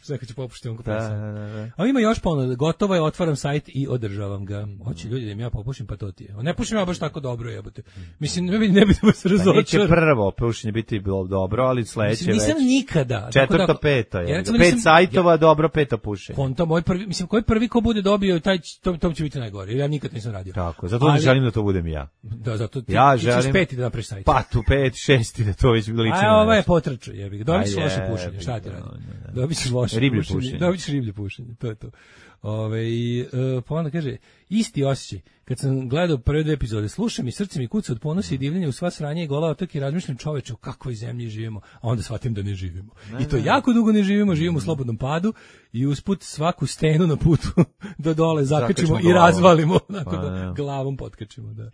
Sve kad ću popušiti onko Da, pesam. da, da, da. A ima još ponuda, gotovo je, otvaram sajt i održavam ga. Hoće ljudi da im ja popušim, pa to ti je. Ne pušim ja baš tako dobro, jebote. Mislim, ne bi ne bi da se Pa neće razočaram. prvo pušenje biti bilo dobro, ali sledeće Mislim, nisam već. nikada. tako Četvrto, da- peto Ja je. recimo Pet nisam- sajtova, dobro, peto pušenje. Konta moj prvi, mislim, koji prvi ko bude dobio, taj, će- to, to će biti najgore. Ja nikad nisam radio. Tako, zato Ali- ne želim da to budem ja. Da, zato ti, Ja ti ćeš želim- peti da napraviš sajt. Pa tu pet, šesti, da to već liči A na ovo je nešto. potrčao, jebi ga. Dobit ćeš A loše jebi pušenje, šta ti ga, radi? da, da. Dobit ćeš loše Riblje pušenje. pušenje. Dobit ćeš riblje pušenje, to je to. Ove, i, e, pa onda kaže, isti osjećaj. Kad sam gledao prve dve epizode, slušam i srce mi kuca od ponosa i divljenja u sva sranja i gola otoka i razmišljam, čoveče, u kakvoj zemlji živimo, a onda shvatim da ne živimo. I to jako dugo ne živimo, živimo u slobodnom padu i usput svaku stenu na putu do dole zakačimo Zakačimo i glavom. razvalimo, onako Pa, da ne. glavom potkačimo, da.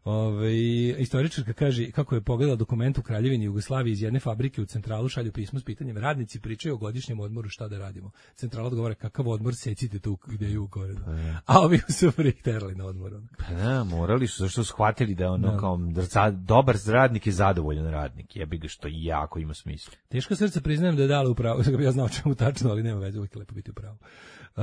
Ove, istoričarka kaže kako je pogledala dokument u Kraljevini Jugoslaviji iz jedne fabrike u centralu, šalju pismo s pitanjem, radnici pričaju o godišnjem odmoru, šta da radimo. Centrala odgovara, kakav odmor, secite tu gde je u Korenu. A ovi su ih terali na odmor. Pa da, morali su, zašto su shvatili da je ono Da. kao da dobar radnik je zadovoljan radnik, jebi ga, što i jako ima smisla. Teško srce priznajem da je dala upravo, ja znao čemu tačno, ali nema veze, uvijek je lepo biti upravo. E,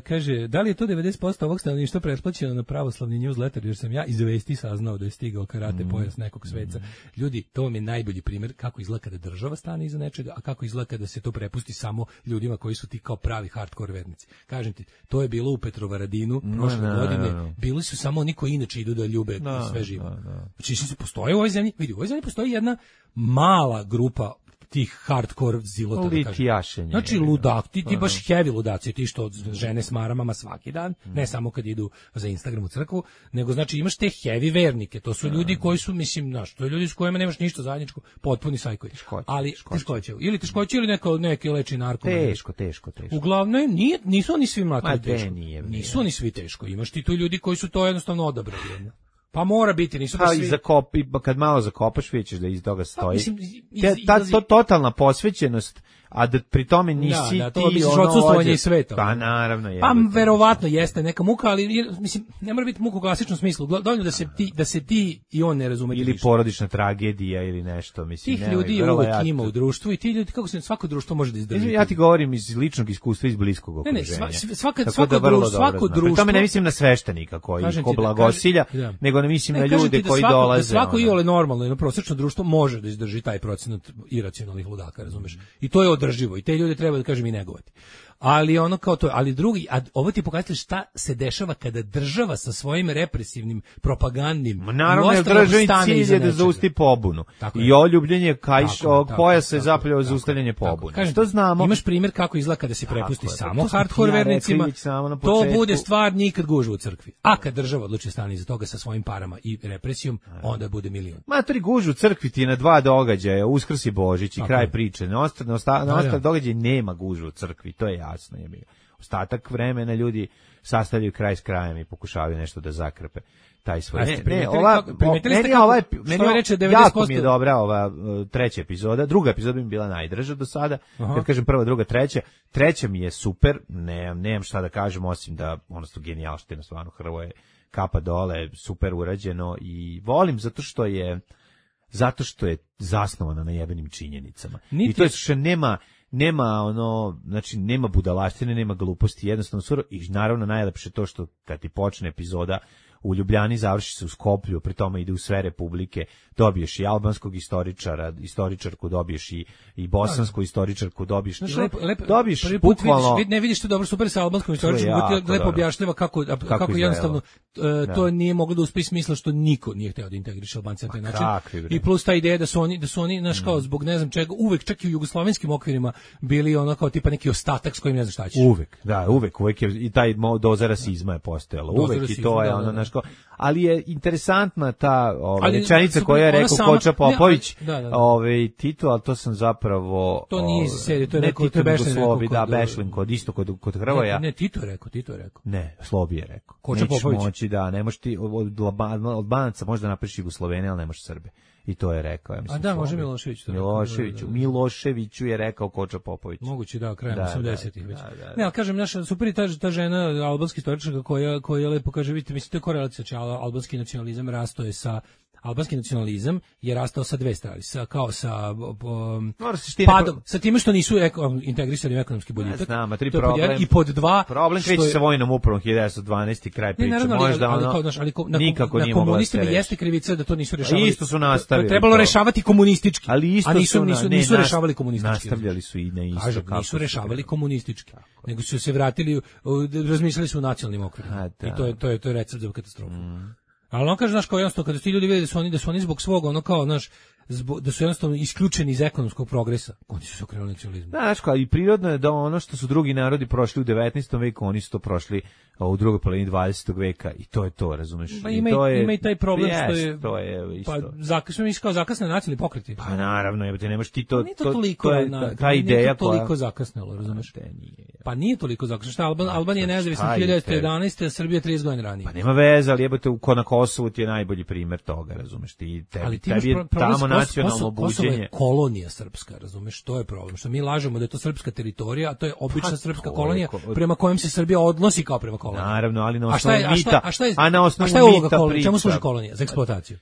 kaže, da li je to devedeset posto ovog stanovništva pretplaćeno na pravoslavni newsletter, jer sam ja iz vesti saznao da je stigao karate Mm. pojas nekog sveca. Ljudi, to vam je najbolji primjer kako izgleda kada država stane iza nečega, a kako izgleda kada se to prepusti samo ljudima koji su ti kao pravi hardcore vernici. Kažem ti, to je bilo u Petrovaradinu prošle No, no, godine, no, no. bili su samo oni koji inače idu da ljube Da, sve živo. da, da. Znači, se postoji u ovoj zemlji, vidi, u ovoj zemlji postoji jedna mala grupa tih hardcore zilota, da kažem. Litijašenje. Znači ludak, ti, ti baš heavy ludaci, ti što žene s maramama svaki dan, ne samo kad idu za Instagram u crkvu, nego znači imaš te heavy vernike, to su ljudi koji su, mislim, znaš, to je ljudi s kojima nemaš ništa zajedničko, potpuni sajkovi. Ali teškoće, ili teškoće ili neko, neki leči narkoman. Teško, teško, teško. Uglavnom, nije, nisu oni svi Ma, mlatili de, teško. nije, nije. Nisu oni svi teško, imaš ti tu ljudi koji su to jednostavno odabrali. jedno. Pa mora biti, nisu Pa baš i svi... zakop, i kad malo zakopaš, vidjet ćeš da iz toga stoji. mislim, iz- Te- ta, izlazi- to totalna posvećenost, a da pri tome nisi Da, da, to ti misliš ono odsustvovanje ođe- iz sveta. Pa naravno je. Pa verovatno jeste neka muka, ali je- mislim ne mora biti muka u klasičnom smislu. Gla- Dovoljno da se ti da se ti i on ne razumete Ili više. porodična tragedija ili nešto, mislim. Tih nemoj, ljudi je vrlo uvek ja- ima u društvu i ti ljudi kako se svako društvo može da izdrži. Ja ti govorim iz ličnog iskustva, iz bliskog Ne, ne, okruženja. sva- svaka- Tako svako da vrlo društvo- dobro svako znam. Pri tome ne društvo- mislim na sveštenika koji Kažem ko ti da- blagosilja, kažem- da. nego ne mislim Ne, na kažem ljude ti da koji svako, dolaze. Da svako ono. iole normalno, jedno prosečno društvo može da izdrži taj procenat iracionalnih ludaka, razumeš? I to je održivo i te ljude treba da kažem i negovati. Ali ono kao to, ali drugi, a ovo ti pokazuje šta se dešava kada država sa svojim represivnim, propagandnim Ma naravno, jer ostalom državni stane cilj iza je da nečega. zausti pobunu. Tako I je. oljubljenje kajš, Tako je, tako pojasa je je, zapravo tako, zaustavljanje tako, pobune. kažem Što ti, znamo? Imaš primjer kako izgleda kada se prepusti Tako je, samo to sam hardcore ti ja rekao vernicima. već samo na To početku. bude stvar nikad gužva u crkvi. A kad država odluči stane iza toga sa svojim parama i represijom, onda bude milion. Matori gužu u crkvi ti je na dva događaja, Uskrs i Božić i Tako kraj je. priče. Na ostale, na osta, na Da, ostale da. događaje nema gužu u crkvi, to je jasno. Je. Ostatak vremena ljudi sastavljaju kraj s krajem i pokušavaju nešto da zakrpe taj svoj. A Ne, jeste ne, primetili ova, kako- primetili ste meni je kako- ova, što meni je je- reče devedeset jako posto mi je dobra ova uh, treća epizoda, druga epizoda bi mi bila najdraža do sada, Aha. kad kažem prva, druga, treća, treća mi je super, nemam, nemam šta da kažem, osim da ono su genijalštine, stvarno Hrvoje, kapa dole, super urađeno i volim zato što je zato što je zasnovana na jebenim činjenicama. Niti- I to je što nema nema ono, znači nema budalaštine, nema gluposti, jednostavno suro i naravno najlepše to što kad ti počne epizoda u Ljubljani završi se u Skoplju, pri tome ide u sve republike, dobiješ i albanskog istoričara, istoričarku, dobiješ i, i bosansku istoričarku, dobiješ, Znaš, znači, lepo, lepo, dobiješ prvi put bukvalno... vidiš, vid- ne vidiš to dobro super sa albanskom istoričkom, jako koji ti lepo dobro. objašnjava kako, a- kako, izgledalo. jednostavno e, Da. to nije moglo da uspe iz smisla što niko nije hteo da integriše Albance na taj način. kakvi, bre. I plus ta ideja da su oni, da su oni, znaš, kao zbog ne znam čega, uvek čak i u jugoslovenskim okvirima bili ono kao tipa neki ostatak s kojim ne znaš šta ćeš. Uvek, da, uvek, uvek je, i taj mo- doza rasizma je postojala, Doza uvek i rasizma, to je da, ono, da, da. znaš kao, ali je interesantna ta ova, Ali, rečenica su- koja je ona rekao sama- Koča ne, ali- Popović, da, da, da. ovaj, Tito, ali to sam zapravo... To nije iz ovaj, serije, to je ne rekao- Tito, to je nego Bešlin Slobi, rekao da, kod- Bešlin, kod, isto kod, kod Hrvoja. Ne, ne, Tito je rekao, Tito je rekao. Ne, Slobi je rekao. Koča Nećeš Popović. moći, da, ne možeš ti, od, od Alba- Albanaca možda napraviš Jugoslovene, ali ne možeš Srbe. I to je rekao, ja mislim. A da, može Slobi. Milošević to rekao, Miloševiću, da, da, da. Miloševiću je rekao Koča Popović. Moguće da, krajem Da, da, osamdesetih već. da, da, da. Ne, ali kažem, naša super je ta, ta žena, albanski istoričarka koja, koja lepo kaže, vidite, mislim, to je korelacija, znači, al- albanski nacionalizam rasto je sa, albanski nacionalizam je rastao sa dve strane, sa, kao sa um, Mora se štine- padom, sa time što nisu eko, integrisani u ekonomski boljitak. Ne znam, a tri To je pod problem- jedan, i pod dva, Problem što kreće je- sa vojnom upravom hiljadu devetsto dvanaeste kraj Ne, priče. naravno, ali, Možda ali, ono, kao, znaš, ali ko- na, nikako na nije mogla da se komunistima reši. jeste krivica da to nisu rešavali. isto su nastavili To je trebalo to. rešavati komunistički. Ali isto a nisu, su na- nisu, ne, nisu nas- rešavali komunistički. nastavljali su i na isto Kažem, kako nisu su rešavali trebali. komunistički, nego su se vratili, u- u- razmišljali su u nacionalnim okvirima. A, da. I to je, to je, to je recept za katastrofu. Ali on kaže, znaš, kao jednostavno, kada ti ljudi vide da su oni, da su oni zbog svog, ono kao, znaš, zbog, da su jednostavno isključeni iz ekonomskog progresa. Oni su se okrenuli nacionalizmu. Da, znaš, kao, i prirodno je da ono što su drugi narodi prošli u devetnaestom veku, oni su to prošli u drugoj polovini dvadesetog veka i to je to, razumeš? Pa ima, I to je, ima i taj problem jest, što je... to je isto. Pa zakasno mi kao zakasne nacionalni pokreti. Pa naravno, jebote, nemaš ti to... Nije to toliko, to je na, ta, ta ideja nije to toliko koja... zakasnelo, razumeš? Pa, nije. Pa nije toliko zakasnelo. Šta, Alban, Albanija je nezavisna hiljadu devetsto jedanaeste, a Srbija trideset godina ranije. Pa nema veze, ali jebote, ko na Kosovu ti je najbolji primer toga, razumeš? Ti, tebi, ali ti tebi je problem, tamo Kosovo, nacionalno Kosovo, Kosovo buđenje. je kolonija srpska, razumeš? To je problem. Što mi lažemo da je to srpska teritorija, a to je obična Pa, srpska to kolonija je ko- prema kojem se Srbija odnosi kao prema koloniji. Naravno, ali na A šta je, osnovu a šta, mita, a šta je, a na osnovu a šta je uloga mita kolonije? Čemu priča. služi kolonija? Za eksploataciju.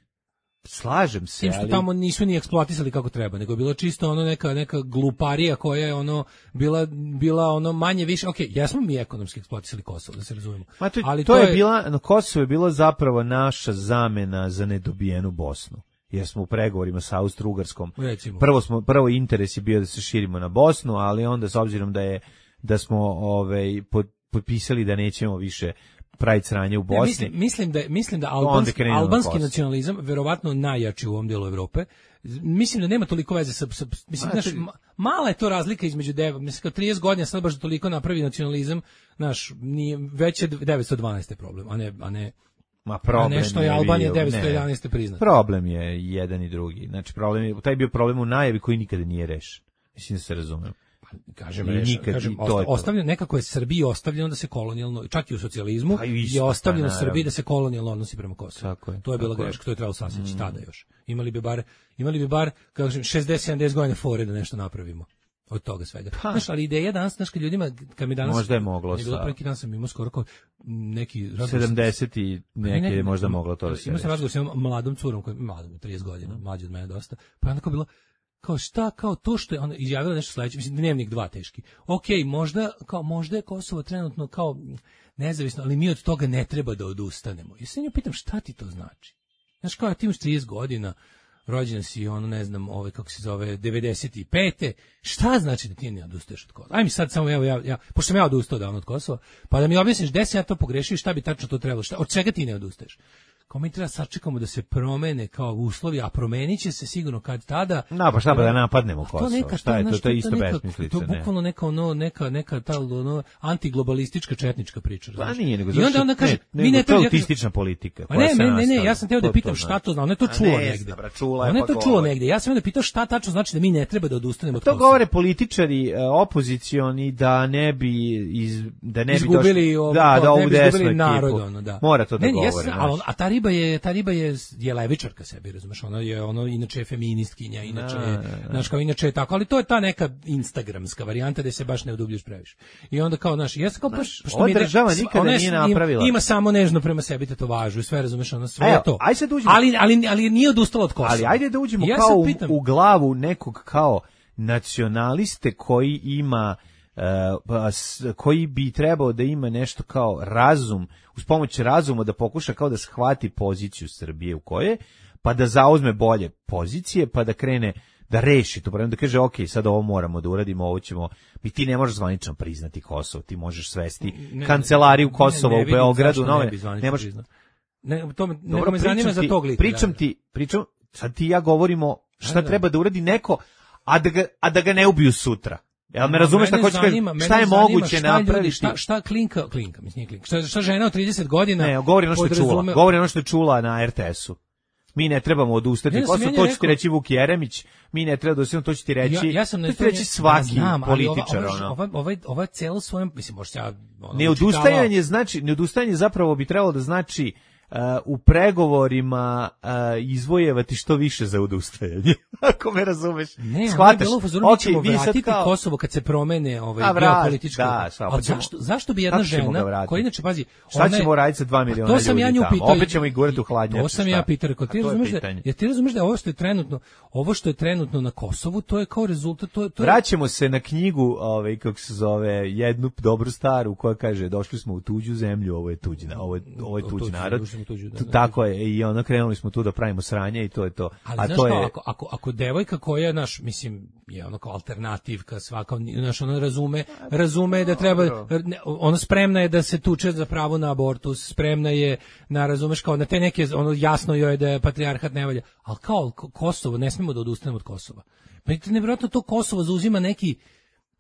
Slažem se, Tim što ali... tamo nisu ni eksploatisali kako treba, nego je bilo čisto ono neka neka gluparija koja je ono bila bila ono manje više. Okej, okay, jesmo mi ekonomski eksploatisali Kosovo, da se razumemo. Ma to, ali to, to je, je bila, na Kosovo je bilo zapravo naša zamena za nedobijenu Bosnu. Jer smo u pregovorima sa Austro-Ugarskom. Recimo. Prvo smo prvo interes je bio da se širimo na Bosnu, ali onda s obzirom da je da smo ovaj pod, potpisali da nećemo više praviti sranje u Bosni. Ne, mislim, mislim da mislim da Onda albanski, krenemo na albanski Kosovo. nacionalizam verovatno najjači u ovom delu Evrope. Mislim da nema toliko veze sa, sa mislim A, znaš, ti- ma- mala je to razlika između dev, mislim kao trideset godina sad baš da toliko napravi nacionalizam, znaš, nije već je devetsto dvanaeste problem, a ne a ne Ma problem a nešto je Albanija bio- devetsto jedanaeste priznata. Problem je jedan i drugi. Znači problem je taj je bio problem u najavi koji nikada nije rešen. Mislim da se razumem. Kažem, I reš, nikad- kažem i to je to. osta- ostavljeno, nekako je Srbiji ostavljeno da se kolonijalno, čak i u socijalizmu, Pa i isto, je ostavljeno pa naravno. Srbiji da se kolonijalno odnosi prema Kosovu. Tako je, To je bila tako je. greška, to je trebalo sasjeći tada još. Imali bi bar, imali bi bar, kako kažem, šezdeset sedamdeset godina fore da nešto napravimo od toga svega. Pa. Znaš, ali ideja danas, znaš, kad ljudima, kad mi danas... Možda je moglo je bilo sa- pre neki dan sam imao skoro kao neki... razgovor sa- sedamdeset i neke ne, je ne, možda ne, moglo to da se Imao sam reši. razgovor sa jednom mladom curom, koja je mladom, trideset godina, mlađa od mene dosta, pa je onda kao bilo, kao šta, kao to što je ona izjavila nešto sledeće, mislim, dnevnik dva teški. Okej, možda, kao, možda je Kosovo trenutno kao nezavisno, ali mi od toga ne treba da odustanemo. Ja se nju pitam, šta ti to znači? Znaš, kao, ti imaš trideset godina, rođen si, ono, ne znam, ove, kako se zove, devedeset pete Šta znači da ti ne odustaješ od Kosova? Aj mi sad samo, evo, ja, ja, pošto sam ja odustao davno od Kosova, pa da mi objasniš gde sam ja to pogrešio i šta bi tačno to trebalo, šta, od čega ti ne odustaješ? Kao mi treba sačekamo da se promene kao uslovi, a promenit će se sigurno kad tada. Na, pa šta pa da napadnemo A to Kosovo? neka, Šta je to? znaš, To je isto neka- besmislica, To ne? je bukvalno neka ono neka neka ta ono antiglobalistička četnička priča, Pa znaš. nije, nego I zašto- onda onda kaže, ne, mi nego ne to je treba autistična politika. Pa koja ne, se ne, ne, ne, nastavlja. ja sam teo da To- pitam to šta znači. to zna. Ona je to A čula ne negde. zna, bra, čula je, Ona je pa to čula govori. negde. Ja sam onda pitao šta tačno znači da mi ne treba da odustanemo od To Kosova. govore političari e, opozicioni da ne bi iz da ne bi izgubili došli, ovo, da, kao, da ovu ne bi desnu izgubili ekipu. narod, ono, da. Mora to da Ne, ne, ja govore. sam- znaš. a, on- a ta riba je ta riba je je levičarka sebi, razumeš, ona je ono inače je feministkinja, inače je, znaš, kao inače je tako, ali to je ta neka instagramska varijanta da se baš ne udubljuješ previše. I onda kao, znaš, ja sam kao baš pošto ova mi je- država sva- nikada ona je- nije ima- napravila. Ima samo nežno prema sebi tetovažu i sve, razumeš, ono sve Evo, je to. aj sad uđemo- Ali ali ali nije odustala od Kosova. Ali ajde da uđemo I ja kao sad u, pitam- u glavu nekog kao nacionaliste koji ima e, pa, s- koji bi trebao da ima nešto kao razum, uz pomoć razuma da pokuša kao da shvati poziciju Srbije u kojoj, pa da zauzme bolje pozicije, pa da krene da reši to problem, da kaže ok, sad ovo moramo da uradimo, ovo ćemo, mi ti ne možeš zvanično priznati Kosovo, ti možeš svesti Ne, kancelariju ne, Kosova ne u vidim Beogradu, zašto nove, ne bi zvanično ne možeš, priznao. Ne, to me, nego dobro, me zanima pričam za ti- tog lika. Pričam da, da. ti, pričam, sad ti i ja govorimo šta Da, da. treba da uradi neko, a da ga, a da ga ne ubiju sutra. Jel me razumeš šta Mene hoću kažem? zanima- mene Šta je zanima moguće šta ljudi, napraviti? Šta, šta klinka, klinka, mislim nije klinka. Šta, šta žena od trideset godina Ne, govori ono što je čula. podrazume- Govori ono što je čula na er te esu. Mi ne trebamo odustati. Ne, da sam Kosovo, ja to će ti rekao- reći Vuk Jeremić. Mi ne treba odustati, to će ti reći. Ja, ja sam na to će ti tome- reći svaki ja znam, ali ova- političar. ova, ono. ova, ovaj, ovaj celo svojom, mislim, možda ja... Ono, Neodustajanje znači, neodustajanje zapravo bi trebalo da znači uh, u pregovorima uh, izvojevati što više za odustajanje. Ako me razumeš. Ne, ono je Shvataš? bilo u fazonu, mi Ok, ćemo vi sad vratiti kao- Kosovo kad se promene ovaj, A, vrat, geopolitička... da, samo, Ali pa ćemo- zašto, zašto bi jedna kako ćemo ga žena, vratiti? koja inače, pazi... Šta ona je- ćemo raditi sa dva Pa miliona to sam ja ljudi nju tamo? pitao. Opet ćemo ih gurati u hladnjače, To sam šta? ja pitao, rekao, A ti to je razumeš da, pitanje. jer ti razumeš da ovo što je trenutno, ovo što je trenutno na Kosovu, to je kao rezultat, to je... To je Vraćamo se na knjigu, ovaj kako se zove, jednu dobru staru koja kaže došli smo u tuđu zemlju, ovo je tuđi, ovo je ovo je tuđi narod. sam u tuđu. Da, tako je, i ono krenuli smo tu da pravimo sranje i to je to. Ali a znaš to kao, je ako, ako, ako devojka koja, naš, mislim, je ono kao alternativka, svaka, znaš, ona razume, razume da treba, ne, ona spremna je da se tuče za pravo na abortus, spremna je na, razumeš, kao na te neke, ono, jasno joj je da je patrijarhat ne valja, ali kao Kosovo, ne smemo da odustanemo od Kosova. Meni je nevjerojatno to Kosovo zauzima neki,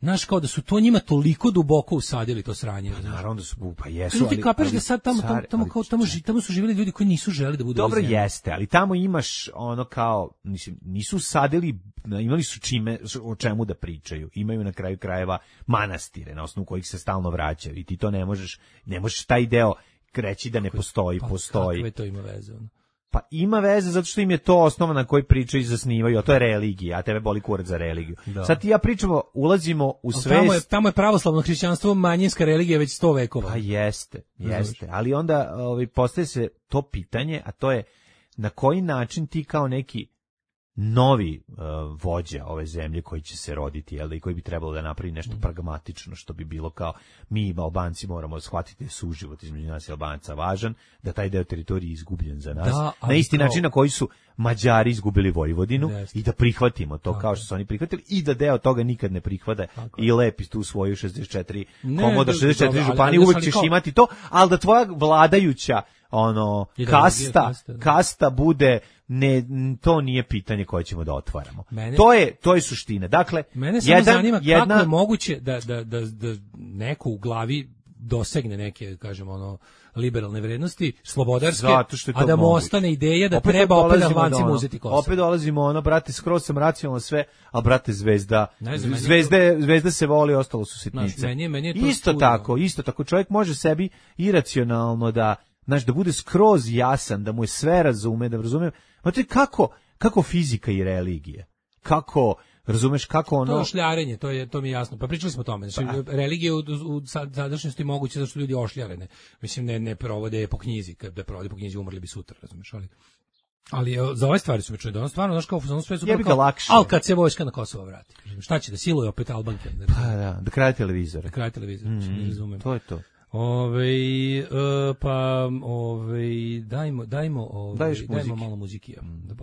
znaš, kao da su to njima toliko duboko usadili to sranje. Pa naravno da su, pa jesu, ali... Ti ali... kapiraš ali, da sad tamo, tamo, tamo, kao, tamo, ži, tamo su živjeli ljudi koji nisu želi da budu dobro zemlji. Jeste, ali tamo imaš ono kao, mislim, nisu sadili, imali su čime, o čemu da pričaju. Imaju na kraju krajeva manastire, na osnovu kojih se stalno vraćaju i ti to ne možeš, ne možeš taj deo reći da ne postoji, pa, postoji. Kakve to ima veze, ono? Pa ima veze zato što im je to osnova na kojoj pričaju i zasnivaju, a to je religija, a tebe boli kurac za religiju. Da. Sad ti ja pričamo, ulazimo u svest... Tamo je, tamo je pravoslavno hrišćanstvo manjinska religija već sto vekova. Pa jeste, jeste. Ali onda ovaj, postaje se to pitanje, a to je na koji način ti kao neki novi uh, vođa ove zemlje koji će se roditi, jel da, i koji bi trebalo da napravi nešto pragmatično, što bi bilo kao mi Albanci moramo shvatiti da suživot između nas i Albanca važan, da taj deo teritorije je izgubljen za nas, da, na isti kao... način na koji su Mađari izgubili Vojvodinu, Jeste. i da prihvatimo to tako, kao što su oni prihvatili i da deo toga nikad ne prihvate tako, i lepi tu svoju šezdeset četiri ne, komodo šezdeset četiri dobro, županije, uvek ćeš kao... imati to, ali da tvoja vladajuća ono kasta, kasta, kasta bude ne, to nije pitanje koje ćemo da otvaramo. Mene, to je to je suština. Dakle, mene samo jedan, zanima jedna... kako je moguće da, da, da, da neko u glavi dosegne neke, kažemo, ono, liberalne vrednosti, slobodarske, a da mu moguće. Ostane ideja da opet treba opet Albancima ono, uzeti Kosovo. Opet dolazimo ono, brate, skroz sam racionalno sve, ali brate, zvezda, znam, zvezde, to... zvezda se voli, ostalo su sitnice. Znaš, meni je, meni je to isto čudno. tako, isto tako, čovjek može sebi iracionalno da, znaš, da bude skroz jasan, da mu je sve razume, da razume, ma to je kako, kako fizika i religija, kako, razumeš, kako ono... To je ošljarenje, to, je, to mi je jasno. Pa pričali smo o tome. Znači, pa. Religije u, u sadašnjosti moguće zato što ljudi ošljarene. Mislim, ne, ne provode po knjizi. Kad da provode po knjizi, umrli bi sutra, razumeš, ali... Ali za ove stvari su mi čuli da ono stvarno, znaš, kao ono sve su kao, ali kad se vojska na Kosovo vrati. Šta će, da siluje opet Albanke? Pa da, da kraje televizora. Da kraje televizora, mm, ne razumem. To je to. Ove, uh, pa, ove, dajmo, dajmo, ove, dajmo malo muziki. Ja, da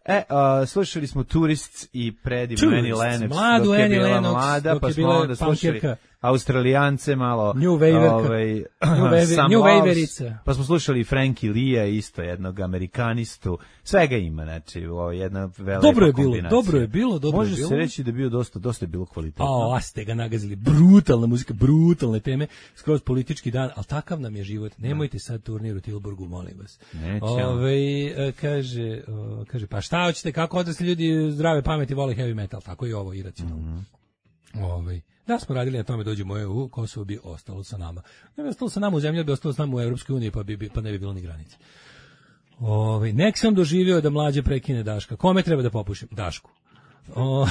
e, uh, slušali smo Tourists i predivno Annie Lennox, mladu dok je Annie bila Lennox, mlada, pa smo onda slušali Australijance malo, New Waverka, ovaj, New, Waver, New Waverica, pa smo slušali Frankie Lee-a, isto jednog Amerikanistu, svega ima, znači, ovo jedna velika dobro je bilo, kombinacija. Dobro je bilo, dobro Može je bilo. se reći da je bio dosta, dosta je bilo kvalitetno. A, a ste ga nagazili, brutalna muzika, brutalne teme, skroz politički dan, ali takav nam je život. Nemojte sad turnir u Tilburgu, molim vas. Nećemo. Ove, kaže, o, kaže, pa šta hoćete, kako odrasli ljudi zdrave pameti vole heavy metal, tako i ovo iracionalno. Mm -hmm. Ove, da smo radili na tome dođemo u E U, Kosovo bi ostalo sa nama. Ne bi ostalo sa nama u zemlji, bi ostalo sa nama u Evropskoj uniji, pa, bi, pa ne bi bilo ni granice. Ove, nek sam doživio da mlađe prekine Daška. Kome treba da popušim? Dašku. O,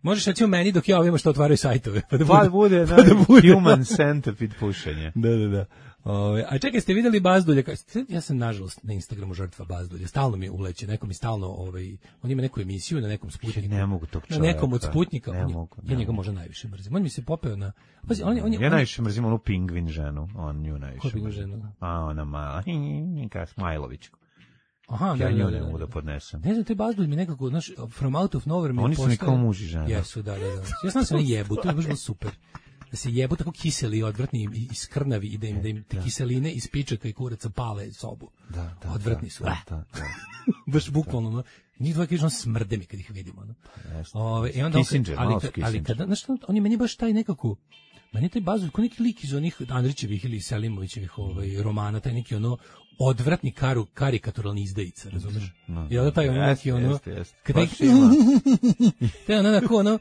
možeš reći o meni dok ja ovima što otvaraju sajtove. Pa da bude, pa bude, pa da bude human centipede pušenje. Da, da, da. Ove, a čekaj, ste vidjeli Bazdulja? Ja sam, nažalost, na Instagramu žrtva Bazdulja. Stalno mi uleće, neko mi stalno, ovaj, on ima neku emisiju na nekom Sputniku. Ne mogu tog čovjeka. Na nekom od Sputnika. Ne on, mogu, ne ja njega mogu. možda najviše mrzim. On mi se popeo na... Pazi, on, on, ja on, najviše mrzim onu pingvin ženu. On nju najviše. Ko pingvin ženu? A, ona mala. Kao Smajlović. Aha, ja da, nju da, ne da, mogu da da podnesem. Ne znam, te Bazdulj mi nekako, znaš, from out of nowhere mi Oni su mi kao muž i žena. Jesu, da, da, da. Ja znam da se oni jebu, to je baš bilo super. Da se jebu tako kiseli, odvrtni i iskrnavi i da im, da im te kiseline iz pičaka i kuraca pale sobu. Da, da, odvrtni da, su. Da, da, da. Baš bukvalno, no. Njih dvoje kažu, smrde mi kad ih vidimo. No. Jeste. Ove, i onda, Kissinger, ali, malo kad, Kissinger. ali kada, znaš, on je meni baš taj nekako, meni je taj Bazdulj, ko neki lik iz onih Andrićevih ili Selimovićevih ovaj, romana, taj neki ono odvratni karu, karikaturalni izdajica, razumeš? No, I onda taj ono neki ono, jeste, jeste. kada ih, taj ono onako ono,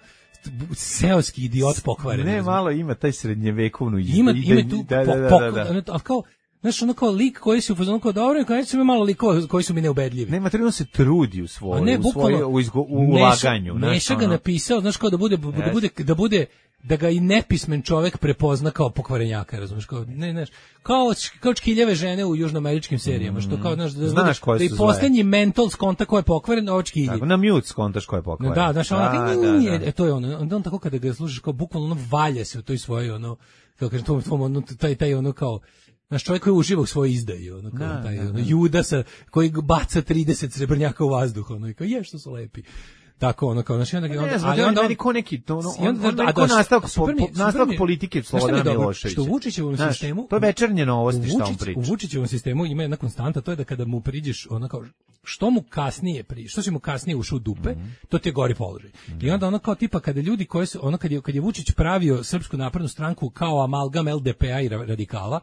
seoski idiot pokvaren. Ne, malo ima taj srednjevekovnu izdajicu. Ima, ima tu, da, da, da, po, da, da. ali kao, znaš, ono kao lik koji su u fazonu kao dobro, kao su mi malo likova koji su mi neubedljivi. Ne, materijalno se trudi u svoju, ne, u svoju u, izgo, u ulaganju. Neša, Neša ga napisao, znaš, kao da bude, yes. da bude, da bude, da ga i nepismen čovjek prepozna kao pokvarenjaka, razumiješ, kao, ne, znaš, kao, kao čkiljeve žene u južnoameričkim serijama, što kao, znaš, da, znaš da, da i posljednji mental skonta ko je pokvaren, ovo čkilji. Tako, na mute skontaš ko je pokvaren. Da, znaš, ono, da, da, da. E, to je ono, onda on tako kada ga slušaš, kao bukvalno ono valje se u toj svojoj, ono, kao kažem, tom, tom, ono, taj, taj ono kao, Naš čovjek koji uživa u svojoj izdaji, ono, kao da, taj, da, ono, Judasa koji baca trideset srebrnjaka u vazduh, ono, i kao, je, što su lepi. Tako, ono, kao, znači, onda... Ne, onda, znam, ali onda... meni ko neki, to, ono, on, on, on, ko nastavak, po, po, nastavak politike Slobodana Miloševića. Što u Vučićevom Znaš, sistemu... to je večernje novosti što Vučić, on priča. U Vučićevom sistemu ima jedna konstanta, to je da kada mu priđeš, ono kao, što mu kasnije pri, što si mu kasnije ušao u dupe, mm -hmm. to ti je gori položaj. Mm -hmm. I onda ono kao tipa kada ljudi koji su, ono kad je, kad je Vučić pravio Srpsku naprednu stranku kao amalgam el de pe a i radikala,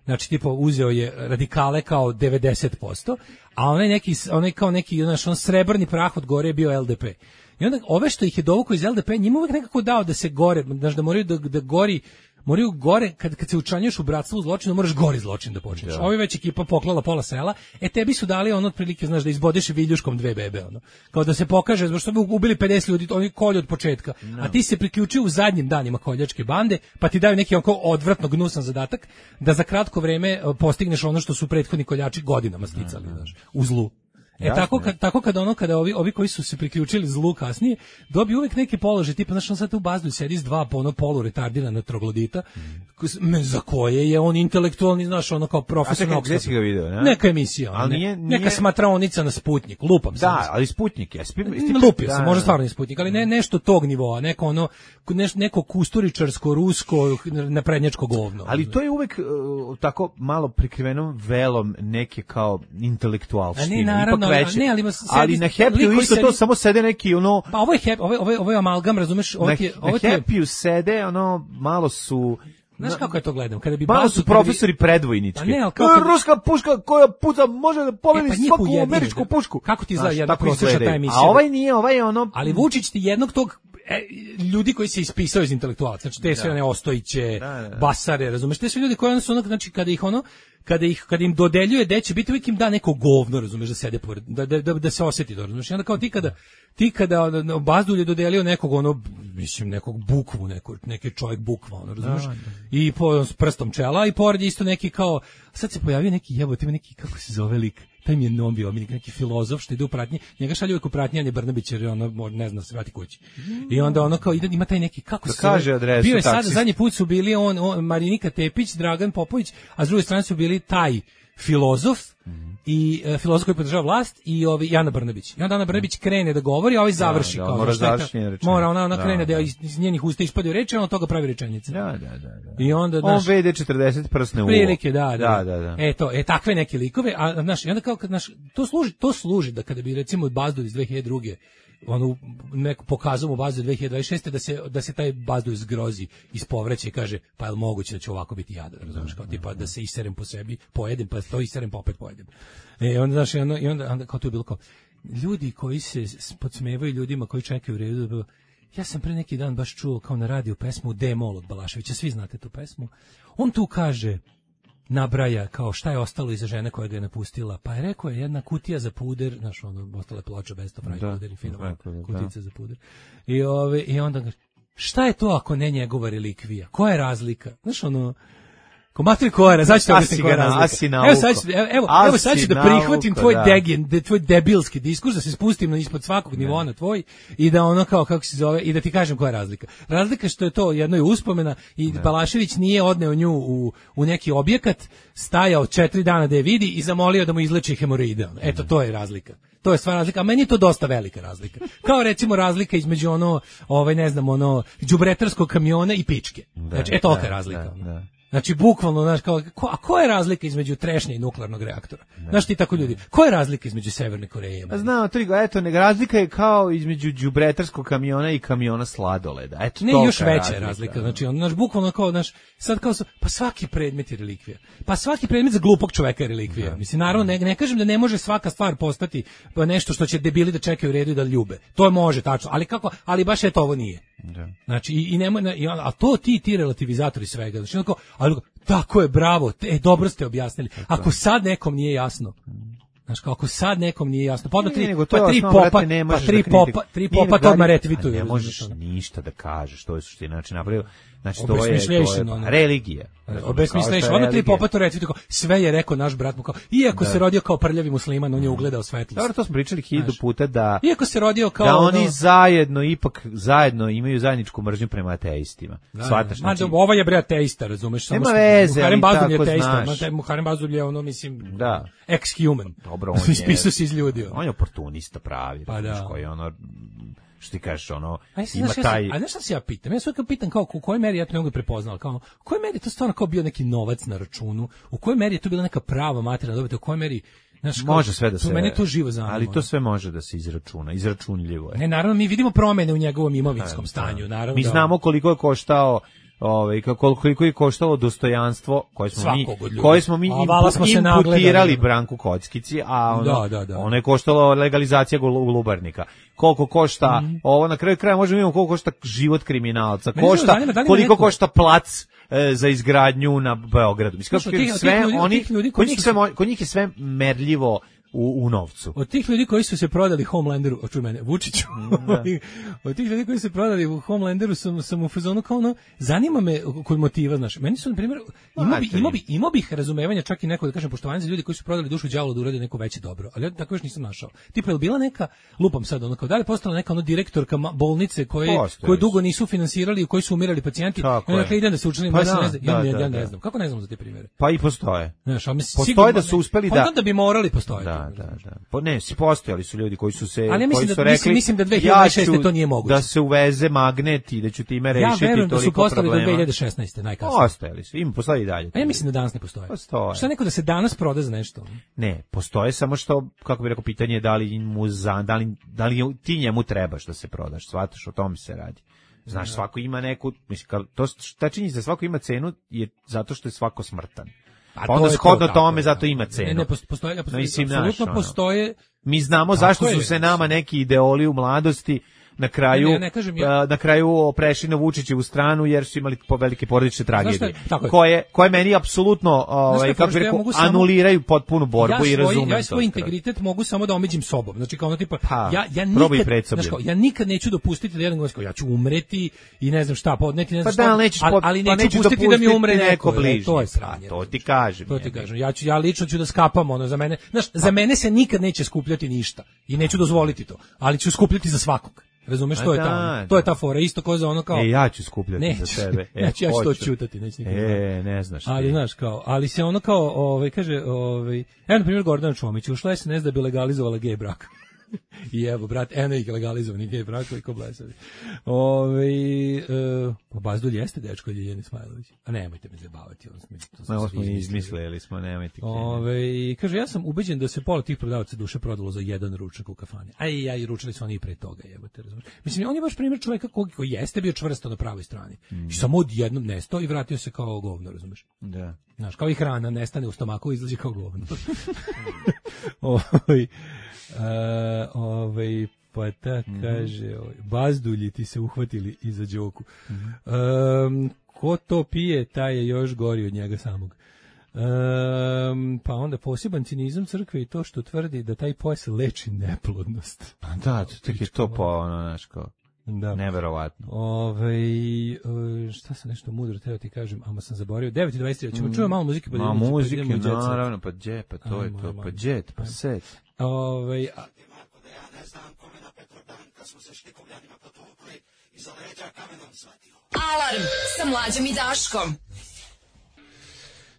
znači tipa uzeo je radikale kao devedeset posto, a onaj neki, onaj kao neki, znaš, on srebrni prah od gore je bio el de pe. I onda ove što ih je dovukao iz el de pe, njima uvek nekako dao da se gore, znaš, da moraju da, da gori, moraju gore, kad, kad se učlanjuješ u bratstvo u zločinu, moraš gori zločin da počneš. Ja. Ovi već ekipa poklala pola sela, e tebi su dali ono otprilike, znaš, da izbodeš viljuškom dve bebe, ono. Kao da se pokaže, zbog što bi ubili pedeset ljudi, oni kolju od početka. No. A ti se priključio u zadnjim danima koljačke bande, pa ti daju neki onako odvratno gnusan zadatak, da za kratko vreme postigneš ono što su prethodni koljači godinama sticali, no, no. znaš, u zlu. E jasne, tako kad tako kada ono kada ovi ovi koji su se priključili zlu kasnije dobiju uvek neki položaj tipa znači on sad u bazdu sedi s dva po ono polu retardirana troglodita mm. za koje je on intelektualni znaš ono kao profesionalno. A čekaj, ga video, ne? Neka emisija, ali ne, nije, nije... neka smatraonica na Sputnjik, lupam se. Da, ali Sputnjik je. Spi... Lupio sam, možda stvarno je Sputnjik, ali ne nešto tog nivoa, neko ono neš, neko kusturičarsko rusko naprednjačko govno. Ali to je uvek uh, tako malo prikriveno velom neke kao intelektualštine. Veće. Ne, ali, ima sedi, ali na Happy-u isto sedi... to samo sede neki ono... Pa ovo je, happy, ovo je, ovo je, ovo je amalgam, razumeš? Ovo na je, ovo na Happy-u sede, ono, malo su... Znaš kako ja to gledam? Kada bi malo bazu, su profesori bi... predvojnički. Pa ne, ali kako... Ruska puška koja puca može da pomeri e, pa svaku američku pušku. Kako ti izgleda jedna prosječna ta emisija? A ovaj nije, ovaj je ono... Ali Vučić ti jednog tog... E, ljudi koji se ispisao iz intelektualaca, znači te sve one Ostojiće, da, da, da. Basare, razumeš, te sve ljudi koji su ono, znači kada ih ono, kada ih kada im dodeljuje gde će biti uvijek im da neko govno, razumeš, da sede pored, da, da, da, da se osjeti to, razumeš, i onda kao ti kada ti kada no, Bazdulj je dodelio nekog ono, mislim nekog bukvu, neko, neki čovjek bukva, ono, razumeš, da, da. I po s prstom čela i pored isto neki kao, sad se pojavio neki jebote, ima neki, kako se zove lik, taj mi je nombi, neki filozof što ide u pratnji, njega šalju uvijek u pratnji, Anje Brnabić, jer ono ne zna se vrati kući. I onda ono kao ide, ima taj neki, kako se kaže adresu, bio je sad, zadnji put su bili on, on, Marinika Tepić, Dragan Popović, a s druge strane su bili taj filozof, mm. i uh, filozof koji podržava vlast i ovi Ana Brnabić. I onda Ana Brnabić krene da govori, a ovaj završi. Da, da, kao, mora završiti rečenicu. Mora, ona, ona da, krene da, da iz, iz njenih usta ispadaju reči, a on od toga pravi rečenice. Da, da, da. da. I onda, on ve de četrdeset prsne uvo. Prilike, da, da. da, da, da. E, to, e, takve neke likove, a, znaš, i onda kao, kad, znaš, to služi, to služi da kada bi, recimo, Bazdulj iz dve hiljade druge onu neku pokazao mu bazu dve hiljade dvadeset šeste da se da se taj Bazdulj zgrozi ispovreće i kaže pa je li moguće da će ovako biti jadan, razumeš, kao tipa da se iserem po sebi, pojedem, pa to iserem pa opet pojedem. E onda znaš, i onda, i onda, onda kao to je bilo kao ljudi koji se podsmevaju ljudima koji čekaju u redu, da bilo, ja sam pre neki dan baš čuo kao na radiju pesmu D-Mol od Balaševića, svi znate tu pesmu. On tu kaže, nabraja kao šta je ostalo iza žene koja ga je napustila, pa je rekao je jedna kutija za puder, znaš, ono, ostale ploča Best of Right puder i fino kutica za puder. I, ove, i onda ga, šta je to ako ne njegova relikvija? Koja je razlika? Znaš, ono, komatri koja, znači to mislim koja je razlika. Evo sad, ću, evo, evo sad ću da prihvatim tvoj da. degen, de, tvoj debilski diskurs, da se spustim na ispod svakog ne. nivoa na tvoj i da ono kao, kako se zove, i da ti kažem koja je razlika. Razlika što je to jedno je uspomena i ne. Balašević nije odneo nju u, u neki objekat, stajao četiri dana da je vidi i zamolio da mu izleči hemoroide. Eto, to je razlika. To je stvar razlika, a meni je to dosta velika razlika. Kao recimo razlika između ono, ovaj ne znam, ono, đubretarskog kamiona i pičke. Znači, eto tolika je razlika. Da, da. Znači, bukvalno, znaš, kao, ko, a koja je razlika između trešnje i nuklearnog reaktora? Ne, znaš ti tako ljudi, koja je razlika između Severne Koreje? Znao, tri, eto, ne, razlika je kao između đubretarskog kamiona i kamiona sladoleda. Eto, ne, još veća razlika, razlika. Znači, on, znaš, bukvalno kao, znaš, sad kao, pa svaki predmet je relikvija. Pa svaki predmet za glupog čoveka je relikvija. Ne. Mislim, naravno, ne, ne kažem da ne može svaka stvar postati nešto što će debili da čekaju u redu i da ljube. To može, tačno, ali kako, ali baš eto ovo nije. Da. Znači, i, i nemoj, i, a to ti, ti relativizatori svega, znači, onako, ali tako je, bravo, e, dobro ste objasnili. Ako sad nekom nije jasno, znaš, kao ako sad nekom nije jasno, pa, tri, pa tri popa, pa tri popa, tri popa to odmah retvituju. Ne možeš ništa da kažeš, to je suština. Znači, napravio, Znači, to je, to je Obesmišljation, pa, religija. Obesmišljation. Ono ti Popatu reci tako, sve je rekao naš brat mu kao, iako da. se rodio kao prljavi musliman, on je ugledao svetlost. Dobro, to smo pričali hiljadu puta da... Iako se rodio kao... Da ono, oni zajedno, ipak zajedno imaju zajedničku mržnju prema ateistima. Da, Svataš, znači... znači... Ova je bre ateista, razumeš? Nema veze, Muharrem ali Bazulj je tako ateista, znaš. Muharrem Bazulj je ono, mislim, da. ex-human. Dobro, on je... Ispisao se iz ljudi. On je oportunista pravi, pa da. koji je ono... Što ti kažeš, ono, a ima znaš, taj... Ja, a znaš šta se ja pitam? Ja sve kao pitam kao u kojoj meri ja to ne mogu prepoznala, kao u kojoj meri je to stvarno kao bio neki novac na računu, u kojoj meri je to bila neka prava materijalna dobit, u kojoj meri znaš, kao, može sve da se... Mene to živo zanima. Ali to sve može da se izračuna, izračunljivo je. Ne, naravno, mi vidimo promene u njegovom imovinskom ne, stanju, naravno. Mi znamo koliko je koštao ovaj koliko je koštalo dostojanstvo koje smo mi koje smo mi imputirali Branku Kockici, a ono, da, da, da. ono je koštalo legalizacija glubarnika. Koliko košta mm. ovo na kraju kraja možemo vidjeti koliko košta život kriminalca, košta zanima, da koliko neko... košta plac e, za izgradnju na Beogradu. Mislim kako tih, sve ljudi, oni ljudi koji su sve kod njih je sve merljivo U, u novcu. Od tih ljudi koji su se prodali Homelanderu, očuj mene, Vučiću, da. Od tih ljudi koji su se prodali u Homelanderu sam, sam u fazonu kao ono, zanima me kod motiva, znaš, meni su, na primjer, imao bi, imao bi, imao bih razumevanja, čak i neko, da kažem, poštovanje za ljudi koji su prodali dušu đavolu da urade neko veće dobro, ali ja tako još nisam našao. Tipa, je bila neka, lupam sad, ono, kao da li postala neka ono direktorka bolnice koje, koje dugo nisu finansirali, u kojoj su umirali pacijenti, i onda idem da se učinili, pa ja, da, ne znam, da, ja, da, ja ne znam, kako ne znam za te primjere? Pa i postoje. Znaš, ali postoje sigurno, da su uspeli da... da bi morali postojati. Da, da, da. Po, ne, si postojali su ljudi koji su se ali ja koji su da, rekli mislim, mislim da dve hiljade šesnaeste ja to nije moguće. Da se uveze magnet i da ću time rešiti ja verujem toliko problema. Da su postojali do dve hiljade šesnaeste najkasnije. Postojali su, ima postoji i dalje. A ja mislim da danas ne postoje. Postoje. Šta neko da se danas proda za nešto? Ne, postoje samo što, kako bih rekao, pitanje je da li mu za, da li, da li ti njemu trebaš da se prodaš, shvataš, o tome se radi. Znaš, svako ima neku, mislim, to, ta činjenica da svako ima cenu je zato što je svako smrtan. Pa onda shodno tome zato ima cenu. Ne, ne postoje, ja postoje, mislim, apsolutno naš, postoje. Mi znamo zašto su se nama neki ideoli u mladosti na kraju ne, ne, ne ja. na kraju prešli na Vučićevu stranu jer su imali velike porodične tragedije koje koje meni apsolutno ovaj kako bih rekao anuliraju potpunu borbu ja svoj, i razumem. Ja svoj integritet mogu samo da omeđim sobom. Znači kao ono tipa pa, ja ja nikad znači kao, ja nikad neću dopustiti da jedan gost ja ću umreti i ne znam šta podneti ne znam pa šta. Da, nećeš, ali, ali pa neću pustiti da mi umre neko bližnji. To je sranje. To ti kažem. To ti kažem. Ja ću ja lično ću da skapam ono za mene. Znaš, za mene se nikad neće skupljati ništa i neću dozvoliti to. Ali ću skupljati za svakog. Razumeš, to je ta, to je ta fora, isto kao za ono kao... E, ja ću skupljati neću, za tebe. E, neću, ja ću to čutati, neću nikad. E, ne znaš. Ali, znaš, kao, ali se ono kao, ovaj, kaže, ovaj, evo, na primjer, Gordana Čomić, ušla je S N S da bi legalizovala gej brak. I evo, brat, eno ih legalizovani gej brakovi ko blesavi. Ove, uh, pa Bazdulj jeste dečko Ljiljane Smajlović. A nemojte me zabavati. On smo, to smo, smo izmislili, smo, nemojte. Ove, kaže, ja sam ubeđen da se pola tih prodavaca duše prodalo za jedan ručak u kafani. Aj, ja i ručali su oni i pre toga, jebote, razumiješ. Mislim, on je baš primjer čovjeka koji, koji jeste bio čvrsto na pravoj strani. Mm. I samo odjednom nestao i vratio se kao govno, razumiješ. Da. Znaš, kao i hrana nestane u stomaku i izlazi kao govno. Oj. Uh, ovaj pa ta mm-hmm. kaže ovaj, Bazdulji ti se uhvatili iza đoku. Mm-hmm. um, ko to pije taj je još gori od njega samog. Um, pa onda poseban cinizam crkve i to što tvrdi da taj pojas leči neplodnost. Pa da, tek je to po ono naš kao da. Neverovatno. Ove, šta sam nešto mudro teo ti kažem, ama sam zaboravio. devet i dvadeset tri, ćemo mm. čujem malo muzike. Pa Ma muzike, naravno, pa dje, pa to je to, pa džet, pa set. Ove, a... Alarm sa Mlađom i Daškom.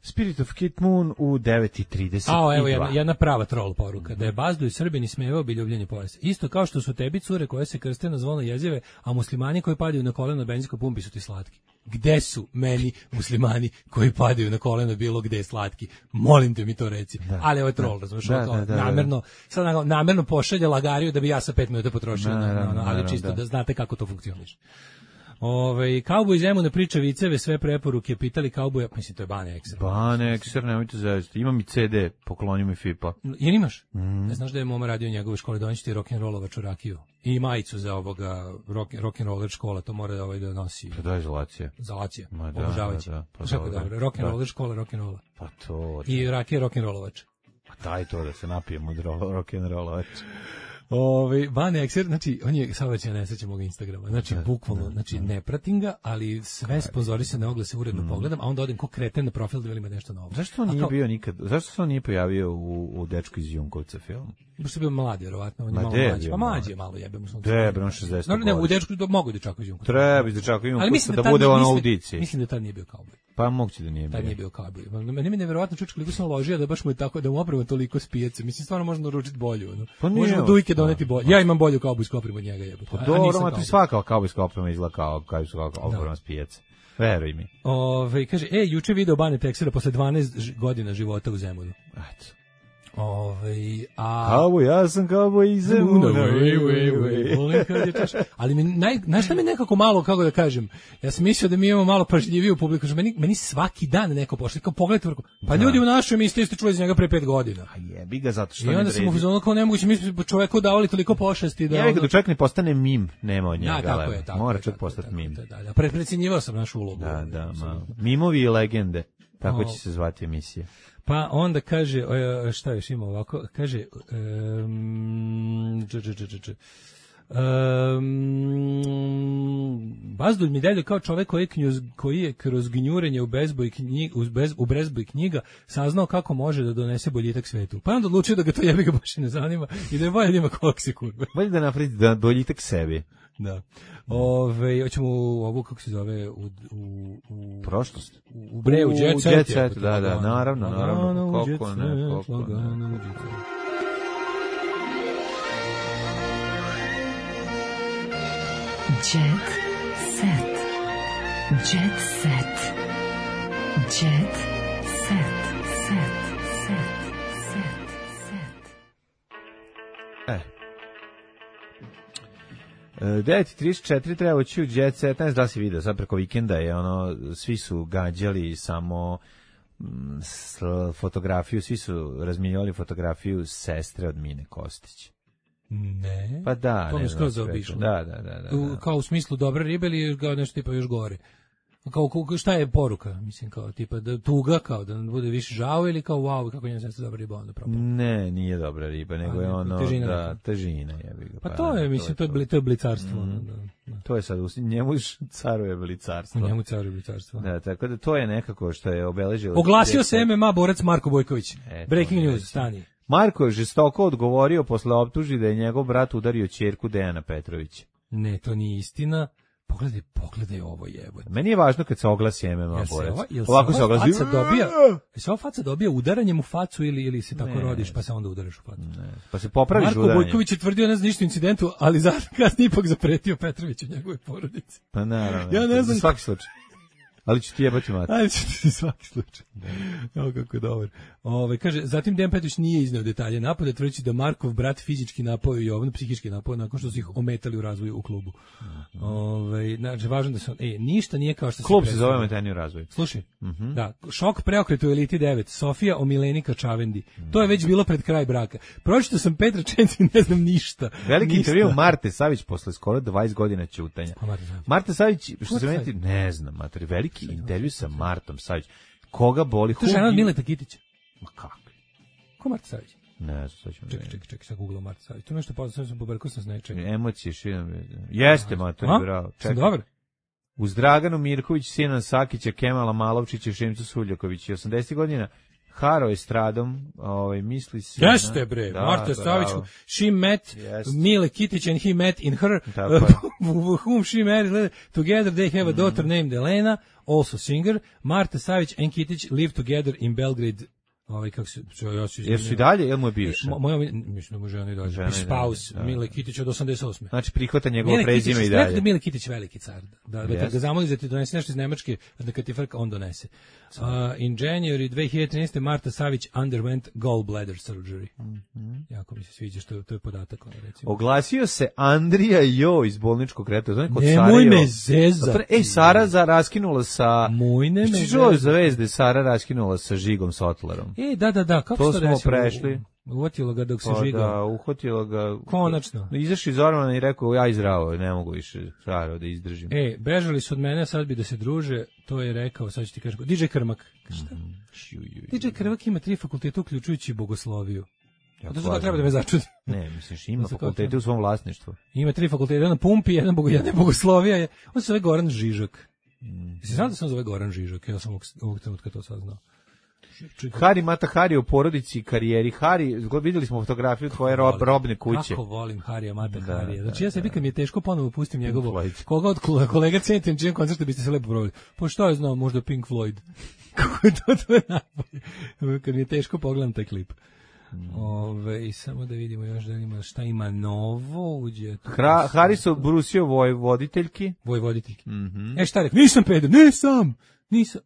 Spirit of Kid Moon u devet i trideset dva. A, evo jedna, jedna prava troll poruka. Da je Bazduj Srbin ismevao bi ljubljenje pojasa. Isto kao što su tebi cure koje se krste na zvono jezive, a muslimani koji padaju na koleno na benzinskoj pumpi su ti slatki. Gde su meni muslimani koji padaju na koleno bilo gde je slatki? Molim te mi to reci. Da, ali ovo je troll, razumiješ, da, da, da, namerno, sad namerno pošalje lagariju da bi ja sa pet minuta potrošio, da, na, na, na, ali čisto da. da znate kako to funkcioniše. Ove, Kauboj Zemun ne priča viceve, sve preporuke, pitali Kauboja, mislim to je Bane Ekser. Bane Ekser, nemojte zavisati. Imam i ce de, pokloni mi Fipa. Jer imaš? Mm. Ne znaš da je Moma radio u njegove škole, donći ti rock'n'rollovaču rakiju. I majicu za ovoga rock, rock'n'roller škola, to mora da ovaj da nosi. Pa da, izolacija. Izolacija, da, obožavajući. Da, da, pa kako dobro, rock'n'roller škola, rock'n'rolla. Pa to. I rakija rock'n'rollovač. Pa daj to da se napijemo od rock'n'rollovač. Ovaj Van Exer, znači on je saobraćajna nesreća mog Instagrama. Znači Da, bukvalno, da, znači da. ne pratim ga, ali sve sponzorisane oglase uredno pogledam, a onda odem ko kreten na profil da vidim ima nešto novo. Zašto on A nije kao- bio nikad? Zašto se on nije pojavio u, u Dečku iz Junkovca film? Baš je bio mlad, vjerovatno, on je Ma malo de je mlađi. bio Pa mlad? mlađi je malo, jebe mu sunce. De, bre, on šezdeset No, ne, u godišnji. dečku do mogu dečaka iz Junkovca. Treba iz Dečaka Ali Junkovca mislim da tad bude nije- on mislim- audiciji. Mislim da tad nije bio kauboj. Pa moguće da nije Tad nije bio. bio kauboj. Meni mi je neverovatno čuč koliko sam ložio da baš mu je tako da mu oprema toliko spijeca. Mislim stvarno možemo naručiti bolju, ono. Pa nije, Možemo dujke doneti da, bolje. Ja imam bolju kaubojsku opremu od njega, jebote. Pa A- a dobro, nisam ma ti kauboj. svaka kaubojska oprema izgleda kao kaubojska oprema s pijace. Veruj mi. Ove, kaže, e, juče video Bane Teksera posle dvanaest ž- godina života u Zemunu. Eto. Ove, a... Kauboj, ja sam kauboj iz Zemuna. Wej, wej, wej, volim kad je čaš. Ali mi naj, znaš šta mi nekako malo, kako da kažem, ja sam mislio da mi imamo malo pažljiviju publiku, što meni, meni svaki dan neko pošli, kao pogledajte, vrko, pa Da. ljudi u našoj emisiji ste čuli za njega pre pet godina. A jebi ga zato što I ne onda sam u vredi. fazonu kao nemoguće, mi smo čoveku davali toliko pošasti da... Jebi ga ono- da čovjek ne postane mim, nema od njega. Da, tako leba. je, tako Mora je, čovjek tako je, postati tako je, mim. Da, da, pre, precenjivao sam našu ulogu. Da, da, ma. Apsolutno. Mimovi i legende. Tako O. će se zvati emisija. Pa onda kaže, e, šta još ima ovako, kaže, um, dž, dž, dž, dž, Um, Bazdulj mi deluje kao čovek koji je, knjuz, koji je kroz gnjurenje u bezboj knjiga, u, bez, u bezboj knjiga saznao kako može da donese boljitak svetu. Pa onda odlučio da ga to jebi ga baš i ne zanima i da je bolje da ima koksi kurve. Bolje da napraviti da boljitak sebi. Da. Ove, hoćemo u ovu, kako se zove, u, u, u Prošlost. u bre, u U jet set. jet set, jebote, da, da, lagano. naravno, naravno. Lagano u Kako jet ne, set, kako ne. lagano u jet set. Jet set. Jet set. Jet set. Set. Set. Set. Set. E. E, devet i trideset četiri treba ući u Jet Set, ne znam da li si vidio, sad preko vikenda je ono, svi su gađali samo mm, s, fotografiju, svi su razmijenjali fotografiju sestre od Mine Kostić. Ne. Pa da, To ne mi znam skroz sve zaobišlo. to. Da, da, da, da, U, da. kao u smislu dobre ribe ili kao nešto tipa još gore? Kao, kao šta je poruka? Mislim kao tipa da tuga, kao da nam bude više žao ili kao wow, kako njena sestra dobra riba onda propala. Ne, nije dobra riba, nego A, je ne, ono težina da neka. težina jebi ga. Pa to je, mislim, to je, bli, to je blicarstvo. ono, da, da. to je sad u njemu caruje blicarstvo. U njemu caruje blicarstvo. Da, tako da to je nekako što je obeležilo. Oglasio se M M A borac Marko Bojković. Eto, Breaking eto. news, stani. Marko je žestoko odgovorio posle optužbi da je njegov brat udario ćerku Dejana Petrovića. Ne, to nije istina. Pogledaj, pogledaj ovo jebote. Meni je važno kad se oglasi M M A Jel se borac. ova, jel se Ovako se ova oglasi. faca dobija, jel se ova faca dobija udaranjem u facu ili, ili se tako Ne. rodiš pa se onda udaraš u facu? Ne, pa se popraviš Marko udaranjem. Bojković je tvrdio ne zna ništa o incidentu, ali za kasnije ipak zapretio Petroviću njegove porodice. Pa naravno. Ja ne za znam- svaki slučaj. Ali ću ti jebati mati. Ajde ću ti svaki slučaj. Evo kako je dobar. Ove, kaže, zatim Dejan Petrović nije izneo detalje napada, tvrdeći da Markov brat fizički napao i Jovanu, psihički napao, nakon što su ih ometali u razvoju u klubu. Ove, znači, važno da se on, e, ništa nije kao što Klub se predstavlja. zove Meteni u razvoju. Slušaj, da, šok preokret u Eliti devet, Sofija o Milenika Čavendi. To je već bilo pred kraj braka. Pročito sam pet rečenci i ne znam ništa. Veliki Ništa. intervju Marte Savić posle skoro dvadeset godina ćutanja. Pa, Marta Savić. Marta Savić, što Marta se meni, Savić? ne znam, mater, veliki intervju sa Martom Savić. Koga boli? To je žena od Mileta Kitića. Ma kako? Ko Marta Savić? Ne znam, sad ćemo Čekaj, čekaj, čekaj, sad googlao Marta Savić. To je nešto poznao, sam pobrkao sam s nečega. Emocije širom. Jeste, mater, A? bravo. Sam dobar? Uz Draganu Mirković, Sinan Sakića, Kemala Malovčića i Šimcu Suljaković. osamdesetih godina haro je stradom, ovaj, misli se... Jeste bre, Da, Marta Savić, bravo. she met Jeste. Mile Kitić and he met in her, Tako uh, je. whom she married. Together they have a daughter named Elena, also singer. Marta Savić and Kitić live together in Belgrade. Ovaj kako se čo ja se Jer su i dalje, ili mu je bivša? Mo- moja mislim da mu žena i dalje. Žena i dalje, Spouse da, Mile da. Kitić od osamdeset osme. Znači, prihvata njegovo Mile Kitić, prezime i rekao da dalje. je Mile Kitić veliki car. Da, da, da Jeste. ga zamoli da ti donese nešto iz Nemačke, da kad ti frka, on donese. Uh, in January dve hiljade trinaeste. Marta Savić underwent gallbladder surgery. Jako mi se sviđa što je, to je podatak. Ono, recimo. Oglasio se Andrija Jo iz bolničkog kreta. Znači, kod Nemoj Sarajevo. me zezati. Ej, Sara za raskinula sa... Moj ne me Jesi čuo zezati. za veze Sara raskinula sa Žigom Sotlarom? E, da, da, da, kako To se smo desilo? prešli. Uvatilo ga dok se Pa žigao. da, uhvatila ga... Konačno. Izašao iz ormana i rekao, ja izravo, ne mogu više Saro da izdržim. E, bežali su od mene, sad bi da se druže, to je rekao, sad ću ti kažem. D J Krmak. Šta? Ju, ju, ju. D J Krmak ima tri fakulteta, uključujući bogosloviju. A to zato treba da me začudi. Ne, misliš, ima fakultete u svom vlasništvu. Ima tri fakulteta, jedan na pumpi, jedan bogo, jedan bogoslovija. Je. On se zove Goran Žižak. Mm. Si znao da sam zove Goran Žižak? Ja sam ovog, ovog trenutka to saznao. Hari Mata Hari u porodici i karijeri. Hari, vidjeli smo fotografiju tvoje rob, robne kuće. Kako volim Harija Mata da, Harija. Znači ja sebi kad mi je teško ponovo pustim njegovo, koga od kolega cenim, čijem koncertu biste se lepo provali. Pa šta je znao, možda Pink Floyd. Kako je to, to je najbolje. Kad mi je teško pogledam taj klip. Mm. Ove, i samo da vidimo još da ima šta ima novo. Uđe Hra, Hari su brusio vojvoditeljki. Vojvoditeljki. Mm-hmm. E šta rekao, nisam peder, nisam, nisam.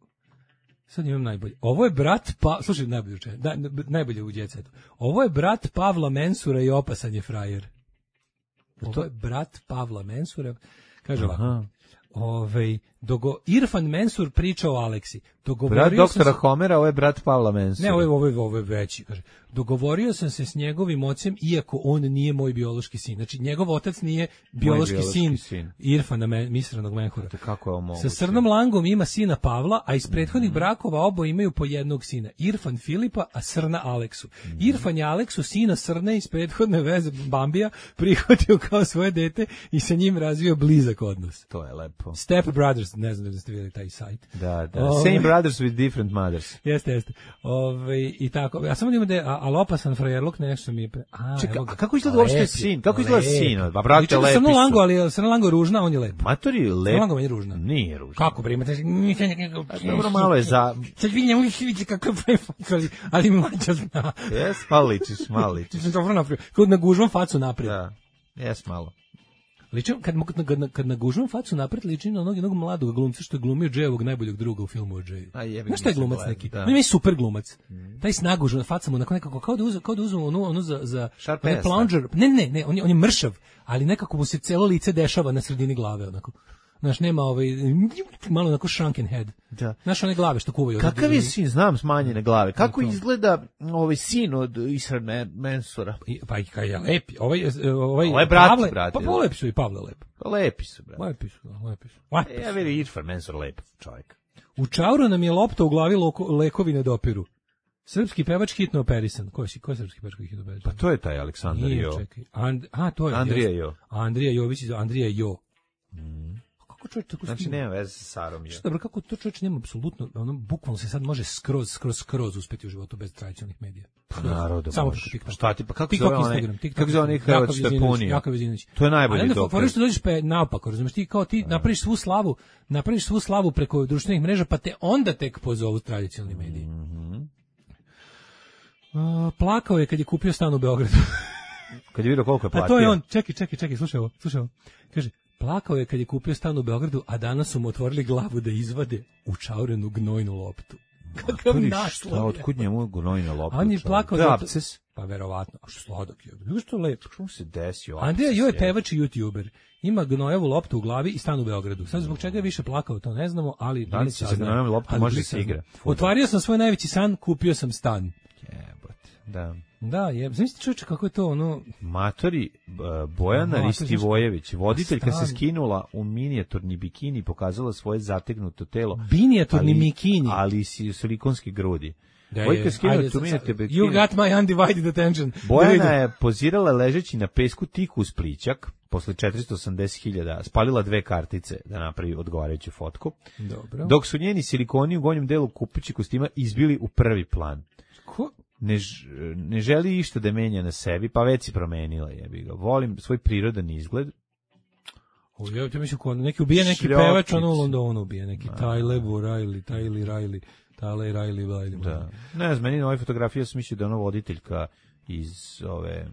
Sad imam najbolje. Ovo je brat pa, slušaj, najbolje uče, da, najbolje u djecetu. Ovo je brat Pavla Mensura i opasan je frajer. Ovo je brat Pavla Mensura. Kaže ovako. Ovaj dogo Irfan Mensur priča o Aleksi. Dogovorio brat doktora se... Homera, ovo je brat Pavla Mensura. Ne, ovo je, ovo je, ovo je veći, kaže. Dogovorio sam se s njegovim ocem, iako on nije moj biološki sin. Znači, njegov otac nije biološki, biološki sin, sin Irfana Misranog Menhura. Kako je ovo Sa Srnom Langom ima sina Pavla, a iz prethodnih mm-hmm. brakova oboje imaju po jednog sina. Irfan Filipa, a Srna Aleksu. Mm-hmm. Irfan je Aleksu, sina Srne iz prethodne veze Bambija, prihvatio kao svoje dete i sa njim razvio blizak odnos. To je lepo. Step Brothers, ne znam da ste vidjeli taj sajt. Da, da. Ove, Same brothers with different mothers. Jeste, jeste. Ove, i tako. Ja samo da imam da je, ali opasan frajerluk nešto mi je... Pre... A, Čeka, evo a kako izgleda uopšte sin? Kako izgleda sin? Ba, brate, lepi su. Srno Lango, ali Srno Lango je ružna, on je lep. Matori, lep. Srno Lango je ružna. Nije ružna. Kako, bre, imate... Dobro, malo je za... Sad vidim, vidite kako je ali, ali mlađa zna. Jes, malo ličiš, malo ličiš. Dobro napravio. Kod nagužvam facu naprijed. Da, jes malo. Ličim, kad, kad, kad nagužvam facu napred, ličim na onog jednog mladog glumca što je glumio Džejevog najboljeg druga u filmu o Džeju. Znaš šta je glumac gleda, neki? Da. On je super glumac. Mm. Taj s nagužom facom, onako nekako, kao da uzme, kao da uzme onu, onu za... za ne, plunger. Ne, ne, ne, on je, on je mršav, ali nekako mu se celo lice dešava na sredini glave, onako. Znaš, nema ovaj, malo onako shrunken head. Da. Znaš, one glave što kuvaju. Kakav je sin, znam smanjene glave. Kako izgleda ovaj sin od Irfana Mensura? Pa i kaj je lepi. Ovaj, ovaj, ovaj brat, Pavle, brate. Pa lepi su i Pavle lep. Lepi su, brate. Lepi su, lepi su. Lepi su. E, ja veri Irfan Mensur lep čovjek. U čauru nam je lopta u glavi, loko, lekovi ne dopiru. Srpski pevač hitno operisan. Ko je, ko je srpski pevač koji je hitno operisan? Pa to je taj Aleksandar Nije, Jo. Čekaj. And, a, to je. Andrija Jo. Andrija Jović, Andrija Jo. Mm. Čovječ, tako znači nema veze sa Sarom. Što dobro, kako to čovječ nema apsolutno, ono bukvalno se sad može skroz skroz skroz uspeti u životu bez tradicionalnih medija. Pa naravno, samo može. preko TikToka. Šta ti, pa kako TikTok, zove onaj, Instagram, TikTok, kako zove onaj Hrvat što je punio? Jakov Vezinović. To je najbolji dokaz. Ali onda što dođeš pa naopako, razumiješ, ti kao ti napraviš svu slavu, napraviš svu slavu preko društvenih mreža, pa te onda tek pozovu tradicionalni mediji. Mhm. Uh, plakao je kad je kupio stan u Beogradu. Kad je vidio koliko je platio. Pa to je on, čekaj, čekaj, čekaj, slušaj ovo, slušaj ovo. Kaže, plakao je kad je kupio stan u Beogradu, a danas su mu otvorili glavu da izvade učaurenu gnojnu loptu. Kakav naslov je. Otkud njemu gnojna lopta? On je plakao da to... Pa verovatno, a što sladak je. Kako što lepo. Kako se desio? Andrija Jo je pevač i youtuber. Ima gnojevu loptu u glavi i stan u Beogradu. Sad zbog čega je više plakao, to ne znamo, ali... Da li se sa gnojevom loptom može da se igra? Otvario sam svoj najveći san, kupio sam stan. Jebote, da. Da, je. Zamislite čovječe kako je to ono... Matori, Bojana no, Ristivojević, voditeljka se skinula u minijaturni bikini i pokazala svoje zategnuto telo. Minijaturni ali, bikini? Ali i silikonske grudi. Da je, ajde, tu bikini. You got my undivided attention. Bojana je pozirala ležeći na pesku tiku uz plićak, posle četiristo osamdeset hiljada, spalila dve kartice da napravi odgovarajuću fotku. Dobro. Dok su njeni silikoni u gornjem delu kupući kostima izbili u prvi plan. Ko? Ne, ne želi išta da menja na sebi, pa već si promenila, jebi ga. Volim svoj prirodan izgled. O, ja te mislim, ko neki ubije neki Šljopic. Pevač, ono u Londonu ubije neki Tyler Riley, Tyler Riley, Tyler Riley, Riley. Da. Ne znam, meni na ovoj fotografiji ja sam mislio da je ono voditeljka iz ove...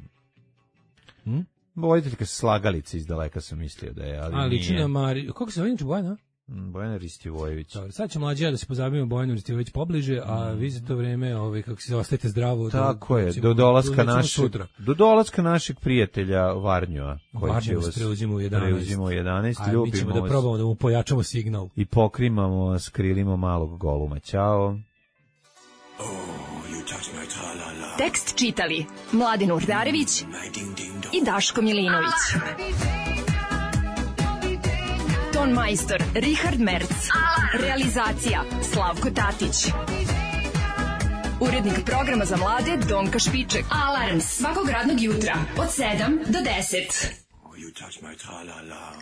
Hm? Voditeljka sa slagalice iz daleka sam mislio da je, ali, ali nije. Ali Mari... Kako se zove inače Bojana? Bojana Ristivojević. Dobro, sad će mlađi da se pozabavimo Bojanom Ristivojević pobliže, a vi za to vreme, ovaj, kako se ostajete zdravo. Tako do, je, recimo, do dolaska do, našeg, do dolaska našeg prijatelja Varnjoa, koji Varnjo će vas preuzimo u jedanaest. Preuzimo u jedanaest, a mi ćemo da probamo da mu pojačamo signal. I pokrimamo, skrilimo malog goluma. Ćao. Oh, you touch my tra-la-la. Tekst čitali Mladin Urdarević i Daško Milinović. Ton majstor Richard Merc. Realizacija Slavko Tatić. Urednik programa za mlade Donka Špiček. Alarms svakog radnog jutra od sedam do deset. Oh, you touch my tra-la-la.